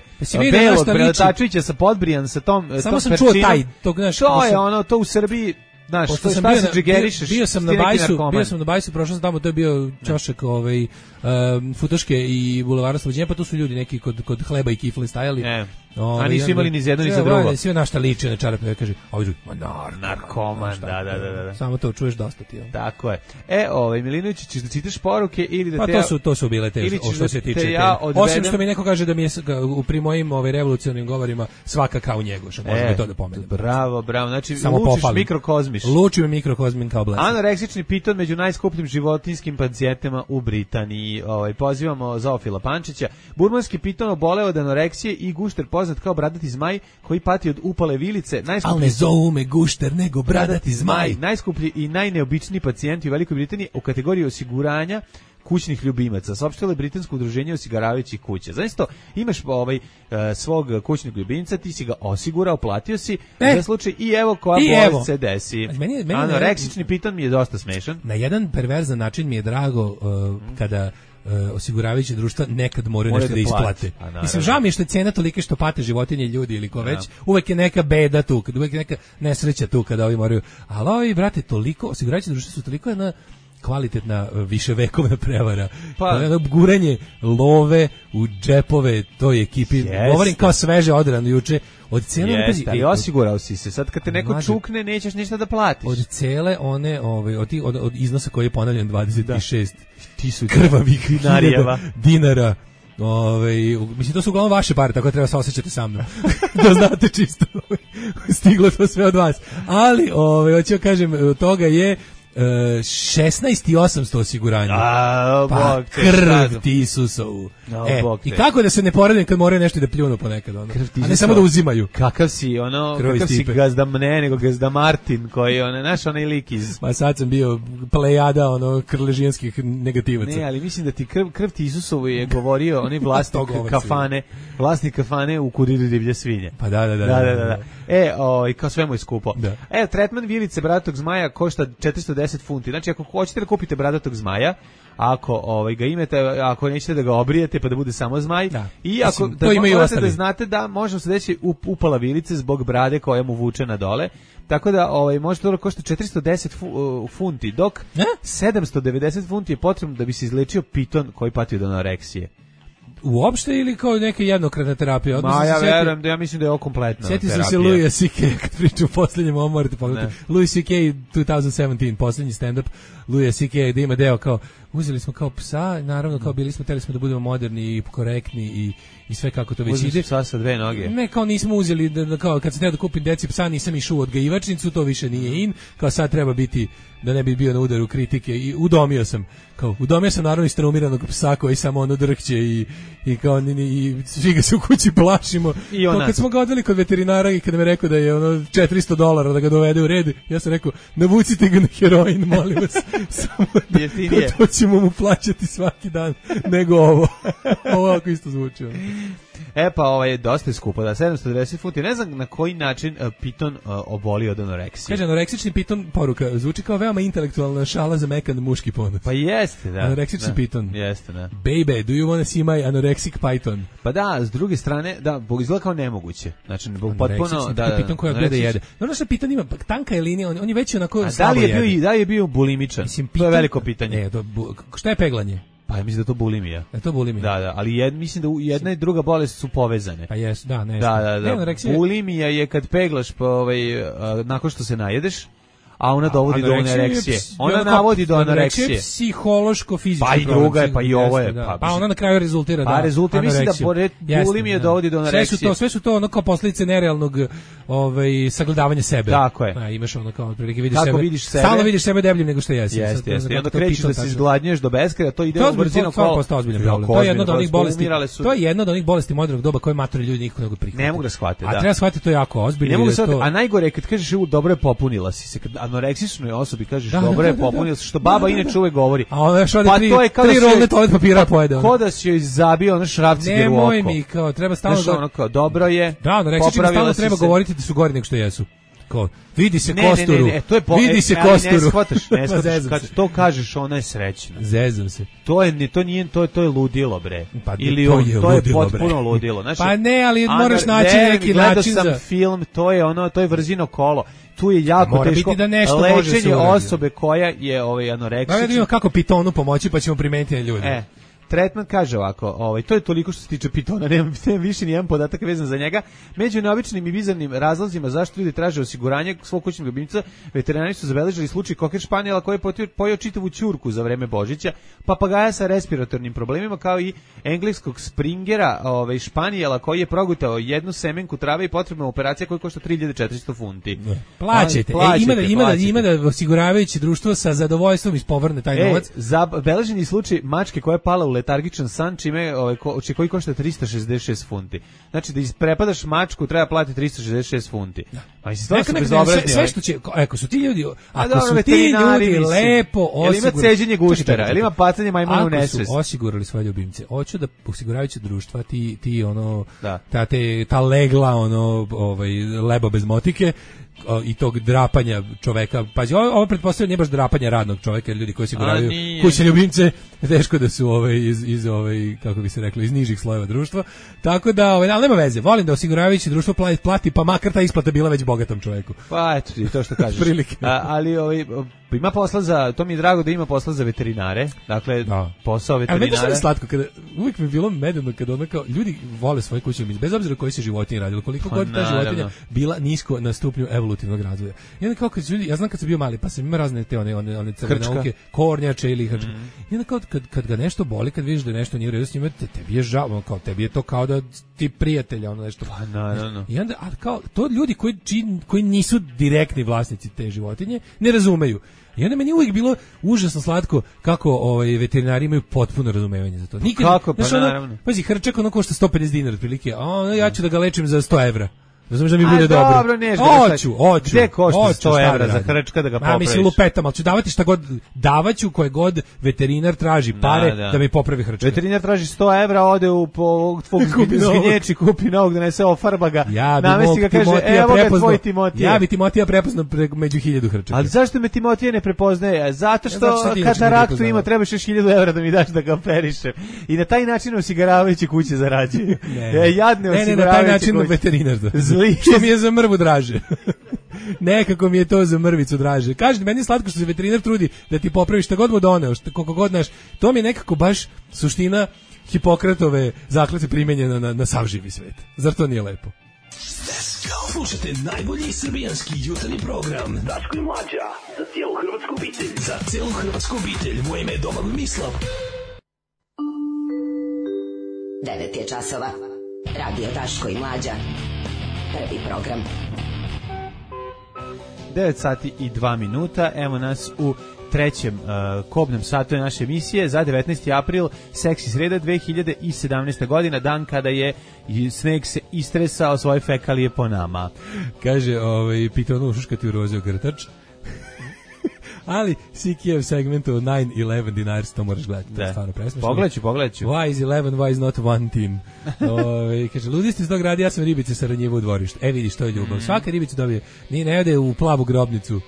belog Brelatačevića sa podbrijan sa tom samo sam čuo taj, to je ono, to u Srbiji. Znaš, što šta se džigerišeš? Bio sam na Bajsu, prošao sam tamo, to je bio ćošak Futoške i Bulevara Slobođenja, pa tu su ljudi neki kod hleba i kifle stajali. A nisu imali ni za jedno ni za drugo. Sve na šta liče na čarape, kaže, ovaj drugi, narkoman, da. Samo to čuješ dosta ti. Tako je. Milinović, ćeš da čitaš poruke ili da te... Pa to su bile te, što se tiče. Osim što mi neko kaže da mi je pri mojim revolucionarnim govorima svaka kao njegu, što možemo to da pomenem. Bravo, znači lučiš mikrokozmiš. Lučim mikrokozmin kao blesak. Anoreksični piton među najskupljim životinjskim pacijentima u Britaniji. Pozivamo Zoofila Pančića. Burmanski piton oboleo od anoreksije i gušter poznat kao bradati zmaj koji pati od upale vilice. Ali ne zovu me gušter nego bradati zmaj. Najskuplji i najneobičniji pacijenti u Velikoj Britaniji u kategoriji osiguranja kućnih ljubimaca. Saopštilo je britansko udruženje osiguravajućih kuća. Znači to, imaš svog kućnog ljubimca, ti si ga osigurao, platio si za slučaj i evo koja bolest se desi. Anoreksični piton mi je dosta smešan. Na jedan perverzan način mi je drago kada osiguravajuće društva nekad moraju nešto da isplate. Mislim, žao mi je što je cena tolika što pate životinje, ljudi ili ko već. Uvek je neka beda tu, uvek je neka nesreća tu kada ovi moraju. Ali ovi, brate, toliko, osiguravajuće društva su toliko jedna kvalitetna viševekovna prevara. Guranje love u džepove toj ekipi. Govorim kao sveže odrano juče. Od cele ali osigurao si se. Sad kad te neko čukne, nećeš ništa da platiš. Od cele one, od iznosa koji je ponavljan 26.000 krvavih dinara. Mislim, to su uglavnom vaše pare, tako da treba se osjećati sa mnom. Da znate čisto. Stiglo to sve od vas. Ali, hoću kažem, od toga je 16.800 osiguranja. Pa krv ti Isusovu. I kako da se ne poredim kad moraju nešto da pljunu ponekad, a ne samo da uzimaju. Kakav si gazda mne, nego gazda Martin, koji naš onaj lik iz... Pa sad sam bio plejada krležijanskih negativaca. Ne, ali mislim da ti krv ti Isusovu je govorio onaj vlasnik kafane u Kuriru divlje svinje. Pa da. I kao sve mu je skupo. Tretman vilice bratog zmaja košta 410 710 funti. Znači, ako hoćete da kupite bradatog zmaja, ako ga imate, ako nećete da ga obrijete pa da bude samo zmaj, i ako morate da znate da možemo se deći upala vilice zbog brade koja mu vuče na dole, tako da može to košta 410 funti, dok 790 funti je potrebno da bi se izlečio piton koji pati od anoreksije. Uopšte ili kao neka jednokratna terapija? Ja verujem da ja mislim da je ovo kompletna terapija. Sjetio sam se Louis C.K. kad pričam u posljednjem, ovo morate pogledati. Louis C.K. 2017, posljednji stand-up Louis C.K. da ima deo kao, uzeli smo kao psa, naravno kao teli smo da budemo moderni i korektni i sve kako to već ide. Uzeli psa sa dve noge. Ne, kao nismo uzeli, kao kad sam teo da kupim deci psa, nisam išao u odgajivačnicu, to više nije in, kao sad treba biti, da ne bi bio na udaru kritike, i udomio sam naravno iz traumiranog psa koji samo drhće i kao i svi ga se u kući plašimo. Kao kad smo ga odveli kod veterinara i kad me rekao da je $400 da ga dovede u red, ja sam rekao, navucite ga na heroin, molim vas, samo to ćemo mu plaćati svaki dan, nego ovo. Ovo ako isto zvuči. Pa dosta je skupo, 790 funti. Ne znam na koji način piton oboli od anoreksije. Kaže, anoreksični piton, poruka, zvuči kao veoma intelektualna šala za mekan muški ponos. Pa jeste, da. Anoreksični piton. Jeste, da. Baby, do you wanna see my anorexic python? Pa da, s druge strane, da, izgleda kao nemoguće. Znači, potpuno, da. Piton koja gleda jede. Ono što piton ima, tanka je linija, on je već onako slabo jede. Da li je bio bulimičan? Mislim, to je veliko pitanje. Ne, šta je peglanje? Pa ja mislim da je to bulimija. Je to bulimija? Da, ali mislim da jedna i druga bolest su povezane. Pa jesu, da, ne. Da. Bulimija je kad peglaš nakon što se najedeš, a ona dovodi do anoreksije. Ona navodi do anoreksije. Anoreksija je psihološko-fizička. Pa i druga je, pa i ovo je. Pa ona na kraju rezultira da anoreksiju. Pa mislim da pored bulimije dovodi do anoreksije. Sve su to ono kao posljedice nerealnog sagledavanja sebe. Tako je. Imaš ono kao otprilike vidiš sebe. Stalno vidiš sebe debljim nego što jesi. Jeste. I onda krećeš da se izgladnjuješ do beskraja, to ide u brzino kolo. To je jedno od onih bolesti. To je jedno od onih bolesti modernog doba koje matori ljudi nikako ne mogu prihvatiti. Ne mogu da shvate, da. A treba shvatiti to jako ozbiljno. A najgore kad kažeš dobro je popunila si se, kad anoreksičnoj osobi kažeš dobro je popunila se, što baba inače uvek govori. A ona još ode tri rolne toalet papira pojede. Ko da si joj zabio ono šrafciger u oko. Nemoj mi, kao treba stalno dobro je. Da, anoreksični stalno treba govoriti da su gori nego što jesu. Vidi se kosturu. Vidi se kosturu. Ne shvataš. Kad to kažeš, ona je srećna. Zezam se. To je ludilo, bre. Ili to je potpuno ludilo. Pa ne, ali moraš naći neki način za... Gledao sam film, to je vrzino kolo. Tu je jako teško lečenje osobe koja je anoreksična. Da vidimo kako pitonu pomoći, pa ćemo primeniti na ljude. Tretman kaže ovako, to je toliko što se tiče pitona, nemam više nijedan podatak vezan za njega. Među neobičnim i bizarnim razlozima zašto ljudi traže osiguranje svog kućnog ljubimca, veterinari su zabeležili slučaj koker španijela koji je pojeo čitavu ćurku za vreme Božića, papagaja sa respiratornim problemima, kao i engleskog springera španijela koji je progutao jednu semenku trave i potrebna operacija koja košta 3400 funti. Plaćajte. Ima da osiguravajuće društvo sa zadovoljstvom ispovrne taj novac. Zabeleženi slučaj mačke koja je pala u letargičan san, koji košta 366 funti. Znači da isprepadaš mačku treba platiti 366 funti. A mislim stvarno su bezobrazni. Sve što će, ako su ti ljudi lepo osigurali. Ima ceđenje guštera, ili ima pacanje majmuna u nesvest. Ako su osigurali svoje ljubimce, hoću da osiguravajuće društva ta legla lebo bez motike i tog drapanja čoveka. Pazi, ovo pretpostavljam nije baš drapanja radnog čoveka, jer ljudi koji osiguravaju kućne ljubimce teško da su iz kako bi se reklo, iz nižih slojeva društva. Tako da, ali nema veze. Volim da osiguravajuće društvo plati, pa makar ta isplata bila već bogatom čoveku. Pa eto, to što kažeš. Ali ima posla to mi je drago da ima posla za veterinare. Dakle, posao veterinara. Ali meni je slatko kada uvijek mi je bilo medeno kada ljudi vole svoje kućne ljubimce, bez obzira koji se životinje radilo, koliko god ta životinja bila nisko na stupnju evolutivnog razvoja. I onda kao kad ljudi, ja znam kad sam bio mali, pa sam imao razne te one crvene nauke, kornjače ili hrčka. I onda kad ga nešto boli, kad vidiš da nešto nije u redu s njima, tebi je žao, kao tebi je to kao da ti prijatelja nešto. Pa naravno. I onda kao to ljudi koji nisu direktni vlasnici te životinje ne razumeju. I onda meni uvijek bilo užasno slatko kako veterinari imaju potpuno razumevanje za to. Kako? Pa naravno. Pazi, hrčak košta 150 dinara otprilike, a ja ću da ga lečim za 100 evra. Razumeš da mi bude dobro. Dobro, Hoću. Gde košta 100 evra za hrčka da ga popraviš? Mislim, lupetam, ali ću davati šta god, davaću koje god veterinar traži pare da mi popravi hrčka. Veterinar traži 100 evra, ode u zgnječi, kupi novog, donese ofarba ga, namesti ga, kaže, evo ga tvoj Timotije. Ja bi Timotija prepoznao među 1000 hrčaka. Ali zašto me Timotije ne prepoznaje? Zato što kataraktu ima, trebaš još 1000 evra da mi daš da ga operišem. I na taj način osiguravajući kuće zarađuju. Jadne osiguravajući na taj način veterinar. Što mi je za mrvu draže. Nekako mi je to za mrvicu draže. Kažete, meni je slatko što se veterinar trudi da ti popravi šta god mu doneo, koliko god naš. To mi je nekako baš suština Hipokratove zakletve primenjena na sav živi svet. Zar to nije lepo? Slušajte najbolji srbijanski jutarnji program Daško i Mlađa za cijelu hrvatsku obitelj. Za cijelu hrvatsku obitelj. Moje ime je Domagoj Mislav. 9 je časova. Radio Daško i Mlađa. Prvi program. 9 sati i 2 minuta. Evo nas u trećem kobnom satu naše emisije za 19. april, seksi sreda 2017. godina, dan kada je sneg se istresao svoje fekalije po nama. Kaže, pitao ono ušuškati u rozio grtač. Ali Sikijev segment o 9-11 dinars, to moraš gledati. Da. Stvarno presmešno. Pogledaj ću. Why is 11, why is not one team? Kaže, ludisti iz tog radi, ja sam ribice sa Ranjiva u dvorištu. Vidiš, to je ljubav. Svaka ribica dobije, ne ode u plavu grobnicu.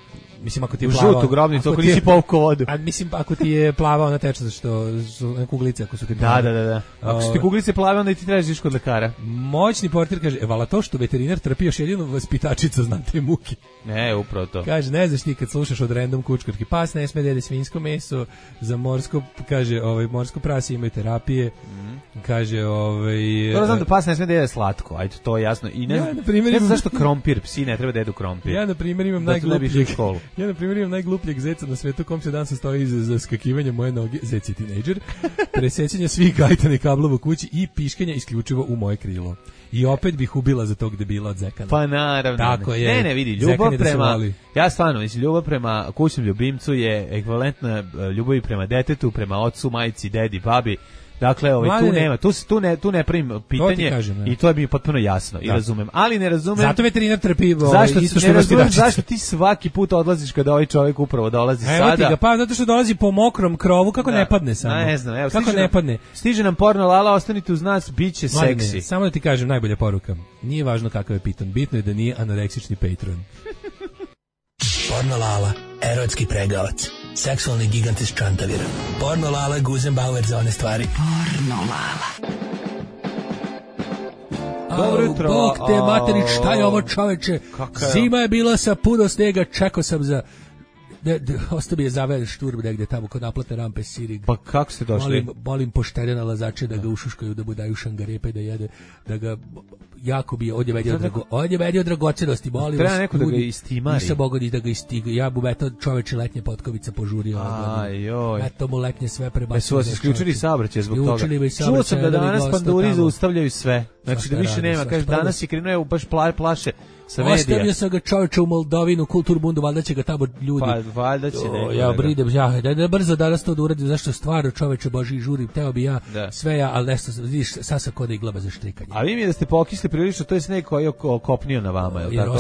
Mislim, ako ti je plava... U žutu grobnicu, ako nisi povukao vodu. A mislim, ako ti je plava, ona teče, što su kuglice, ako su ti plave. Da. Ako su ti kuglice plave, onda ti trebaš kod lekara. Moćni portir kaže, vala to što veterinar trpi još jedinu vaspitačica, znam te muke. Ne, upravo to. Kaže, ne znaš ti kad slušaš od random kučkarki, pas ne sme da jede svinjsko meso, za morsko, kaže, morsko prase imaju terapije, kaže, Dobro, znam da pas ne sme da jede slatko, ajde, to je jasno. I ne znam zašto krompir, psi ne treba da jedu krompir. Ja, na primjer, imam najglupljeg zeca na svetu, kom se dan se stoji za skakivanje moje noge, zec je tinejdžer, presećanje svih gajtanih kablova u kući i piškanja isključivo u moje krilo. I opet bih ubila za tog debila od zekana. Pa naravno. Tako je. Ne, vidi, ljubav prema... Ja stvarno, mislim, ljubav prema kućnom ljubimcu je ekvivalentna ljubavi prema detetu, prema ocu, majci, dedi, babi. Dakle, tu nema, tu ne primim pitanje kažem, i to je mi potpuno jasno i razumem, ali ne razumem. Zato veterinar trpi isto što razumem zašto ti svaki put odlaziš kada ovaj čovjek upravo dolazi sada. Pa zato što dolazi po mokrom krovu, kako ne padne samo. Ne znam, evo, kako ne padne. Stiže nam porno lala, ostanite uz nas, biće seksi. Samo da ti kažem najbolja poruka. Nije važno kakav je piton, bitno je da nije anoreksični patron. Porno lala, erotski pregavac. Seksualni gigant iz Čantavira. Porno lala, Guzenbauer za one stvari. Porno lala. Dobro jutro. Bog te materi, šta je ovo čoveče? Zima je bila sa puno snega, čekao sam za... Ostao bi je zaveden šturb negde tamo kod naplate rampe Sirig. Pa kako ste došli? Molim poštene nalazače da ga ušuškaju, da mu daju šangarepe, da jede, da ga jako bi on je medio dragocenosti, molim vas. Treba neko da ga istimari. Nisam mogao ni da ga istiga. Ja bu eto čoveče letnje potkovica požurio. Eto mu letnje sve prebacio. Su vas isključili saobraćaj zbog toga. Čuo sam da danas panduri zaustavljaju sve. Znači da više nema. Kaže, danas je krenuo baš plaše. Ostavio sam ga čovječa u Moldovinu, Kulturbundu, valjda će ga tamo ljudi. Pa valjda će neko. Ja bridem, da brzo danas to da uradim, zašto stvarno čovječe Boži žurim, teo bi ja sve ja, ali nešto, vidiš, sad sam kod iglaba za štrikanje. A vi mi da ste pokisli prilično, to je sneg koji je kopnio na vama, je li tako?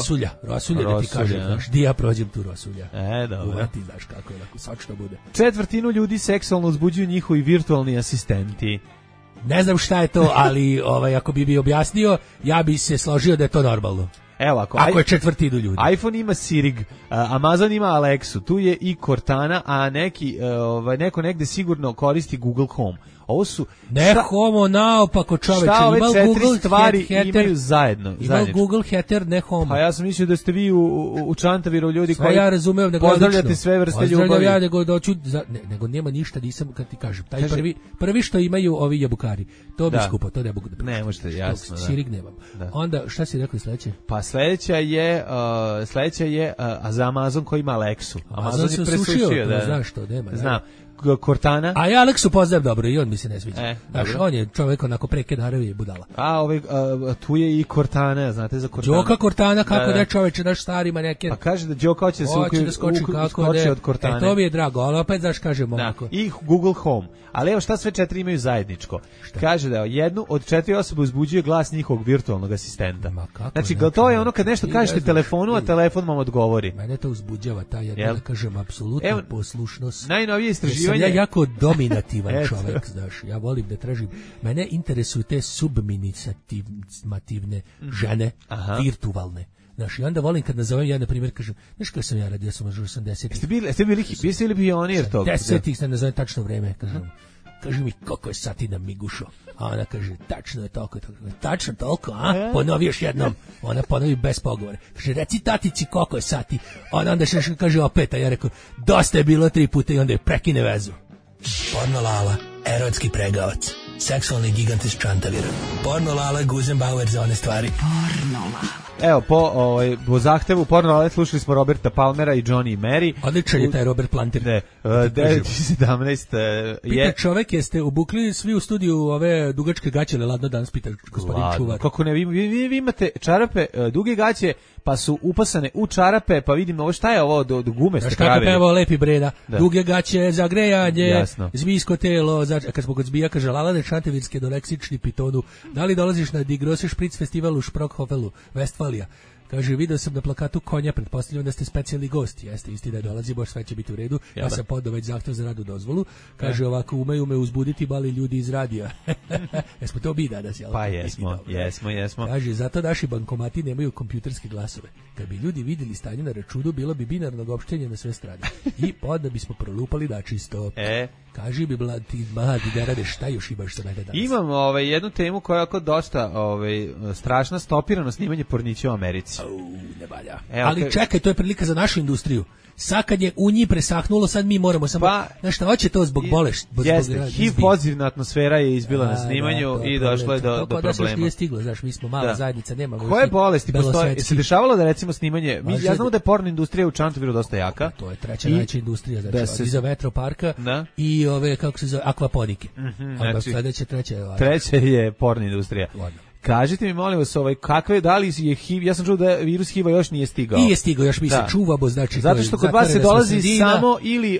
Rosulja da ti kažem, znaš, di ja prođem tu Rosulja. Dobro. Uvati, znaš kako je, tako sočno bude. Četvrtinu ljudi seksualno uzbuđuju njihovi virtualni asistenti. Ne znam šta je to, ali ako bi mi objasnio, ja bi se složio da je to normalno. Evo, ako je četvrtinu ljudi. iPhone ima Sirig, Amazon ima Alexu, tu je i Cortana, a neko negde sigurno koristi Google Home. Ovo su Home naopako čoveče. Šta ove četiri stvari imaju zajedno? Ima Google Heater, ne Home. Pa ja sam mislio da ste vi u Čantaviru ljudi koji ja razumem, pozdravljate sve vrste ljubavi. Ja nego nema ništa, nisam, kad ti kažem. Taj prvi što imaju ovi jabukari. To bi skupo, to ne mogu da. Ne možete, jasno. Sirig nemam. Onda, šta si rekao sledeće? Pa sledeća je za Amazon koji ima Alexu. Amazon se presušio, znaš što, nema. Znam. Cortana. A ja Aleksu poznajem dobro i on mi se ne sviđa. Znaš, dobro. on je čovjek onako preke naravi i budala. A tu je i Cortana, znate za Cortana. Đoka Cortana, kako da čoveče, naš starima neke... Pa kaže da Đoka hoće da skoči od Cortane. To mi je drago, ali opet znaš kažemo onako. I Google Home. Ali evo šta sve 4 imaju zajedničko. Kaže da jednu od 4 osobe uzbuđuje glas njihovog virtualnog asistenta. Znači, to je ono kad nešto kažete telefonu, a telefon vam odgovori. Mene to uzbuđava, da kažem, apsolutna poslušnost. Najnovije istraživanje... Ja jako dominativan čovjek, znaš, ja volim da tražim. Mene interesuju te subminisativne žene, virtualne. Znaš, i onda volim kad nazovem, ja na primjer kažem, znaš kako sam ja radio, sam možda 80-ih. Ste bili pionir tog? 10-ih sam nazovem tačno vreme, kažem. Kaži mi koliko je sati na Migušo. A ona kaže, tačno je toliko. Tačno toliko, a? Ponovi još jednom. Ona ponovi bez pogovora. Kaže, reci tatici koliko je sati. Ona onda še kaže opet, a ja rekao, dosta je bilo 3 puta i onda je prekine vezu. Porno Lala, erotski pregavac. Seksualni gigant iz Čantavira. Porno Lala, Guzenbauer za one stvari. Porno Lala. Evo, po zahtevu Porno Lala slušali smo Roberta Palmera i Johnny i Mary. Odličan je taj Robert Planter. 2017 Pita čovek, jeste obukli svi u studiju ove dugačke gaće, ladno danas pita gospodin čuvar. Kako ne, vi imate čarape, duge gaće, pa su upasane u čarape, pa vidimo ovo šta je ovo do gume ste pravili. Kako pevao Lepi Breda, duge gaće za grejanje, zmijsko telo, kad smo kod zbija, kaže Lalane Šantevirske do leksični pitonu, da li dolaziš na Die Grosse Spritz festival u Sprockhofelu, Westfalija? Kaže, video sam na plakatu konja, pretpostavljam da ste specijalni gosti. Jeste, istina, dolazi, boš sve će biti u redu. Ja sam podao već zahtev za radnu dozvolu. Kaže, ovako, umeju me uzbuditi bali ljudi iz radija. Jesmo to bi danas, jel? Pa jesmo. Kaže, zato naši bankomati nemaju kompjuterske glasove. Kad bi ljudi vidjeli stanje na računu, bilo bi binarnog opštenja na sve strane. I onda bismo prolupali da čisto. Kaži bi ti mladi da rade, šta još imaš za mene danas? Imam jednu temu koja je ako dosta strašna, stopirano snimanje pornića u Americi. Ne valja. Ali čekaj, to je prilika za našu industriju. Sad kad je u njih presahnulo, sad mi moramo samo... Znaš šta, hoće to zbog bolesti. Jeste, HIV pozitivna atmosfera je izbila na snimanju i došlo je do problema. To još nije stiglo, znaš, mi smo mala zajednica, nemamo... Koje bolesti postoje? Se dešavalo da recimo snimanje... Ja znamo da je porno industrija u Čantaviru dosta jaka. To je treća najveća industrija, znači iza vetroparka i ove, kako se zove, akvaponike. Sledeća, treća je porno industrija. Kažite mi, molim vas, kakve, da li je HIV, ja sam čuo da virus HIV-a još nije stigao. Nije stigao, još mi se čuvamo, znači... Zato što kod vas se dolazi samo ili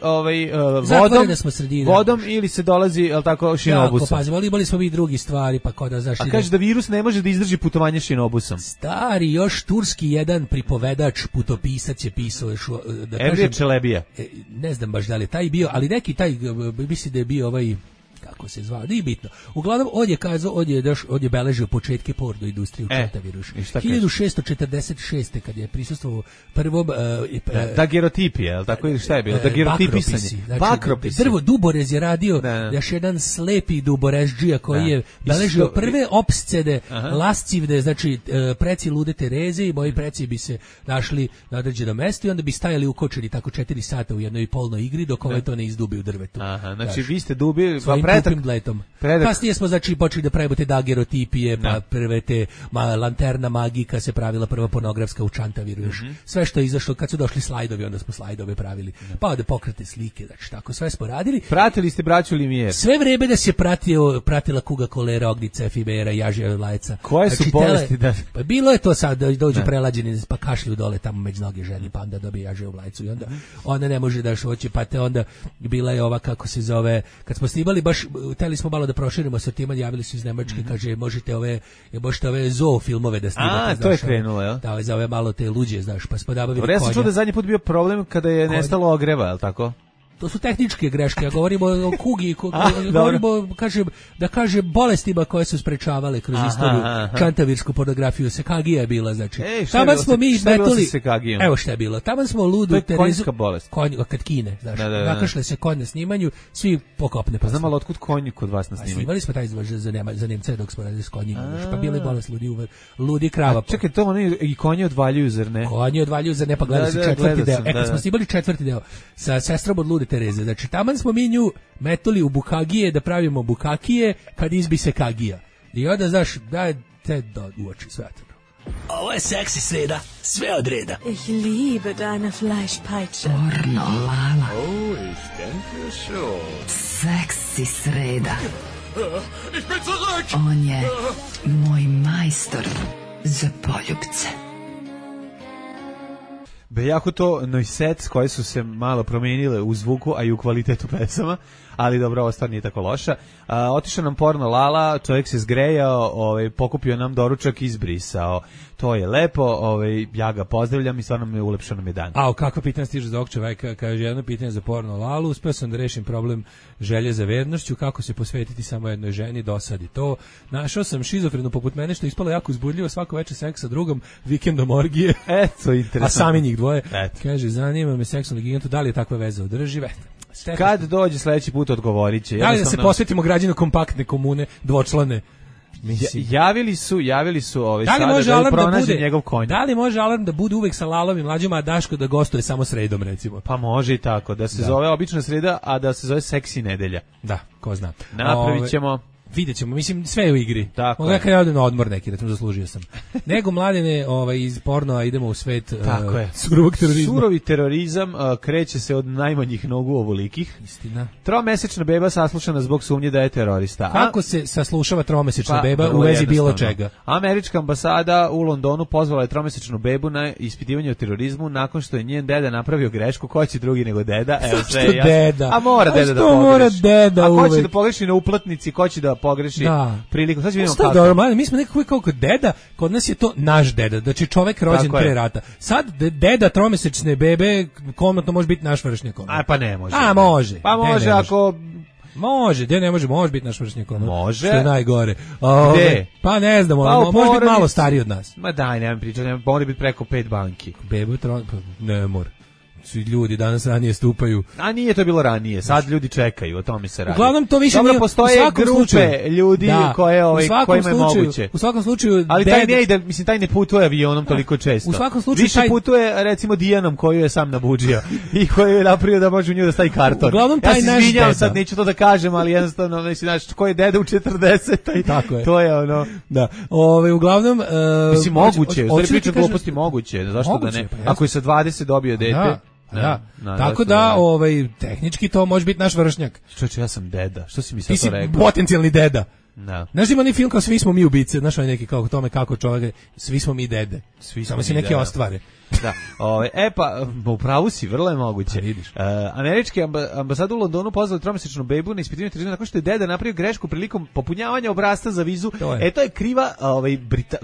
vodom ili se dolazi, jel tako, šinobusom. Jako, imali smo mi drugi stvari, pa kod da, znaš... A kaže da virus ne može da izdrži putovanje šinobusom. Stari, još turski jedan pripovedač, putopisac je pisao još... Evlije Čelebija. Ne znam baš da li je taj bio, ali neki taj, misli da je bio kako se zvao, nije bitno. Uglavnom, on je kazao, on je beležio početke porno industrije u Čantaviru. 1646. kad je prisustvovao prvom... dagerotipije, je li tako ili šta je bilo? Dagerotipisanje. Bakropisi. Drvo, Duborez je radio, još jedan slepi Duborezđija koji je beležio prve opscede lascivne, znači preci lude Tereze i moji preci bi se našli na određenom mestu i onda bi stajali ukočeni tako 4 sata u jednoj polnoj igri dok ovaj to ne izdubi u drvetu. Znači vi ste dubili... Bletom. Kasnije smo znači počeli da pravimo te dagerotipije, pa prve te lanterna magika se pravila prva pornografska u Čantaviru još. Sve što je izašlo, kad su došli slajdovi, onda smo slajdove pravili. Pa ovde pokrete slike, znači tako sve smo radili. Pratili ste braću Limijer. Sve vreme da se pratila kuga, kolera, ognica, efimera, jažija, lajca. Koje su bolesti da... Pa bilo je to sad da dođu prelađeni, pa kašlju dole tamo među noge ženi, pa onda dobije jažiju lajcu i onda ona ne može da šoći, pa te onda bila je ova, kako se zove, kad smo snimali baš hteli smo malo da proširimo sortiman, javili su iz Nemačke, kaže možete ove zoo filmove da snimate. To je krenulo, jel? Da, za ove malo te luđe, znaš, pa smo nabavili konja. Ja sam čuo da zadnji put bio problem kada je nestalo ogreva, jel tako? To su tehničke greške, ja govorimo o kugi, govorimo, kaže bolestima koje su sprečavale kroz istoriju čantavirsku pornografiju. Sekagija je bila, znači. Taman smo mi metuli, evo šta je bilo, taman smo ludu Terezu. To je konjska bolest. Kad kine, znači. Nakašle se konj na snimanju, svi pokopne. Pa znam, ali otkud konji kod vas na snimanju? Snimali smo taj izvož za Nemce dok smo radili s konjima, pa bila je bolest ludi krava. Čekaj, to oni i konji odvaljuju, zar ne? Konji odvaljuju, zar ne, pa gledali se četvrti deo. Kad smo snimali četvrti deo sa sestrom od lude Tereze, znači taman smo mi nju metuli u bukagije da pravimo bukakije kad izbi se kagija. I onda, znaš, da te uoči svetano. Ovo je seksi sreda, sve od reda. Ich liebe deine Fleischpeitsche. Pornolala. Oh, ich denke schon. Seksi sreda. Ich bin zurück! On je moj majstor za poljubce. Jako to Noisette koje su se malo promijenile u zvuku, a i u kvalitetu pesama, ali dobro, ovo stvar nije tako loša. Otišao nam porno Lala, čovjek se zgrejao, pokupio nam doručak i izbrisao. To je lepo, ja ga pozdravljam i stvarno mi je ulepšao nam je dan. A kakva pitanja stiže za ovog čoveka? Kaže, jedno pitanje za porno Lalu, uspeo sam da rešim problem želje za vernošću, kako se posvetiti samo jednoj ženi, dosadi to. Našao sam šizofrenu poput mene, što je ispalo jako uzbudljivo, svako večer seks sa drugom, vikendom orgije, Eto, interesantno. a sami njih dvoje. Eto. Kaže, zanima me seksualni gigantu, da li je takva veza održiva? Kad dođe sledeći put odgovorit će. Da li da se posvetimo građanu kompaktne komune, dvočlane? Javili su da li može sada da alarm da bude njegov konj. Da li može alarm da bude uvek sa Lalom i Mlađom, a Daško da gostuje samo sredom, recimo? Pa može i tako, da se zove obična sreda, a da se zove seksi nedelja. Da, ko zna. Napravit ćemo. Vidjet ćemo, mislim, sve je u igri. Tako je. Kad ja odem na odmor neki, da sam zaslužio sam. Nego, Mladene, iz pornoa idemo u svet surovog terorizma. Surovi terorizam kreće se od najmanjih nogu ovolikih. Istina. Tromesečna beba saslušana zbog sumnje da je terorista. Kako se saslušava tromesečna beba u vezi bilo čega? Američka ambasada u Londonu pozvala je tromesečnu bebu na ispitivanje o terorizmu nakon što je njen deda napravio grešku. Ko će drugi nego deda? Evo sve je deda? A mora deda da pogreši. Mora deda uvek? A ko će da pogreši na uplatnici, ko će da pogreši priliku. Sad vidimo kako. Dobro, mi smo nekako kao kod deda, kod nas je to naš deda, znači čovek rođen pre rata. Sad deda tromesečne bebe komotno može biti naš vršnjak. A pa ne može. A može. Pa može ako može, gde ne može biti naš vršnjak. Može. Što je najgore. Gde? Pa ne znam, može biti malo stariji od nas. Ma daj, nemam pričati, mora biti preko 5 banki. Bebe ne mora. Svi ljudi danas ranije stupaju. A nije to bilo ranije, sad ljudi čekaju, o tome se radi. Uglavnom to više nije, postoje grupe ljudi kojima je moguće. U svakom slučaju, ali taj ne ide, mislim taj ne putuje avionom toliko često. U svakom slučaju više putuje recimo Dijanom koju je sam nabudžio i koju je napravio da može u nju da stavi karton. Uglavnom taj naš deda. Sad neću to da kažem, ali jednostavno znači ko je deda u 40, to je ono. Da. Uglavnom mislim moguće, stvari priča gluposti moguće, zašto da ne? Ako je sa 20 dobio dete. Tako da, tehnički to može biti naš vršnjak. Čovječe, ja sam deda. Što si mi sad to rekao? Ti si potencijalni deda. Da. Znaš, ima film kao Svi smo mi ubice, znaš onaj neki kao tome kako čovjek, svi smo mi dede. Samo se neke ostvare. Da. Pa upravo si, vrlo je moguće. Američki ambasada u Londonu pozvala tromesečnu bebu na ispitivanje terorizma nakon što je deda napravio grešku prilikom popunjavanja obrasca za vizu. To je kriva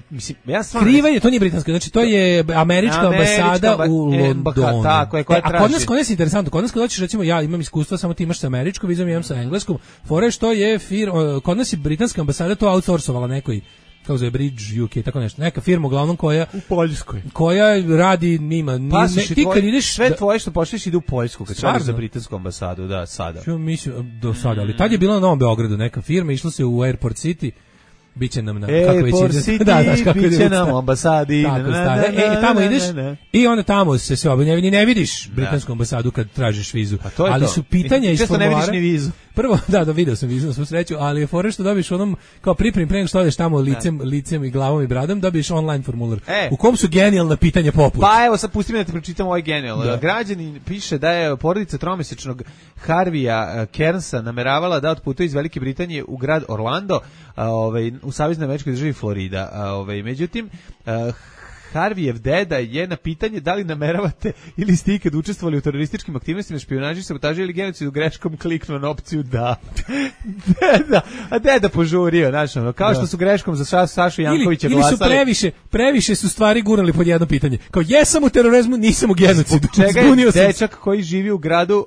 mislim, ja stvarno kriva je, to nije britanska, znači to je američka ambasada u Londonu. Tako je, koja traži. A kod nas je interesantno, kod nas kad hoćeš, recimo, ja imam iskustva, samo ti imaš sa američkom vizom, imam sa engleskom, fore što je kod nas je britanska ambasada to outsourcovala nekoj, kao zove Bridge UK, tako nešto. Neka firma uglavnom koja u Poljskoj. Koja radi ti kad ideš sve tvoje što pošliš ide u Poljsku, kad radiš za britansku ambasadu, da, sada. Ja mislim do sada, ali tad je bila na Novom Beogradu neka firma, išlo se u Airport City. Biće nam kako već ide. Biće nam u ambasadi. Tamo ideš i onda tamo se sve obavlja, ne vidiš britansku ambasadu kad tražiš vizu. Ali su pitanja iz formulara. Često ne vidiš ni vizu. Prvo, da, video sam vizu na svu sreću, ali je fora što dobiš onom, kao pripremi pre nego što odeš tamo licem i glavom i bradom, dobiš online formular. U kom su genijalna pitanja poput. Pa evo, sad pusti me da ti pročitam ovaj genijalno. Građanin piše da je porodica tromesečnog Harvija Kernsa nameravala da otputuje iz Velike Britanije u grad Orlando, u saveznoj američkoj državi Florida. Međutim, Harvijev deda je na pitanje da li nameravate ili ste ikad učestvovali u terorističkim aktivnostima, špijunaži, sabotaži ili genocidu greškom kliknuo na opciju da. Deda požurio, znači kao što su greškom za Sašu Jankovića glasali. Ili su previše su stvari gurnuli pod jedno pitanje. Kao jesam u terorizmu, nisam u genocidu. Čega je dečak koji živi u gradu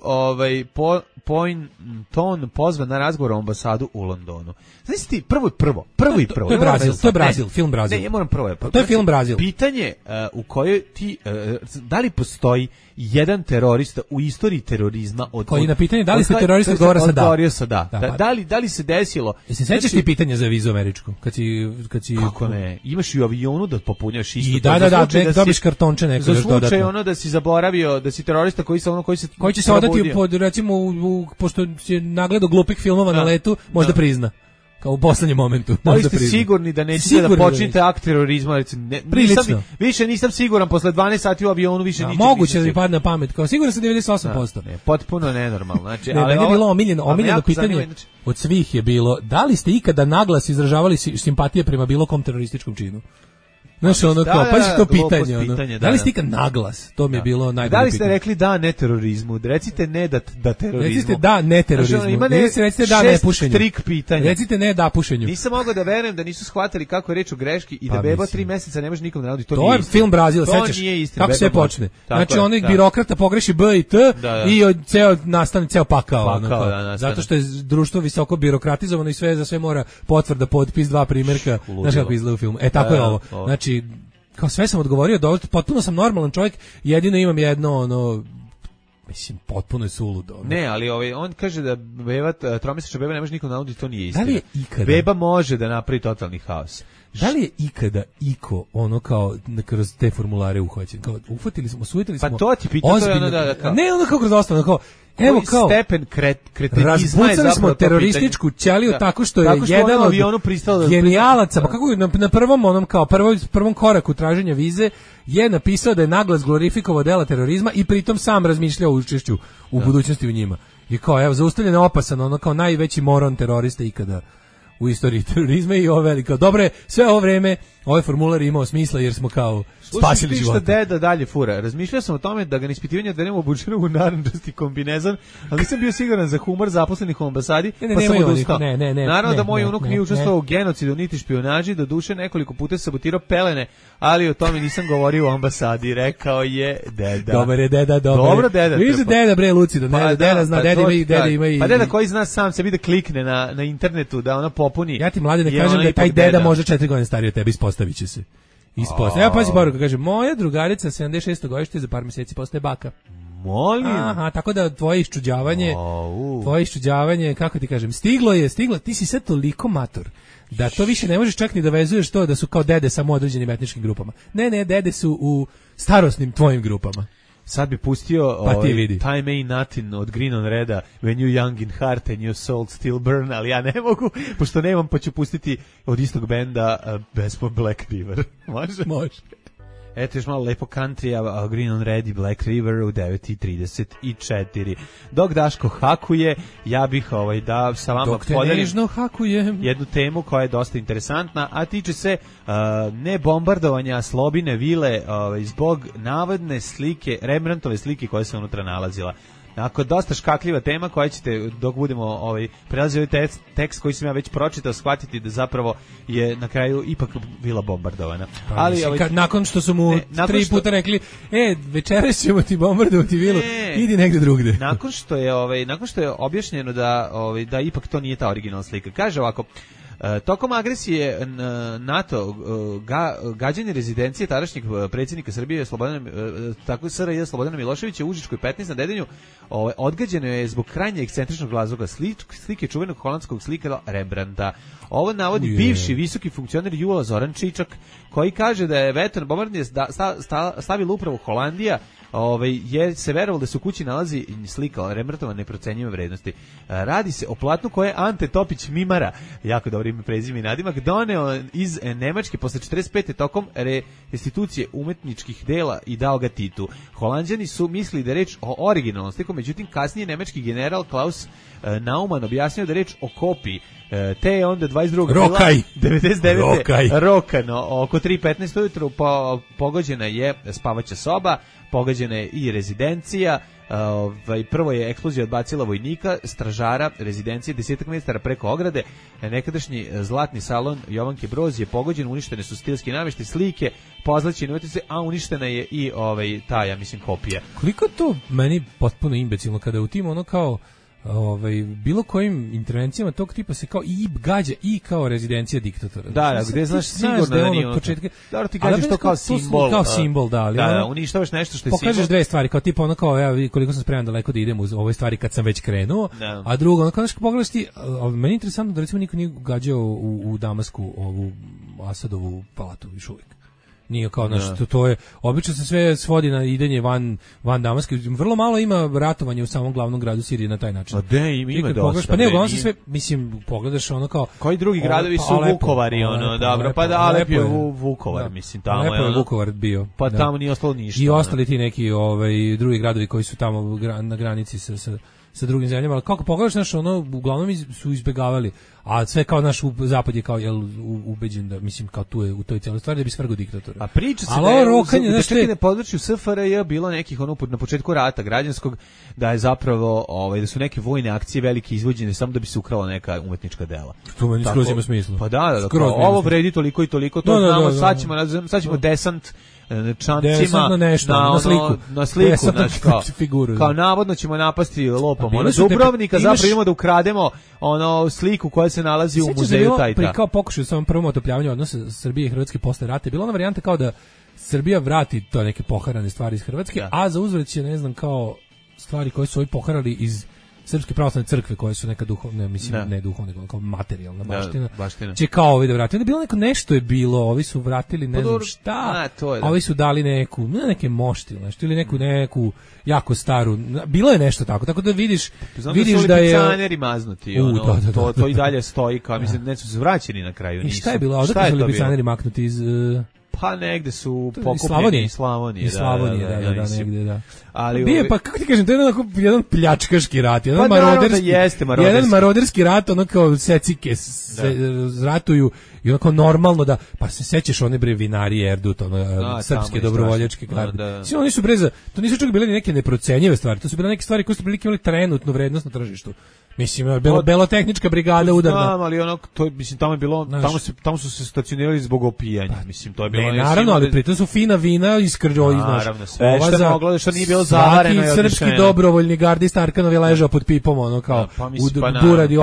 Poynton pozvan na razgovor o ambasadu u Londonu. Znaš ti, prvo. To je Brazil, to je Brazil, film Brazil. Ne, ja moram prvo. To je film Brazil. Pitanje u kojoj ti, da li postoji jedan terorista u istoriji terorizma koji na pitanje da li ste terorista odgovorio sa da. Da li se desilo? Jesi sećaš ti pitanja za vizu američku? Kad si kako ne? Imaš i u avionu da popunjaš isto. I dobiš kartonče neko još dodatno. Za slučaj ono da si zaboravio da si terorista koji će se odati pod recimo pošto je nagledao glupih filmova na letu, možda prizna. kao u poslednjem momentu. Ali ste sigurni da nećete da počnete akt terorizma? Više nisam siguran, posle 12 sati u avionu više ničeg. Moguće da mi padne na pamet, kao siguran sam 98%. Ne, potpuno nenormalno. Znači, ali je bilo omiljeno pitanje od svih je bilo, da li ste ikada naglas izražavali simpatije prema bilo kom terorističkom činu? Znaš, ono kao, pazi to pitanje, da li ste ikad naglas? To mi je bilo najbolje pitanje. Da li ste rekli da ne terorizmu? Recite ne da terorizmu. Recite da ne terorizmu. Recite da ne pušenju. Trik pitanja. Recite ne da pušenju. Nisam mogao da verujem da nisu shvatili kako je reč o greški i da beba 3 meseca ne može nikom da navodi. To je film Brazil, sećaš? Kako sve počne. Znači, onaj birokrata pogreši B i T i nastane ceo pakao. Zato što je društvo visoko birokratizovano i sve za sve mora potvrda, potpis, 2 primjerka. Znaš kako izgleda u filmu. Tako je ovo. Znači, kao sve sam odgovorio, potpuno sam normalan čovjek, jedino imam jedno, mislim, potpuno je suludo. Ne, ali on kaže da tromesečna beba ne može nikom nauditi, to nije istina. Da li je ikada? Beba može da napravi totalni haos. Da li je ikada iko kao kroz te formulare uhvaćen? Kao sujetili smo. Pa to ti pitao, to je ono da kao. Ne, ono kao kroz ostalo, kao evo kao stepen kretenizma razbucali smo terorističku ćeliju tako što je jedan od genijalaca, pa kako na prvom prvom koraku traženja vize je napisao da je naglas glorifikovao dela terorizma i pritom sam razmišljao o učešću u budućnosti u njima. I kao evo zaustavljen opasan, ono kao najveći moron terorista ikada u istoriji terorizma i ovo veliko. Dobro, sve ovo vreme ovaj formular je imao smisla jer smo kao spasili život. Slušaj, deda dalje fura. Razmišljao sam o tome da ga na ispitivanje odvedemo obučenog u narandžasti kombinezon, ali nisam bio siguran za humor zaposlenih u ambasadi, pa sam odustao. Naravno da moj unuk nije učestvovao u genocidu niti špijunaži, do duše nekoliko puta sabotirao pelene, ali o tome nisam govorio u ambasadi, rekao je deda. Dobar je deda, dobar. Dobro deda. Vidiš deda bre lucido, deda zna, deda ima i... Pa deda koji zna sam sebi da klikne na internetu, da ona popuni. Ja ti mlade ne kažem da taj deda može 4 godine stariji od tebe, ispostavit će se. Evo pazi poruka, kaže, moja drugarica 76. godište za par mjeseci postaje baka. Molim. Aha, tako da tvoje iščuđavanje, kako ti kažem, stiglo, ti si sad toliko mator, da to više ne možeš čak ni da vezuješ to da su kao dede samo u određenim etničkim grupama. Ne, dede su u starosnim tvojim grupama. Sad bi pustio Time Ain't Nothing od Green on Reda, When You Young in Heart and Your Soul Still Burn, ali ja ne mogu, pošto nemam, pa ću pustiti od istog benda Bespo Black River. Može. Eto još malo lepo country, Green on Red i Black River u 9:34. Dok Daško hakuje, ja bih da sa vama podelim jednu temu koja je dosta interesantna, a tiče se ne bombardovanja Slobine vile zbog navodne slike, Rembrandtove slike koja se unutra nalazila. Dakle, dosta škakljiva tema koja ćete, dok budemo prelazili ovaj tekst koji sam ja već pročitao, shvatiti da zapravo je na kraju ipak bila bombardovana. Ali nakon što su mu 3 puta rekli, večeras ćemo ti bombardovati vilu, idi negde drugde. Nakon što je objašnjeno da ipak to nije ta originalna slika. Kaže ovako: tokom agresije NATO, gađanje rezidencije tadašnjeg predsjednika Srbije SRJ Slobodana Miloševića u Užičkoj 15 na Dedinju odgađeno je zbog krajnje ekscentričnog razloga slike čuvenog holandskog slikara Rembrandta. Ovo navodi bivši visoki funkcioner Jula Zoran Čičak, koji kaže da je vetar bombardanje stavila upravo Holandija, jer se verovalo da se u kući nalazi slika Rembrandtova neprocenjive vrednosti. Radi se o platnu koje je Ante Topić Mimara, jako dobro ime, prezime i nadimak, doneo iz Nemačke posle 45. tokom restitucije umetničkih dela i dao ga Titu. Holanđani su mislili da je reč o originalnom sliku, međutim kasnije nemački general Klaus Naumann objasnio da je reč o kopiji, te je onda 22. Rokaj. 99. Rokano, oko 3:15 ujutru pogođena je spavaća soba, pogođena je i rezidencija. Prvo je eksplozija odbacila vojnika, stražara rezidencije 10 metara preko ograde. Nekadašnji zlatni salon Jovanke Broz je pogođen, uništene su stilski namještaj, slike, pozlaćene umetnice, a uništena je i ta, ja mislim, kopija. Koliko to meni potpuno imbecilno kada u tim ono kao bilo kojim intervencijama tog tipa se kao i gađa i kao rezidencija diktatora. Da, gde znaš sigurno da nije ono početka. Dobro, ti gađaš to kao simbol. Kao simbol, da, ali da, uništavaš nešto što je simbol. Pokažeš dve stvari, kao tipa ono kao ja koliko sam spreman daleko da idem u ove stvari kad sam već krenuo, a drugo, ono kao pogledaš ti, meni je interesantno da recimo niko nije gađao u Damasku ovu Asadovu palatu još uvijek. Nije kao to je obično se sve svodi na idenje van Damaska. Vrlo malo ima ratovanja u samom glavnom gradu Sirije na taj način. Ima dosta. Pa ne, uglavnom se sve, mislim, pogledaš ono kao koji drugi gradovi su Vukovari, dobro, pa da Alep je Vukovar, mislim, tamo je Vukovar bio. Pa tamo nije ostalo ništa. I ostali ti neki drugi gradovi koji su tamo na granici sa drugim zemljama, ali kako pogledaš, naš ono, uglavnom su izbegavali, a sve kao naš zapad je kao, ubeđen da, mislim, kao tu je u toj cijeloj stvari da bi svrgo diktatora. A priča se da je čak i na području SFRJ bilo nekih, na početku rata građanskog, da je zapravo, da su neke vojne akcije velike izvođene samo da bi se ukrala neka umetnička dela. To meni skroz ima smisla. Pa da, ovo vredi toliko i toliko, to znamo, sad ćemo desant čamcima na sliku, znači kao navodno ćemo napasti lopom Dubrovnika, zapravo idemo da ukrademo sliku koja se nalazi u muzeju Tajta. Kao pokušaj u samom prvom otopljavanju odnosa Srbije i Hrvatske posle rata je bila ona varijanta kao da Srbija vrati to neke poharane stvari iz Hrvatske, a za uzvrat će, ne znam, kao stvari koje su ovi poharali iz Srpske pravoslavne crkve, koje su neka duhovne, mislim, ne duhovne, nego kao materijalna baština. Će kao ovi da vrati. Onda je bilo nešto je bilo, ovi su vratili ne znam šta, a ovi su dali neke mošti, nešto, ili neku jako staru, bilo je nešto tako da vidiš da je picaneri maznuti, to i dalje stoji, kao mislim, ne su se vraćeni na kraju. I šta je bilo? Odakle su li picaneri maknuti iz... Pa negde su pokupljeni iz Slavonije. Da, negde, da. Ali bio pa kako ti kažem, to je jedan pljačkaški rat, jedan maroderski rat, ono kao secike se ratuju i onako normalno da, pa se sećaš one bre vinarije Erdut, srpske dobrovoljačke garde. Svi oni su to nisu čak bile ni neke neprocenjive stvari, to su bile neke stvari koje su imali trenutnu vrednost na tržištu. Mislim, belotehnička brigada udarna. Znam, ali to mislim, tamo je bilo, tamo su se stacionirali zbog opijanja. Mislim, to je bilo naravno, ali pritom su fina vina iskrđo, naravno, sve što moglo, što nije bilo zavareno. Svaki srpski dobrovoljni gardista Arkanov je ležao pod pipom, kao buradi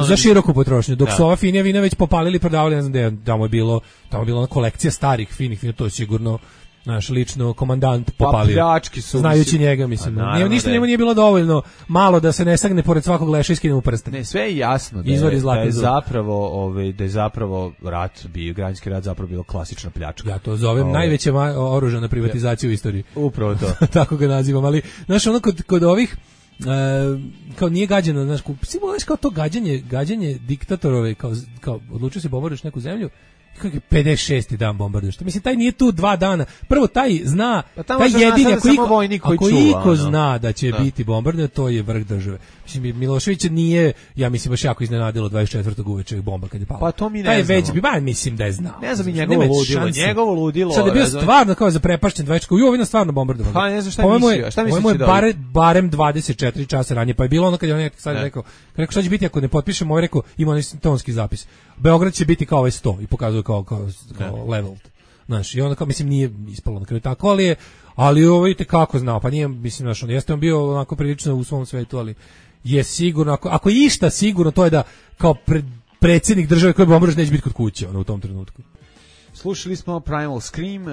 za široku potrošnju. Dok su ova finija vina već popalili, prodavali, ne znam gde, tamo je bilo kolekcija starih finih vina, to je sigurno naš lično komandant popalio. Znajući njega, mislim. Ništa njemu nije bilo dovoljno malo da se ne sagne pored svakog leša i skine mu prste. Ne, sve je jasno da je zapravo rat, građanski rat zapravo bilo klasična pljačka. Ja to zovem najveća oružana privatizacija u istoriji. Upravo to. Tako ga nazivam, ali znaš, ono kod ovih kao nije gađano, znaš, kao to gađanje diktatorove, kao odlučio se bombarduješ neku zemlju, kako je 56. dan bombarduješ. Mislim, taj nije tu 2 dana. Prvo, taj zna, taj jedini, ako iko zna da će biti bombardiran, to je vrh države. Mislim, Milošević nije, ja mislim, baš jako iznenadilo 24. uveče bomba kad je pala. Pa to mi ne znamo. Mislim da je znao. Ne znam i njegovo ludilo. Sad je bio stvarno kao zaprepašćen 24. Ovo je stvarno bombardovan. Pa ne znam šta mislio. Ovo je barem 24 časa ranije. Pa je bilo ono kad je on sad rekao, šta će biti ako ne potpišemo, ovo je rekao, ima onaj tonski zapis. Beograd će biti kao ovaj 100 i pokazuje kao leveled. Znaš, i onda kao, mislim, nije ispalo na kraju tako, ali ovo vidite kako znao, pa nije, mislim, znaš, jeste on bio onako prilično u svom svetu, ali je sigurno, ako je išta sigurno, to je da kao predsjednik države koji bombarduje neće biti kod kuće, u tom trenutku. Slušali smo Primal Scream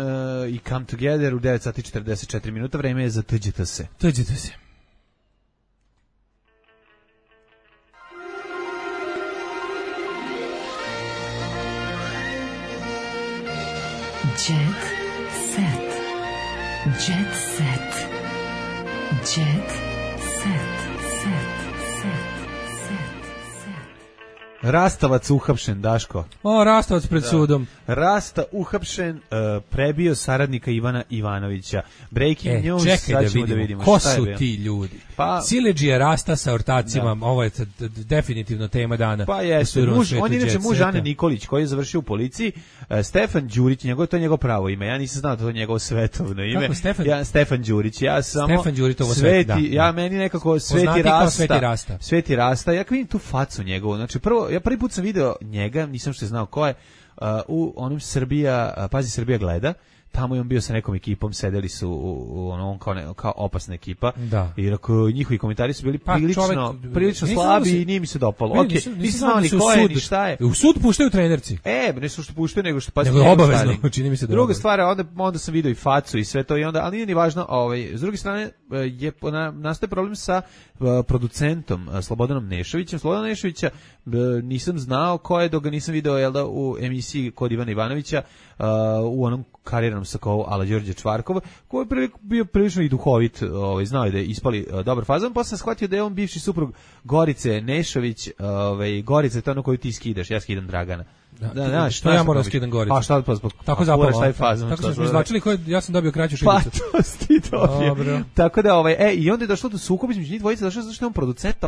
i Come Together u 9 sati 44 minuta, vreme je za Tuđite se. Tuđite se. Jet set. Jet set. Jet set. Rastavac uhapšen, Daško. Rastavac pred sudom. Rasta uhapšen, prebio saradnika Ivana Ivanovića. Breaking news, čekaj da vidimo ko su ti ljudi. Siledžija Rasta sa ortacima, ovo je definitivno tema dana. Pa jeste, on je inače muž Ane Nikolić, koji je završio u policiji. Stefan Đurić, to je njegovo pravo ime. Ja nisam znao da to je njegovo svetovno ime. Kako Stefan? Stefan Đurić. Ja samo Stefan Đurić, ovo sveti. Ja meni nekako Sveti Rasta. Ja vidim tu facu njegovu. Znači ja prvi put sam video njega, nisam što znao ko je, u onom Srbija gleda, tamo je on bio sa nekom ekipom, sedeli su u onom kao opasna ekipa, i njihovi komentari su bili prilično slabi i nije mi se dopalo. Nisam znao ni ko je, ni šta je. U sud puštaju trenerci. Ne su što puštaju, nego što obavezno, čini mi se da. Druga stvar, onda sam video i facu i sve to, i onda, ali nije ni važno, s druge strane je nastaje problem sa producentom Slobodanom Nešovićem. Slobodana Nešovića nisam znao ko je, dok ga nisam video u emisiji kod Ivana Ivanovića u onom karirnom sakovu ala Đorđe Čvarkov, koji je bio prilično i duhovit, znao je da je ispali dobar fazon, pa sam shvatio da je on bivši suprug Gorice Nešović, Gorica, to je ono koju ti skidaš, ja skidam Dragana. Da, što ja moram skidam Goricu. A šta pa zbog tako zapalo. Tako smo izvlačili, ja sam dobio kraću šibicu. Pa to si dobio. Tako da i onda je došlo do sukoba između njih dvojice, došlo zašto je on producent.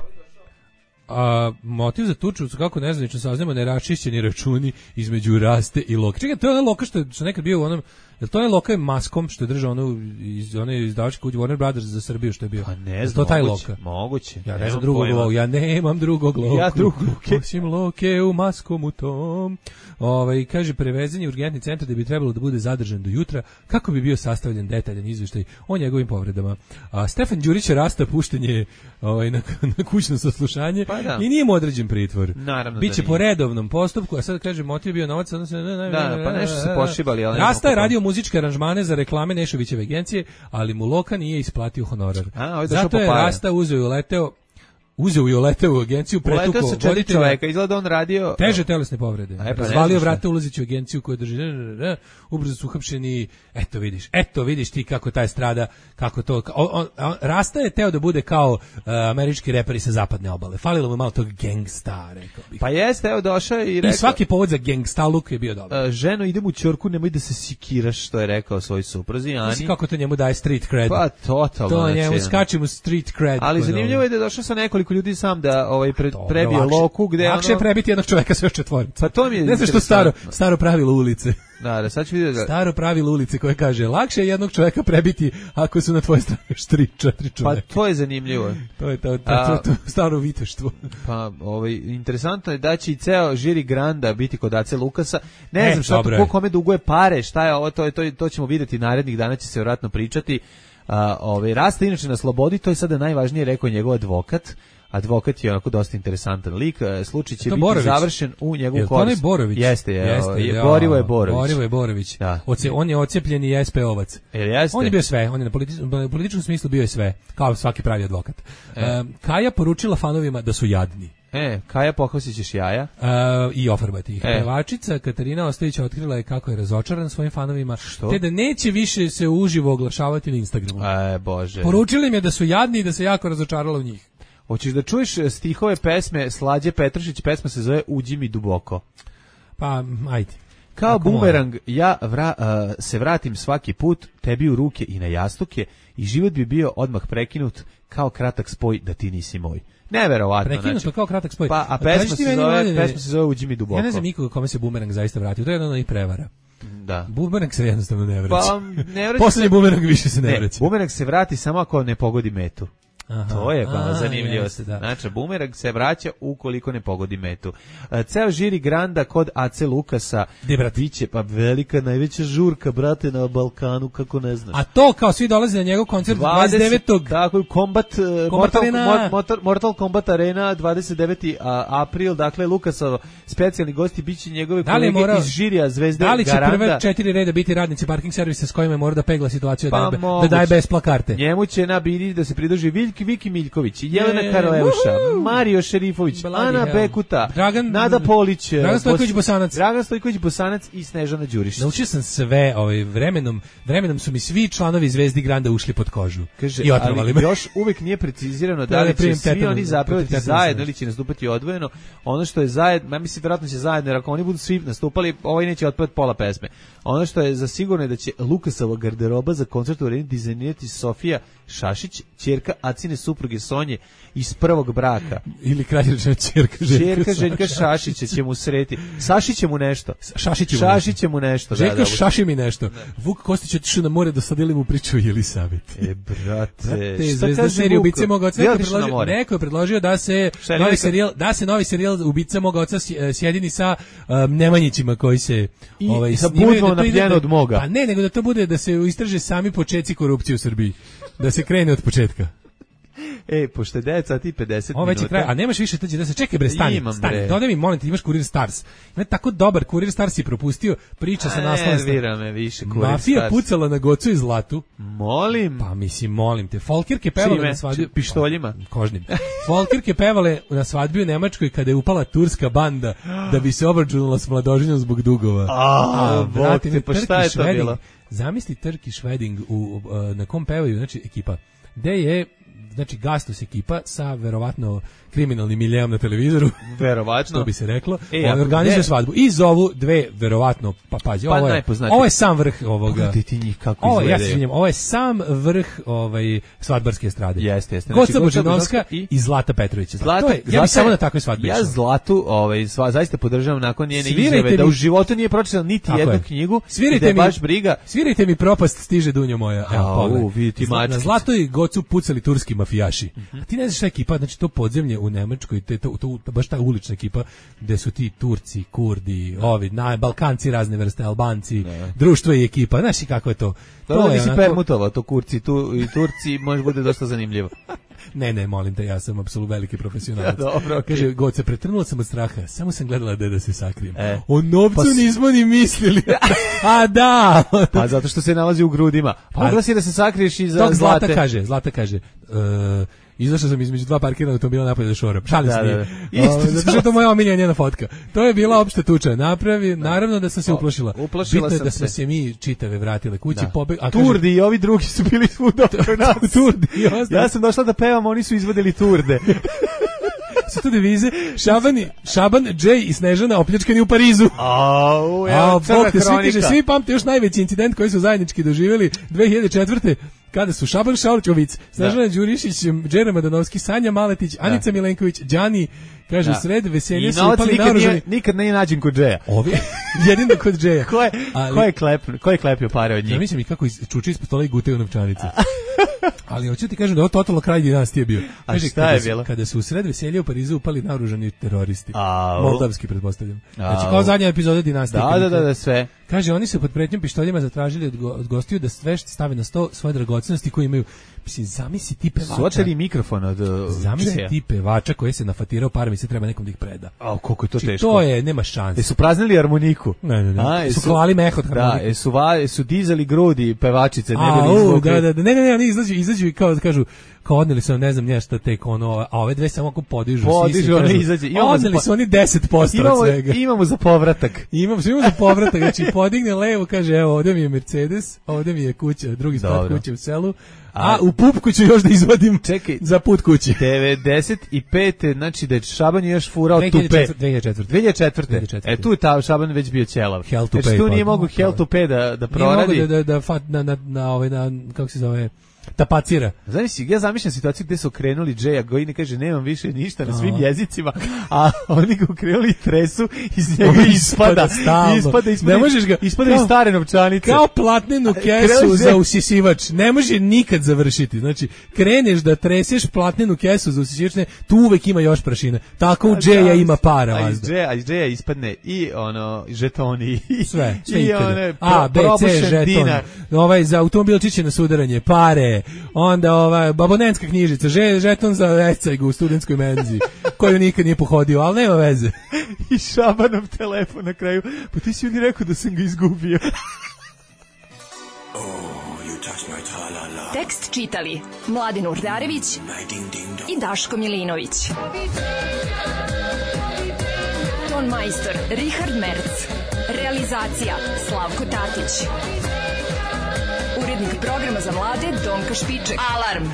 A motiv za tuču su kako nezvanično saznamo neraščišćeni računi između Raste i Loka. Čekaj, to je onaj Loka što je nekad bio u onom, je to onaj Loka je maskom što je držao one izdavačke kuće Warner Brothers za Srbiju što je bio? Pa ne znam, moguće. Ja ne znam drugog Loka, ja nemam drugog Loka. Ja drugog Loke. Osim Loke u maskom u tom. Kaže, prevezen je urgentni centar da bi trebalo da bude zadržan do jutra kako bi bio sastavljen detaljan izveštaj o njegovim povredama. Stefan Đurić Rasta pušten je na kućno saslušanje i nije mu određen pritvor. Biće po redovnom postupku, a sad kaže motiv bio novac, odnosno pa nešto se pošibali, ali Rasta je radio muzičke aranžmane za reklame Nešovićeve agencije, ali mu Loka nije isplatio honorar. Zato je Rasta uzeo i uleteo u agenciju, pretukao voditelja. Čoveka, izgleda on radio teže telesne povrede. Razvalio vrata ulazeći u agenciju koju drži. Ubrzo su uhapšeni. Eto vidiš ti kako taj strada, kako to. Rasta je teo da bude kao američki reperi sa zapadne obale. Falilo mu malo tog gangsta, rekao bih. Pa jeste, evo došao i rekao. I svaki povod za gangstaluk je bio dobar. Ženo, idem u ćorku, nemoj da se sikiraš, što je rekao svoj supruzi Ani. Mislim kako to njemu daje street cred. Pa totalno. To njemu skače mu street cred. Ali zanimljivo je da je došao sa nekoliko ljudi sam da prebio Loku, gde lakše je prebiti jednog čoveka sve četvorice. Pa to mi je ne znam što staro pravilo ulice. Da, sad ću vidjeti. Staro pravilo ulice koje kaže lakše je jednog čoveka prebiti ako su na tvojoj strani 3-4 čoveka. Pa to je zanimljivo. To je to staro viteštvo. Pa interesantno je da će i ceo žiri Granda biti kod Ace Lukasa. Ne znam šta to kome duguje pare, šta je ovo, to ćemo vidjeti narednih dana, će se vjerojatno pričati. Rasta inače na slobodi, to je sada najvažnije, rekao njegov advokat. Advokat je onako dosta interesantan lik. Slučaj će biti Borović? Završen u njegovu korist. Je to onaj Borović? Jeste, Borivo je Borović. Borivo je Borović. Da. On je ocijepljeni SP-ovac. On je bio sve, on je na političkom smislu bio je sve, kao svaki pravi advokat. Kaja poručila fanovima da su jadni. Kaja, pohvasit ćeš jaja. I ofarbati ih. Pevačica Katarina Ostojić otkrila je kako je razočaran svojim fanovima, te da neće više se uživo oglašavati na Instagramu. Bože. Poručili im je da su jadni i da se jako razočarala u njih. Hoćeš da čuješ stihove pesme Slađe Petrušić, pesma se zove Uđi mi duboko. Pa, ajde. Kao bumerang, ja se vratim svaki put, tebi u ruke i na jastuke, i život bi bio odmah prekinut kao kratak spoj da ti nisi moj. Neverovatno. Prekinuto kao kratak spoj. A pesma se zove Uđi mi duboko. Ja ne znam nikoga kome se bumerang zaista vratio, to je jedna i prevara. Da. Bumerang se jednostavno ne vraća. Pa, ne vraća. Poslednji bumerang više se ne vraća. Bumerang se vrati samo ako ne pogodi metu. Aha, to je zanimljivo. Znači, bumerang se vraća ukoliko ne pogodi metu. Ceo žiri Granda kod Ace Lukasa biće pa velika, najveća žurka, brate, na Balkanu, kako ne znaš. A to kao svi dolaze na njegov koncert 29. Tako, Mortal Kombat Arena 29. april, dakle, Lukasov specijalni gosti biće njegove kolege iz žirija Zvezde Garanda. Da li će prve 4 reda biti radnici parking servisa s kojima mora da pegla situaciju da daje besplatne karte? Njemu će nabiti da se pridruži Viki Miljković, Jelena Karleuša, Mario Šerifović, Ana Bekuta, Nada Polić, Dragan Stojković Bosanac i Snežana Đurišić. Naučio sam sve, vremenom su mi svi članovi Zvezdi Granda ušli pod kožu. Kaže, i otrovali me. Još uvek nije precizirano da li će svi oni zapevati zajedno ili će nastupati odvojeno. Ono što je zajedno, ja mislim vjerojatno će zajedno, jer ako oni budu svi nastupali, ovaj neće otpevati pola pesme. Ono što je za sigurno je da će Lukasova garderoba za koncert u Areni dizajnirati Sofija Šašić, ćerka Acine supruge Sonje iz prvog braka. Ili kraljevična ćerka Željka Šašića će mu sreti. Sašić će mu nešto. Šašić će mu nešto. Željka šaši mi nešto. Vuk Kostić otišao na more da sadili mu priču o Jelisaveti. Brate. Zvezda serije Ubice mog oca. Neko je predložio da se novi serijal Ubice mog oca sjedini sa Nemanjićima koji se sa budvom na pljenu od moga. Pa ne, nego da to bude da se istraže sami počeci korupcije u Srbiji. Da se krene od početka. Pošto je 9 sati i 50 Ovo već je minuta. kraj, a nemaš više tađe da se čekaj bre, stani. Imam, Stani. bre. Dodaj mi, molim te, imaš Kurir Stars. Ima tako dobar Kurir Stars si propustio, priča sa naslovom. Nervira me više Kurir Mafija Stars. pucala na Gocu i Zlatu. Molim. Pa mislim, molim te. Folkirke pevale Čime? na svadbi Pištoljima? Kožnim. Folkirke pevale na svadbi u Nemačkoj kada je upala turska banda da bi se obračunala s mladoženjom zbog dugova. Bog te, pa šta je to bilo? Zamisli Turkish Wedding na kom pevaju, znači ekipa. Gde je znači Gastos ekipa sa verovatno kriminalnim miljeom na televizoru. Verovatno. Što bi se reklo. Organizuje svadbu. I zovu dve, verovatno, pa pazi, ovo je sam vrh ovoga. Pogledaj ti njih kako izgledaju. Ja se izvinjam, ovo je sam vrh svadbarske estrade. Jeste. Goca Božanovska i Zlata Petrović. Ja bih samo na takvoj svadbi. Ja Zlatu zaista podržavam nakon njene izjave da u životu nije pročitala niti jednu knjigu. Svirajte mi, baš briga. Svirajte mi Propast stiže dunjo moja. Evo, na Zlato i Gocu pucali turski mafijaši. A ti ne znaš šta ekipa, znači to podzemlje u Nemačkoj, to baš ta ulična ekipa gde su ti Turci, Kurdi, ovi, Balkanci razne vrste, Albanci, društvo i ekipa, znaš i kako je to. To je nisi permutovao, to kurci i Turci može bude dosta zanimljivo. Ne, molim te, ja sam apsolutno veliki profesionalac. Dobro, okay. Kaže, Goce, pretrnula sam od straha, samo sam gledala da se sakrijem. O novcu nismo ni mislili. A da! Pa zato što se nalazi u grudima. Pa mogla si da se sakriješ iza Zlate. Zlata kaže, izašao sam između dva parkirana automobila napolje da šoram. Šalim se nije. Zato što je to moja omiljena njena fotka. To je bila opšta tuča. Naravno da sam se uplašila. Bitno je da smo se mi čitave vratile kući. Turdi i ovi drugi su bili svuda oko nas. Turdi. Ja sam došla da pevam, oni su izvodili turde. Su tu devize Šaban, Džej i Snežana opljačkani u Parizu. Crna hronika. Svi pamte još najveći incident koji su zajednički doživjeli 2004. kada su Šaban Šaurčović, Snežana Đurišić, Đera Madanovski, Sanja Maletić, Anica Milenković, Đani, kaže, sred veselja su upali naoružani. Nikad ne nađen kod Džeja. Jedino kod Džeja. Ko je klepio pare od njih? Ja mislim i kako čuči ispod stola i gutaju novčanice. Ali hoću ti kažem da je ovo totalno kraj dinastije bio. A šta je bilo? Kada su u sred veselja u Parizu upali naoružani teroristi. Moldavski, pretpostavljam. Znači kao zadnja epizoda dinastije. Da, sve. Kaže, oni su pod pretnjom pištoljima zatražili od gostiju da sve stave na sto svoje dragocenosti koje imaju. Mislim, zamisli ti pevača. Su oteli mikrofon od Zamisli ti pevača koji se nafatirao parama i se treba nekom da ih preda. Koliko je to teško. To je, nema šanse. Su praznili harmoniku. Ne. Su klali meh od harmonike. Su dizali grudi pevačice. Ne, oni izađu i kao da kažu, kao odneli su, ne znam nešto tek ono, a ove dve samo ako podižu oni izađe. Odneli su oni 10% od svega. Imamo za povratak. Imamo za povratak, znači podigne levo, kaže, evo, ovdje mi je Mercedes, ovdje mi je kuća, drugi sprat kuće u selu, a u pupku ću još da izvadim za put kući. 95. znači da je Šaban još furao tupe. 2004. Tu je ta Šaban već bio ćelav. Znači tu nije mogu Hell to Pay da proradi. Nije mogu da kako se zove, tapacira. Znači, ja zamišljam situaciju gde su okrenuli Džeja, koji ne kaže nemam više ništa na svim jezicima, a oni ga okrenuli i tresu, iz njega ispada ne možeš ga, ispada iz stare novčanice. Kao platnenu kesu za usisivač. Ne može nikad završiti. Znači, kreneš da treseš platnenu kesu za usisivač, tu uvek ima još prašine. Tako u Džeja ima para. A iz Džeja ispadne i žetoni. Sve i one B, C, žeton. Za automobilčiće na sudaranje, pare. Onda abonentska knjižica, žeton za ecajgu u studentskoj menzi, koju nikad nije pohodio, ali nema veze. I Šabanov telefon na kraju, pa ti si mi rekao da sam ga izgubio. Tekst čitali Mladin Urdarević i Daško Milinović. Ton majstor Richard Merc. Realizacija Slavko Tatić. Urednik programa za mlade Donka Špiček. Alarm!